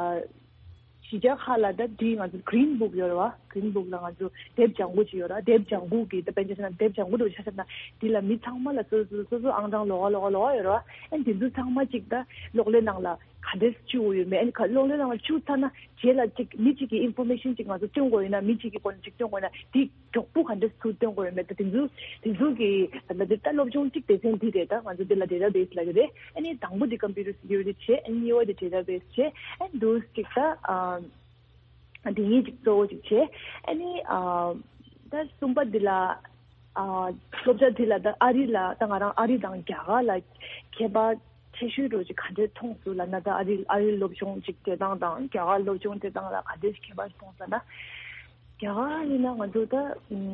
གཞིས་ཆགས་ཁག་ལ་ད་དེ་ང་ཚོ་གྷི་རིན་བུག་ཡོད་རེད་བ། གྷི་རིན་བུག་ལ་ང་ཚོ་དེབ་ལྗང་གུ་ཅིག་ཡོད་རེད་བ། དེབ་ལྗང་གུ་གི་ད་དཔེར་ཆ་བཞག་ན་དེབ་ལྗང་གུ་འདྲ་བོ་ཆ་བཞག་ན་དེ་ལ་མི་ཚང་མ་ལ་སོ་སོ་སོ་སོ་ཨང་གྲངས་ལོགས་ཀ་ལོགས་ཀ་ལོགས་ཀ་ཡོད་རེད་བ། ཨ་དེ་ཚོ་ཚང་མ་ཅིག་ད་གློག་ཀླད་ནང་ལ་ག་འདྲས་བཅུག་ཡོད་མེད། ཨ་ནི་ག་གློག་ཀླད་ནང་ལ་བཅུག་ཚར་ན་རྗེས་ལ་ཅིག་མི་གཅིག་གི་ཨིན་ཕོར་མེ་ཤན་ཅིག་ང་ཚོ་སྟོན་དགོས་ཡོད་ན་མི་གཅིག་གི་སྐོར་ནས་ཅིག་སྟོན་དགོས་ཡོད་ན་དེ་མགྱོགས་པོ་ག་འདྲས་ཚུར་སྟོན་དགོས་ཡོད་མེད། ད་དེ་ཚོ་དེ་ཚོ་གི་ད་ལྟ་དེ་ད་སློབ་སྦྱོང་གཅིག་སྡེ་ཚན་འདི་རེད། ད་ང་ཚོ་འདི་ལ་ཌེ་ཊ་བེ་སི་ལབ་ཀྱི་རེད། ཨ་ནི་དང་པོ་དེ་ཀམ་པུ་ཊར་སི་ཀིའུ་རི་ཊི་བྱས། ཨ་ནི་གཉིས་པ་དེ་ཌེ་ཊ་བེ་སི་བྱས། ཨ་ནི་འདུག་ཅིག་ད་ཨ་དེ་གཉིས་ཅིག་གཙོ་བོ་ཅིག་བྱས། ཨ་ནི་ཨ་ད་གསུམ་པ་འདི་ལ་ཨ་སློབ་གྲྭ་འདི་ལ་ད་ཨ་རི་ལ་ད་ང་རང་ཨ་རི་དང་རྒྱ་གར་ལ་ཁྱད་པར་ཆེ་ཤོས་འདྲ་ཅིག་ག་འདྲས་མཐོང་སོང་ལབ་ན། ད་ཨ་རི་ཨ་རི་སློབ་སྦྱོང་ཅིག་བྱེད་སྟངས་དང་རྒྱ་གར་སློབ་སྦྱོང་བྱེད་སྟངས་ལ་ག་འདྲས་ཁྱད་པར་མཐོང་སོང་ན། རྒྱ་གར་ཡིན་ན་ང་ཚོ་ད་ཨམ་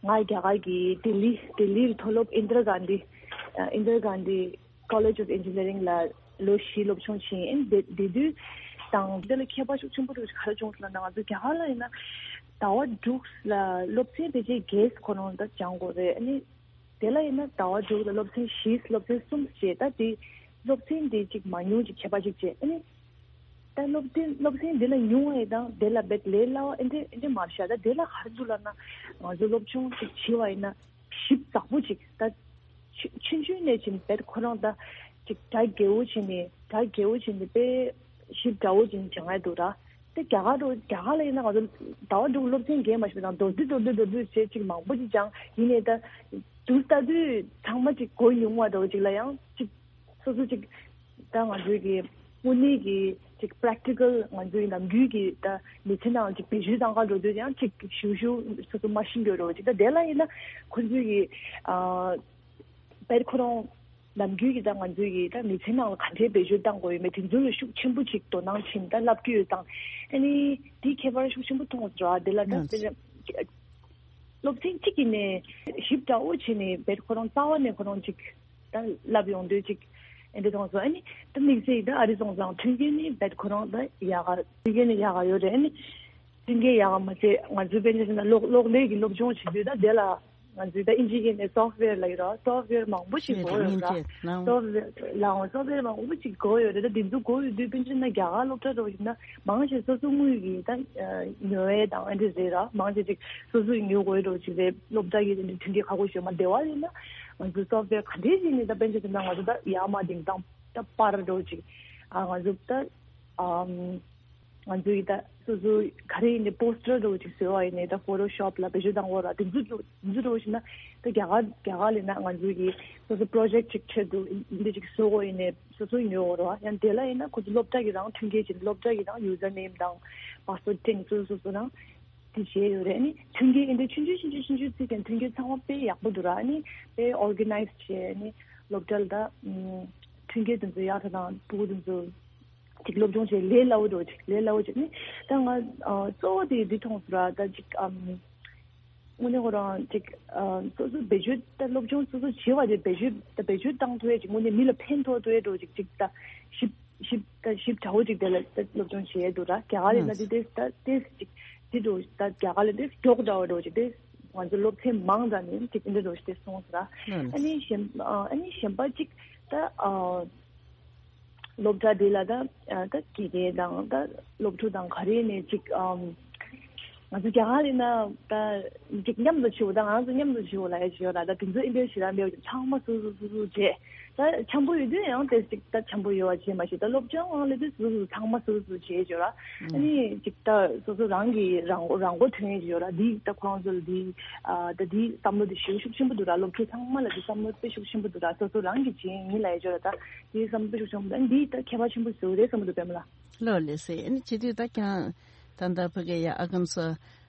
ང་རྒྱ་གར་གྱི་ལྡི་ལི་ལྡི་ལིའི་མཐོ་སློབ་ཨིན་དྲ་གྷན་དྷི་ཨ་ཨིན་དྲ་གྷན་དྷི་College of Engineering ལ་ལོ་བཞི་སློབ་སྦྱོང་བྱས་ཡིན། དེ་དེ་དུས་ དང་། དེ་ལ་ཁྱད་པར་ཤུགས་ཆེན་པོ་འདུག་ག་རེ་བྱུང་ལབ་ན། ང་ཚོ་རྒྱ་གར་ལ་ཡིན་ན་ཟླ་བ་དྲུག་ལ་སློབ་ཚན་ཕལ་ཆེར་བརྒྱད་ཁོ་རང་ད་སྦྱང་དགོས་རེད། ཨ་ནི་དེ་ལ་ཡིན་ན་ཟླ་བ་དྲུག་ལ་སློབ་ཚན་བཞི། སློབ་ཚན་གསུམ་བྱས། ད་དེ་སློབ་ཚན་དེ་གཅིག་མང་ཉུང་གཅིག་ཁྱད་པར་གཅིག་བྱས། ཨ་ནི་ད་སློབ་ཚན་སློབ་ཚན་དེ་ལ་ཉུང་བ་དང་དེ་ལ་བེད་ལས་སླ་བ་ཨེ་འདྲ་ཨེ་འདྲ་མ་རེད་ཤག་ད་དེ་ལ་ག་རེ་འདུག་ལབ་ན། ང་ཚོ་སློབ་སྦྱོང་ཅིག་བྱེད་པ་ཡིན་ན་ཞིབ་ཚགས་པོ་ཅིག་ད་ཆུ་ཆུང་ཆུང་ནས་ཕྱིན་བེད་ཁོ་རང་ད་ཅིག་གྲ་རྒྱས་པོ་བྱས་ནས། གྲ་རྒྱས་པོ་བྱས་ནས་དཔེ་ཞིབ་ཕྲ་བོ་ཅིག་སྦྱང་ཡ་འདུག་ར། དེ་རྒྱ་གར་འགྲོ་རྒྱ་གར་ལ་ཡིན་ན་ང་ཚོ་ཟླ་བ་དྲུག་སློབ་ཚན་རྒྱས་མ་ཞིག་དང་མདོར་བསྡུས་མདོར་བསྡུས་མདོར་བསྡུས་བྱས་ཅིག་མང་པོ་ཅིག་སྦྱང་། ཡིན་ནའི་ད་དུས་ལྟ་དུས་ཚང་མ་ཅིག་གོ་མྱོང་བ་འདྲ་བོ་ཅིག་ལ་ཡང་ཅིག་སོ་སོ་ཅིག་ད་ང་ཚོའི་གི་དངོས་གནས་ཀྱི་ཅིག་པེ་རེག་ཊི་ཀལ་ང་ཚོའི་ནམ་རྒྱུན་གྱི་ད་མི་ཚེ་ནང་ཅིག་བེད་སྤྱོད་གཏང་ག་འགྲོ་དུས་ཡང་ཅིག་ཞུ་ཞུ་སོ་སོ་མ་ཤེས་འགྲོ་འདྲ་བོ་ཅིག་ད་དེ་ལ་ཡིན་ན་ཁོ་ཚོའི་གི་ཨ་བེད་ཁོ་རང་ནམ་རྒྱུན་གྱི་ད་ང་ཚོའི་གི་ད་མི་ཚེ་ནང་ལ་ག་འདྲའི་བེད་སྤྱོད་གཏང་དགོས་ཡོད་མེད་དེ་ཚོ་ལ་ཤུགས་ཆེན་པོ་ཅིག་དོ་སྣང་བྱིན་ད་བསླབ་ཀྱི་ཡོད་དང་། ཨ་ནི་དེའི་ཁྱད་པར་ཤུགས་ཆེན་པོ་མཐོང་སོང་ར། དེ་ལ་ད་ལགས། དེ་སློབ་ཚན་གཅིག་གི་ནས་ཞིབ་ཕྲ་བོ་བྱས་ནས་བེད་ཁོ་རང་རྩ་བ་ནས་ཁོ་རང་ཅིག་ད་བསླབ་ཡོང་དུས་ཅིག་ཨེ་འདྲ་མཐོང་སོང་། ཨ་ནི་ད་དམིགས་བསལ་ད་ཨ་རི་སོང་ཙང་མཐུན་རྐྱེན་ནི་བེད་ཁོ་རང་ད་ཡག་ག་མཐུན་རྐྱེན་ནི་ཡག་ག་ཡོད་རེད། ཨ་ནི་མཐུན་རྐྱེན་ཡག་ག་མ་ཚད་ང་ཚོའི་དཔེར་ན་ཆ་བཞག་ན་གློག་གློག་ཀླད་ཀྱི་སློབ་སྦྱོང་བྱེད་དུས་ད་དེ་ལ་ང་ཚོའི་ད་ཨིན་ཇི་སྐད་ནས་སོཕ་ཝེར་ལབ་ཀྱི་རེད། སོཕ་ཝེར་མང་པོ་ཞིག་དགོས་ཡོད་ར། སོཕ་ཝེར་ལའང་སོཕ་ཝེར་མང་པོ་ཞིག་དགོས་ཡོད་རེད། ད་དེ་ཚོ་དགོས་ཡོད་དུས་དཔེར་ན་ཆ་བཞག་ན་རྒྱ་གར་སློབ་གྲྭ་འགྲོ་བཞིན་ན་མང་ཆེ་སོ་སོ་དངུལ་གྱི་ད་ཉོ་ཡས་དང་ཨ་འདྲ་རེད་ར། མང་ཆེ་ཅིག་སོ་སོས་ཉོ་དགོས་འགྲོ་ཅིག་རེད། སློབ་གྲྭ་གི་དེ་འདྲའི་མཐུན་རྐྱེན་ཁག་པོ་ཞིག་མ་བདེ་བ་ཡིན་ན་ང་ཚོའི་སོཕ་ཝེར་ག་འདྲས་ཞིག་ནས་ད་དཔེར་ན་ཆ་བཞག་ན་ང་ཚོ་ད་ཡར་མར་ལྡིང་སྟངས་ད་པར་འགྲོ་ཅིག་ཨ་ང་ཚོ་ད་ཨམ། ང་ཚོ་ཡི་ད་སོ་སོ་ག་རེ་ཡིན་ནའི་པོ་སི་ཊར་འདྲ་བོ་ཅིག་བཟོས་པ་ཡིན་ནའི་ད་ཕོ་ཊོ་ཤོབ་ལ་བེད་སྤྱོད་གཏང་དགོས་ར། དེ་ཚོ་འདྲ་དེ་ཚོ་འདྲ་བོ་ཞིག་ན་ད་རྒྱ་གར་རྒྱ་གར་ལ་ཡིན་ན་ང་ཚོ་གི་སོ་སོ་པོ་རོ་ཇེག་ཊི་ཅིག་ཆེད་དུ་འདི་ཅིག་བཟོ་དགོས་ཡིན་ནའི་སོ་སོ་ཉོ་དགོས་ར། ཡང་དེ་ལ་ཡིན་ན་ཁོ་ཚོ་སློབ་གྲྭ་གི་རང་མཐུན་རྐྱེན་བྱེད། སློབ་གྲྭ་གི་རང་ཡུ་ཛར་ནེམ་དང་པ་སི་ཝར་ཌི་དེ་ཚོ་སོ་སོ་རང་དེ་བྱས་ཡོད་རེད། ཨ་ནི་མཐུན་རྐྱེན་ཨེ་འདྲ་ཆུང་ཆུང་ཆུང་ཆུང་ཆུང་ཆུང་བརྩིས་ཀྱང་མཐུན་རྐྱེན་ཚང་མ་དཔེ་ཡག་པོ་འདུག་ར། ཨ་ནི་དཔེ་ཨོར་ག་ནའི་ཛི་བྱས། ཨ་ནི་སློབ་གྲྭ་ལ་ད་མཐུན་རྐྱེན་དེ་ཚོ་ཡག་ཐ་དང་ཕྲུ་གུ་དེ་ཚོ་ཅིག་སློབ་སྦྱོང་བྱེད་ལས་སླ་བོ་འགྲོ་ཅིག་ལས་སླ་བོ་ཅིག་ནི་ད་ང་ཨ་གཙོ་བོ་དེ་འདི་མཐོང་སོང་ར། ད་ཅིག་ཨམ་དངོས་གནས་ཁོ་རང་ཅིག་ཨ་སོ་སོ་བེད་སྤྱོད་ད་སློབ་སྦྱོང་སོ་སོ་བྱེད་པ་དེ་བེད་སྤྱོད་ད་བེད་སྤྱོད་བཏང་ཐུབ་ཡས་ཅིག་དངོས་གནས་མི་ལ་ཕན་ཐོགས་ཐུབ་ཡས་འགྲོ་ཅིག་ཅིག་ད་ཞིབ་ཞིབ་ད་ཞིབ་ཕྲ་བོ་ཅིག་དེ་ལ་ད་སློབ་སྦྱོང་བྱེད་ཡས་འདུག་ར། རྒྱ་གར་ལ་ད་དེ་ད་དེ་ཅིག་དེ་འགྲོ་ད་རྒྱ་གར་ལ་དེ་མགྱོགས་འདྲ་བ་འགྲོ་ཅིག་དེ་ང་ཚོ་སློབ་ཚན་མང་དྲགས་ནས་ཅིག་འདི་འགྲོ་ཞིག་དེ་སོང་སོང་ར། ཨ་ནི་གཞན་ཨ་ནི་གཞན་པ་ཅིག་ད་ཨ། སློབ་གྲྭ་འདི་ལ་ད་ད་དགེ་རྒན་དང་ད་སློབ་ཕྲུག་དང་ག་རེ་ནས་ཅིག་ཨམ་ང་ཚོ་རྒྱ་གར་ཡིན་ན་ད་ཅིག་མཉམ་དུ་བྱེད་དགོས། ད་ང་ཚོ་མཉམ་དུ་བྱེད་དགོས་ལབ་ཡ་ཅིག་ཡོད་ལ། ད་དེ་ཚོ་ཨིན་པའི་ཞེ་དྲག་མེད་པ་ཅིག་ཚང་མ་སོ་སོ་སོ་སོ་བྱས། ད་འཆམ་པོ་ཡོད་དུས་ཡང་དེ་ཅིག་ད་འཆམ་པོ་ཡོད་པ་བྱས་མ་ཤེས། ད་སློབ་སྦྱོང་ཨང་ལེ་དུས་སོ་སོ་ཚང་མ་སོ་སོ་བྱས་ཅིག་ཡོད་ལ། ཨ་ནི་ཅིག་ད་སོ་སོ་རང་གི་རང་མགོ་རང་མགོ་ཐོན་ཡས་ཅིག་ཡོད་ལ། འདི་ད་ཁོ་རང་ཚོ་ལ་འདི་ཨ་ད་འདི་བསམ་བློ་དེ་ཞེ་པོ་ཤུགས་ཆེན་པོ་འདུག་ར། སློབ་ཕྲུག་ཚང་མ་ལ་འདི་བསམ་བློ་དཔེ་ཤུགས་ཆེན་པོ་འདུག་ར། སོ་སོ་རང་གི་བྱས་ཡིན་ལབ་ཡས་ཅིག་ཡོད་ལ། ད། དེའི་བསམ་བློ་ཤུགས་ཆེན་པོ་དང་འདིའི་ད་ཁྱད་པར་ཆེན་པོ་བཟོ་རེད་བསམ་གྱི་འདུག་པད་མ་ལགས། ལགས་ལགས་སེ། ཨ་ནི་བྱེད་དུས་ད་ཁྱེད་རང་ད་ལྟ་ཕ་གི་ཡ་ཨ་ཁམས་ས་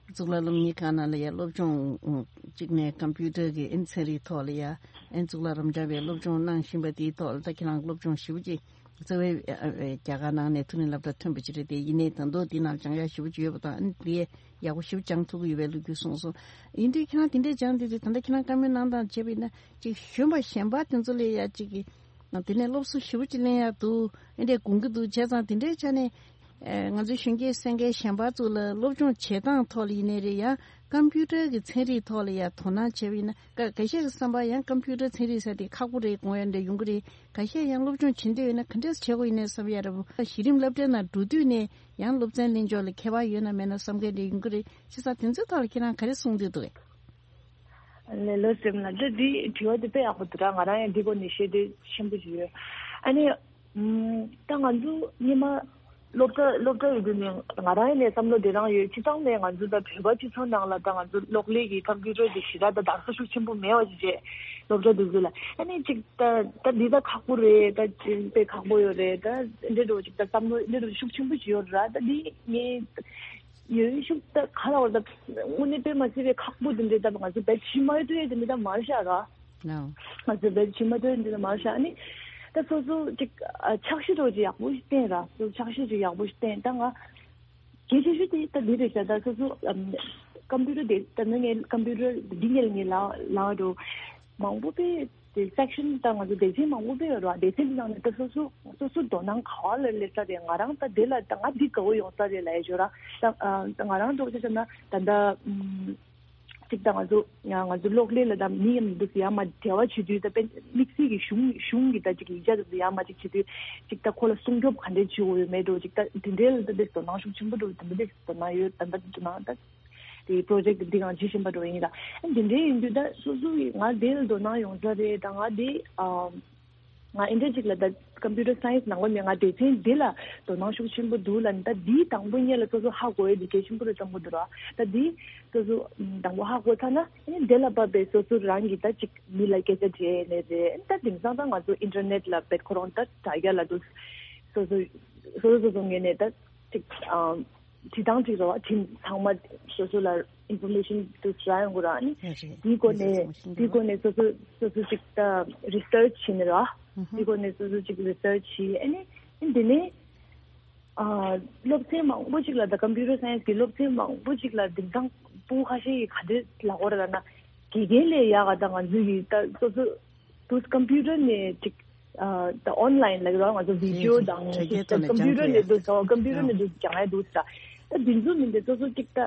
གཙུག་ལག་སློབ་གཉེར་ཁང་ནང་ལ་ཡ་སློབ་སྦྱོང་གཅིག་ནས་ཀམ་པུ་ཊར་གྱི་ཨ་ནི་ཚན་རིག་ཐོག་ལ་ཡ་ཨ་ནི་གཙུག་ལག་རབ་འབྱམས་པའི་སློབ་སྦྱོང་གནང་བཞིན་པ་དེའི་ཐོག་ལ་ད་ཁྱེད་རང་སློབ་སྦྱོང་ཞེ་པོ་ཅིག་རྩ་བའི་རྒྱ་གར་ནང་ནས་ཐུན་རིན་སློབ་གྲྭ་ཐོན་པ་ཅིག་རེད་དེ། ཡིན་ནའི་ད་དུང་དེའི་ནང་སྦྱང་ཡག་ཞེ་པོ་ཅིག་ཡོད་པ་དང་། ཨ་ནི་དེ་ཡག་པོ་ཞེ་པོ་སྦྱང་ཐུབ་ཀྱི་ཡོད་པའི་ལོ་རྒྱུས་གསུངས་སོང་། ཡིན་དུས་ཁྱེད་རང་དེ་འདྲས་སྦྱངས་དུས་ད་ལྟ་ཁྱེད་རང་བཀའ་མོལ་གནང་སྟངས་བྱས་པ་ཡིན་ན། ཅིག་གཞོན་པ་གཞན་པ་དེ་ཚོ་ལ་ཡ་ཅིག་གི་དེ་ནས་སློབ་གསོ་ཞེ་པོ་ཅིག་ལེན་ཡག་འདུག་ཨེ་འདྲས་དགོངས་ཀྱི་འདུག་བྱས་ཙང་དེ་འདྲའི་ཆ་ནས་ཨེ་ང་ཚོ་གཞོན་སྐྱེས་གསན་མཁན་གཞན་པ་ཚོ་ལ་སློབ་སྦྱོང་བྱེད་སྟངས་ཐོག་ལ་ཡིན་ནའི་རེད། ཡང་ཀམ་པུ་ཊར་གྱི་ཚན་རིག་ཐོག་ལ་ཡ་དོ་སྣང་བྱས་པ་ཡིན་ན། ཁ་ཁ་ཤས་ཀྱི་བསམ་པ་ཡང་ཀམ་པུ་ཊར་ཚན་རིག་ཟེར་དེ་ཁག་པོ་རེད་དགོངས་ཡ་འདྲ་ཡོང་གི་རེད། ཁ་ཤས་ཡང་སློབ་སྦྱོང་བྱེད་འདོད་ཡོད་ན་ག་འདྲས་བྱེད་དགོས་ཡིན་ནའི་བསམ་ཡ་འདྲ་པོ། གཞི་རིམ་སློབ་གྲྭའི་ནང་འགྲོ་དུས་ནས་ཡང་སློབ་ཚན་ལེན་ཕྱོགས་ལ་ཁྱད་པར་ཡོད་ན་མེད་ན་བསམ་མཁན་འདྲ་ཡོང་གི་རེད། བྱས་ཙང་དེ་ཚོའི་ཐོག་ལ་ཁྱེད་རང་ག་རེ་གསུང་འདོད་འདུག་གས། ལགས་ལགས་སེ། ལགས་འདི་འདི་དྲི་བ་འདི་དཔེ་ཡག་པོ་འདུག་ར། ང་རང་ཡང་འདི་སྐོར་ནས་བཤད་འདོད་ཆེན་པོ་ཞིག་ཡོད། ཨ་ནི་ཨམ་ད་ང་ཚོ་སྔོན་མ་སློབ་གྲྭ་སློབ་གྲྭ་ཡོད་དུས་ནས་ང་རང་ཡང་ནས་བསམ་བློ་དེ་རང་ཡོད། སྤྱིར་བཏང་ནས་ང་ཚོ་ད་བོད་པ་སྤྱི་ཚོགས་ནང་ལ་ད་ང་ཚོ་གློག་ཀླད་ཀྱི་ཀམ་པུ་ཊར་དེ་ཞེ་དྲག་ད་དར་ས་ཤུགས་ཆེན་པོ་མེད་པ་ཞིག་བྱས། སློབ་གྲྭ་དེ་ཚོ་ལ་ཨ་ནི་ཅིག་ད་ད་འདི་ད་ཁག་པོ་རེད། ད་ཅིག་དཔེ་ཁག་པོ་ཡོད་རེད། ད་འདི་འདྲ་ཅིག་ད་བསམ་བློ་འདི་འདྲ་ཤུགས་ཆེན་པོ་ཞིག་ཡོད་ར། ད་འདི་ངས། ཡོན་ཤུགས་ད་ག་ལ་བར་ད་དངོས་གནས་དཔེ་མ་སྲིད་པའི་ཁག་པོ་དེ་འདྲའི་ད་ང་ཚོ་བེད་ཕྱི་མ་ཡོད་དུས་དེ་འདྲ་ད་མར་བཞག་ར། ང་ཚོ་བེད་ཕྱི་མ་ཡོད་དུས་འདྲ་ད་མར་བཞག་ནི། ད་སོ་སོ་ཅིག་འཆར་གཞི་འདྲ་ཅིག་ཡག་པོ་ཞིག་བཏིང་ར། སོ་སོ་འཆར་གཞི་ཅིག་ཡག་པོ་ཞིག་བཏིང་། ད་ང་གལ་ཆེ་ཤོས་དེ་ད་འདི་རེད་ཤག་ད་སོ་སོ་ཀམ་པུ་ཊར་དེ་ད་ནི་ངས་ཀམ་པུ་ཊར་འདི་ངས་ངས་ལ་ལ་འགྲོ་མང་པོ་དཔེ། དེ་སེག་ཤན་ད་ང་ཚོ་སྡེ་ཚན་མང་པོ་སྤེལ་ཡོད་རེད་བ། སྡེ་ཚན་དེ་ནང་ནས་ད་སོ་སོ་སོ་སོ་དོ་སྣང་ག་བ་ལ་སླེབས་ས་རེད། ང་རང་ད་དེ་ལ་ད་ང་འདི་དགའ་བོ་ཡོང་ས་རེད་ལབ་ཡ་ཅིག་ཡོད་ར། ད་ཨ་ད་ང་རང་འདྲ་བོ་ཆ་བཞག་ན་ད་ད་ཨུམ། ཅིག་ད་ང་ཚོ་ང་ང་ཚོ་གློག་ཀླད་ལ་ད་མི་ཡང་འདུག་ཡ་མ་འབྲེལ་བ་བྱེད་དུས་ད་དཔེ་དམིགས་བསལ་གྱི་གཞུང་གཞུང་གི་ད་ཅིག་ཡིག་ཆ་འདུག་ཡ་མ་ཅིག་བྱེད་དུས་ཅིག་ད་ཁོ་ལ་སྲུང་སྐྱོབ་ག་འདྲས་བྱེད་དགོས་ཡོད་མེད་འདྲ་བོ་ཅིག་ད་དེ་འདྲའི་ལ་ད་དེ་དོ་སྣང་ཤུགས་ཆེན་པོ་འདྲ་བོ་དེ་འདྲ་དེ་དོ་སྣང་ཡོད། ད་ད་དོ་སྣང་ད་དེ་པྲོ་ཇེག་འདི་གང་ཇི་བཞིན་པ་འདྲ་བོ་ཡིན་ལ། ཨ་དེ་འདྲའི་ཡིན་དུས་ད་སོ་སོ་གི་ང་དེ་ལ་དོ་སྣང་ཡོང་ས་རེད། ད་ང་དེ་ཨ། ང་ཨེ་འདྲ་ཅིག་ལ་ད་ཀམ་པུ་ཊར་སའེན་སི་ནང་པ་ནས་ང་སྡེ་ཚན་འདི་ལ་དོ་སྣང་ཤུགས་ཆེན་པོ་འདུག་ལ། ད་འདིའི་དང་པོ་ཉིད་ལ་སོ་སོ་ཧ་གོ་ཡས་འདི་གལ་ཆེན་པོ་རེད་བསམ་གྱི་འདུག་ར། ད་འདི་སོ་སོ་དང་པོ་ཧ་གོ་ཚར་ན་ཨེ་འདི་ལ་བབས་པའི་སོ་སོ་རང་གི་ད་ཅིག་མི་ལ་སྐད་ཆ་འདྲི་ཡས་ནས་རེད། ད་དེང་སང་ད་ང་ཚོ་ཨིན་ཊར་ནེཊ་ལ་བེད་ཁོ་རང་ད་དྲ་རྒྱ་ལ་འདུག་སོ་སོ་སོ་སོ་སོ་ངོས་ནས་ད་ཅིག་ཨམ། བྲིས་སྟངས་གཅིག་རེད་བ། བྲིས་ཚང་མ་སོ་སོ་ལ་ཨིན་ཕོར་མེ་ཤན་དུ་རག་ཡོང་གི་ར། ཨ་ནི་རེད། དེའི་སྒོ་ནས་དེའི་སྒོ་ནས་སོ་སོ་སོ་སོ་ཅིག་ད་རི་སར་ཆི་བྱས་ནས་ར། ཨུ་ཧུ། དེའི་སྒོ་ནས་སོ་སོ་ཅིག་རི་སར་ཆི་བྱས། ཨ་ནི་ཨ་ནི་དེ་ནས་ཨ་སློབ་ཚན་མང་པོ་ཅིག་ལ་ད་ཀམ་པུ་ཊར་སའེན་སི་གི་སློབ་ཚན་མང་པོ་ཅིག་ལ་དེང་སང་ཕྲུ་གུ་ཁ་ཤས་ཀྱིས་ག་འདྲས་ལབ་ཀྱི་ཡོད་རེད་ལབ་ན། དགེ་རྒན་ལས་ཡག་ག་ད་ང་ཚོ་ཡི་ད་སོ་སོ་དུས་ཀམ་པུ་ཊར་ནས་ཅིག་ཨ་ད་ཨོན་ལའིན་ལ་རོགས་ང་ཚོ་བི་ཌི་ཡོ་དང་དྲ་རྒྱའི་ཐོག་ནས་ཀམ་པུ་ཊར་ནས་འདུག་སོ་ཀམ་པུ་ཊར་ནས་འདུག་སྦྱང་ཡ་འདུག་ས། ད་འདི་ཚོ་མིན་ཏེ་སོ་སོ་ཅིག་ད་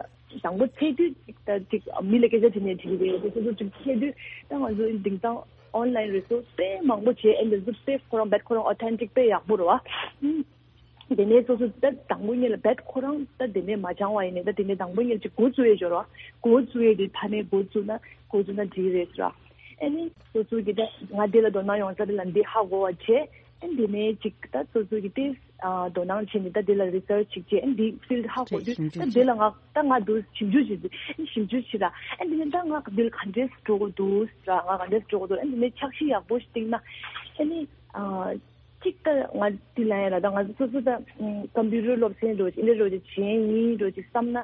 དང་པོ་ཚེ་དུས་ཅིག་ད་ཅིག་མི་ལ་སྐད་ཆ་དྲིས་ནས་དྲིས་རེད། སོ་སོ་ཅིག་ཚེ་དུས་ད་ང་ཚོ་དེང་སང་ཨོན་ལའིན་རི་སོར་སི་དཔེ་མང་པོ་བྱས། ཨེ་འདི་ཚོ་དཔེ་ཁོ་རང་རྦད་ཁོ་རང་ཨོ་ཐེན་ཊིག་དཔེ་ཡག་པོ་རེད་བ། དེ་ནས་སོ་སོ་ད་དང་པོ་ཉིད་ལ་རྦད་ཁོ་རང་ད་དེ་ནས་མ་སྦྱང་བ་ཡིན་ནས་ད་དེ་ནས་དང་པོ་ཉིད་ལ་ཅིག་འགོ་བཙུགས་ཡས་ཡོད་རེད་བ། འགོ་བཙུགས་ཡས་དེ་ཕ་ནས་འགོ་བཙུགས་ན་འགོ་བཙུགས་ན་འགྲིག་རེད་ཟེར་བ། ཨ་ནི་སོ་སོ་གི་ད་ང་དེ་ལ་དོ་སྣང་ཡོང་ས་དེ་ལ་འདི་ཧ་གོ་བ་བྱས། ཨ་ནི་དེ་ནས་ཅིག་ད་སོ་སོ་གི་དེ་ཨ་དོ་སྣང་བྱས་ནས་ད་དེ་ལ་རི་སར་ཆི་བྱས། ཨ་ནི་དེ་ཕིལ་ཌི་ཧ་གོ་དུས་ད་དེ་ལ་ང་ད་ང་འདུག་ཞིབ་འཇུག་བྱེད་དུས། ཨ་ནི་ཞིབ་འཇུག་བྱེད་ར། ཨ་ནི་དེ་ནས་ད་ང་འདི་ལ་ག་འདྲས་འགྲོ་དགོས་འདུག་ཟེར་ར། ང་ག་འདྲས་འགྲོ་དགོས་འདུག་ཨ་ནི་དེ་ནས་འཆར་གཞི་ཡག་པོ་ཞིག་བཏིང་ན། ཨ་ནི་ཨ། གཅིག་ད་ང་འདི་ལ་ཡང་ལ་ད་ང་ཚོ་སོ་སོ་ད་ཀམ་པུ་ཊར་སློབ་ཚན་འགྲོ་ཅིག་འདི་འགྲོ་ཅིག་བྱེད་ཡིན་འགྲོ་ཅིག་བསམ་ན།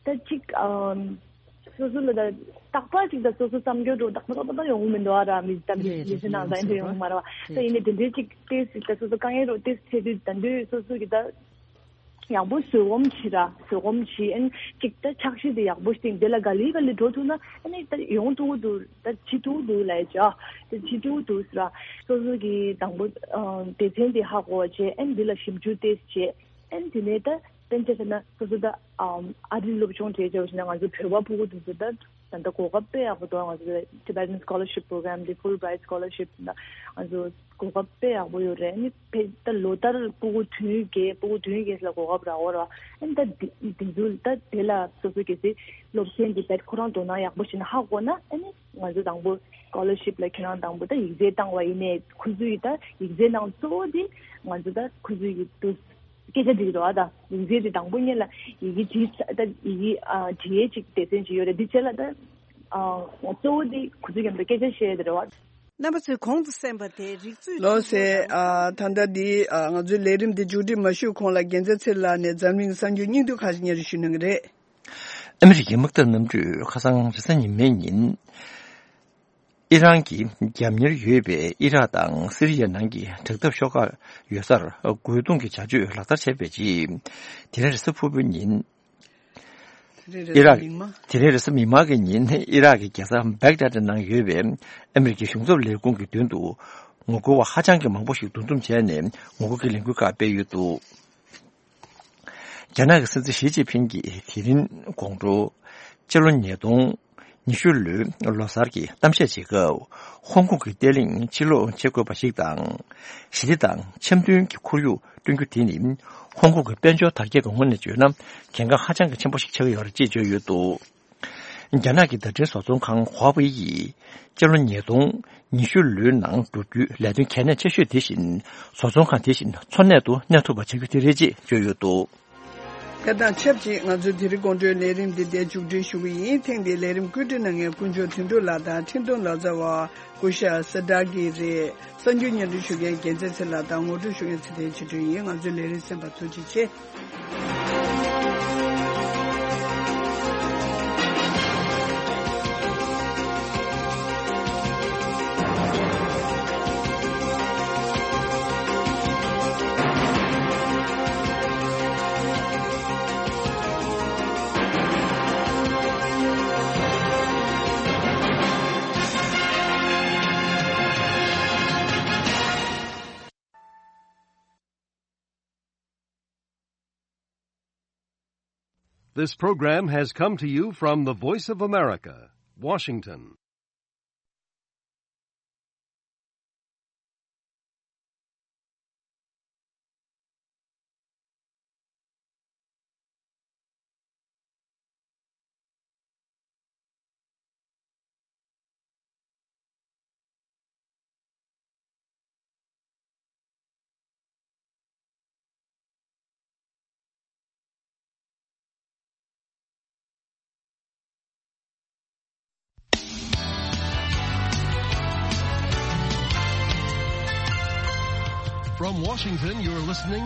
ད་གཅིག་ཨམ། སོ་སོ་ལ་ད་རྟག་པར་ཅིག་ད་སོ་སོ་བསམ་རྒྱུ་འགྲོ་རྟག་པར་རྟག་པར་ཡོང་གི་མི་འདུག་ཨ་ར། མི་ད་མི་རེད་རེད། མི་ཚེ་ནང་ད་ཡིན་ཡིན་འདྲ་ཡོང་གི་མ་རེད་བ། ད་རེད་ཡིན་ནའི་རེད། དེ་འདྲའི་ཅིག་ཏེས་ཅིག་ད་སོ་སོ་དཀའ་ངལ་འགྲོ་ཏེས་ཚེ་དུས་ད་འདོད་སོ་སོ་གི་ད་ཡག་པོ་བཟོད་སྒོམ་བྱེད་ར། བཟོད་སྒོམ་བྱེད། ཨན་ཅིག་ད་འཆར་གཞི་དེ་ཡག་པོ་ཞིག་དེ་ལ་ག་ལེ་ག་ལེ་འགྲོ་ཐུབ་ན་ཨ་ནི་ད་ཡོང་ཐུབ་ཀྱི་འདུག་ད་བྱེད་ཐུབ་ཀྱི་འདུག་ལབ་ཡ་ཅིག་ཨ། ད་བྱེད་ཐུབ་ཀྱི་འདུག་ཟེར་ར། སོ་སོ་གི་དང་པོ་ཨ་སྡེ་ཚན་དེ་ཧ་གོ་བ་བྱས། ཨན་དེ་ལ་ཞིབ་འཇུག་ཏེས་བྱས། ཨན་དེ་ནས་ད་དཔེར་ན་ཆ་བཞག་ན་སོ་སོ་ད་ཨམ་ཨ་རི་སློབ་སྦྱོང་བྱས་བྱས་པ་ཞིག་ན་ང་ཚོ་བོད་པ་ཕྲུ་གུ་དེ་ཚོ་ད་ད་ལྟ་གོ་སྐབས་དཔེ་ཡག་པོ་འདུག་ང་ཚོ་Tibetan Scholarship Program དེ་Fulbright Scholarship ད་ང་ཚོ་གོ་སྐབས་དཔེ་ཡག་པོ་ཡོད་རེད། ཨ་ནི་ཕེ་ད་ལོ་ལྟར་ཕྲུ་གུ་དུས་ཡུན་བརྒལ་ཕྲུ་གུ་དུས་ཡུན་བརྒལ་ལ་གོ་སྐབས་རག་ཡོད་རེད་བ། ཨ་ནི་ད་དེ་དེ་ཚོ་ད་དེ་ལ་སོ་སོ་གལ་སྲིད་སློབ་ཚན་དེ་ད་ཁོ་རང་དོ་སྣང་ཡག་པོ་བྱས་ན་ཧ་གོ་ན་ཨ་ནི་ང་ཚོ་དང་པོ་Scholarship ལ་ཁྱེད་རང་དང་པོ་ད་ཡིག་ཚད་བཏང་བ་ཡིན་ནའི་ཁོ་ཚོའི་ད་ཡིག་ཚད་ནང་གཙོ་བོ་དེ་ང་ཚོ་ད་ཁོ་ཚོའི་ཡིག་ཏུ་སྐད་ཆ་འདྲི་གི་འདུག་ཨ། ད་ཡིག་ཚད་དེ་དང་པོ་ཉིད་ལ་ཡི་གེ་བྲིས་ཚ་ད་ཡི་གེ་ཨ་བྲིས་ཡས་ཅིག་སྡེ་ཚན་ཅིག་ཡོད་རེད། འདི་བྱས་ལ་ད་ཨ་གཙོ་བོ་དེ་ཁོ་ཚོའི་མཉམ་དུ་སྐད་ཆ་བཤད་ཡས་དེ་རེད་བ། རྣམ་པ་ཚོས་གོང་དུ་གསན་པ་དེ་རིག་མཛོད་ལགས་སོ། ཨ་ད་ལྟ་འདི་ཨ་ང་ཚོའི་ལས་རིམ་འདི་མཇུག་སྒྲིལ་མ་ཞུས་གོང་ལ་རྒྱལ་མཚན་ཚེ་རིང་ལགས་ནས་འཛམ་གླིང་གསར་འགྱུར་སྙིང་བསྡུས་ཁག་ཅིག་སྙན་སྒྲོན་ཞུ་གནང་གི་རེད། ཨ་མི་རི་ཀའི་དམག་འཐབ་གནམ་གྲུས་ཁ་སང་རེས་གཟའ་ཉི་མའི་ཉིན། ཨི་རན་གྱི་རྒྱབ་གཉེར་ཡོད་པའི་ཨི་རག་དང་སི་རི་ཡའི་ནང་གི་དྲག་འཐབ་ཤོག་ཁག་ཡོད་སར་རྒོལ་རྡུང་གི་བྱ་སྤྱོད་ལག་བསྟར་བྱས་པའི་རྗེས། དེ་རིང་རེས་གཟའ་ཕུར་བུའི་ཉིན། ཨི་རག་དེ་རིང་རེས་གཟའ་མིག་དམར་གྱི་ཉིན་ཨི་རག་གི་རྒྱལ་ས་བེག་དཱད་ནང་ཡོད་པའི་ཨ་མི་རི་ཀའི་གཞུང་ཚབ་ལས་ཁུངས་ཀྱི་མདུན་དུ་ངོ་རྒོལ་བ་ཧ་ཅང་གི་མང་པོ་ཞིག་འདུ་འཛོམས་བྱས་ནས་ངོ་རྒོལ་གྱི་ལས་འགུལ་ཁག་སྤེལ་ཡོད་འདུག་རྒྱ་ནག་གི་སྲིད་འཛིན་ཞི་ཅིན་ཕིང་གིས་དེ་རིང་དགོང་དྲོ། སྤྱི་ལོ་ཉིས་སྟོང་ཉི་ཤུ་ལོའི་ལོ་གསར་གྱི་གཏམ་བཤད་བྱེད་སྐབས། ཧོང་ཀོང་གི་བརྟན་ལྷིང་ཕྱིར་སློག་བྱེད་དགོས་པ་ཞིག་དང་། ཞི་བདེ་དང་འཆམ་མཐུན་གྱི་ཁོར་ཡུག་བསྐྲུན་རྒྱུ་དེ་ནི། ཧོང་ཀོང་གི་དཔལ་འབྱོར་དར་རྒྱས་ཀྱི་ངོས་ནས་བརྗོད་ན། གལ་འགངས་ཧ་ཅང་གི་ཆེན་པོ་ཞིག་ཆགས་ཀྱི་ཡོད་རེད་ཅེས་བརྗོད་ཡོད་འདུག་རྒྱ་ནག་གི་བརྡ་འཕྲིན་བཟོ་ཚོང་ཁང་ཧྭ་ཝེ་ཡིས། སྤྱི་ལོ་ཉིས་སྟོང་ཉི་ཤུ་ལོའི་ནང་བསྒྲུབ་རྒྱུའི་ལས་དོན་གལ་གནད་ཆེ་ཤོས་དེ་བཞིན། བཟོ་ཚོང་ཁང་དེ་བཞིན་འཚོ་གནས་དུ་གནས་ཐུབ་པ་བྱ་རྒྱུ་དེ་རེད་ཅེས་བརྗོད་ཡོད་འདུག་དེ་དང་ཆབས་ཅིག་ང་ཚོའི་དེ་རིང་དགོང་དྲོའི་ལས་རིམ་འདི་འདིར་མཇུག་སྒྲིལ་ཞུ་གི་ཡིན། ཐེངས་འདིའི་ལས་རིམ་བཀོད་སྒྲིག་གནང་མཁན་དཀོན་མཆོག་དོན་གྲུབ་ལགས་དང་འཕྲིན་གཏོང་ལག་རྩལ་བ་སྐུ་ཞབས་སི་ཌཱ་གི་རེད། གསར་འགྱུར་སྙན་སྒྲོན་ཞུ་མཁན་རྒྱལ་མཚན་ཚེ་ལགས་དང་ངོ་སྤྲོད་ཞུ་མཁན་ཚེ་བརྟན་ཆོས་སྒྲོན་ཡིན། ང་ཚོའི་ལས་རིམ་གསན་པར་ཐུགས་རྗེ་ཆེ། This program has come to you from the Voice of America, Washington. From Washington, you're listening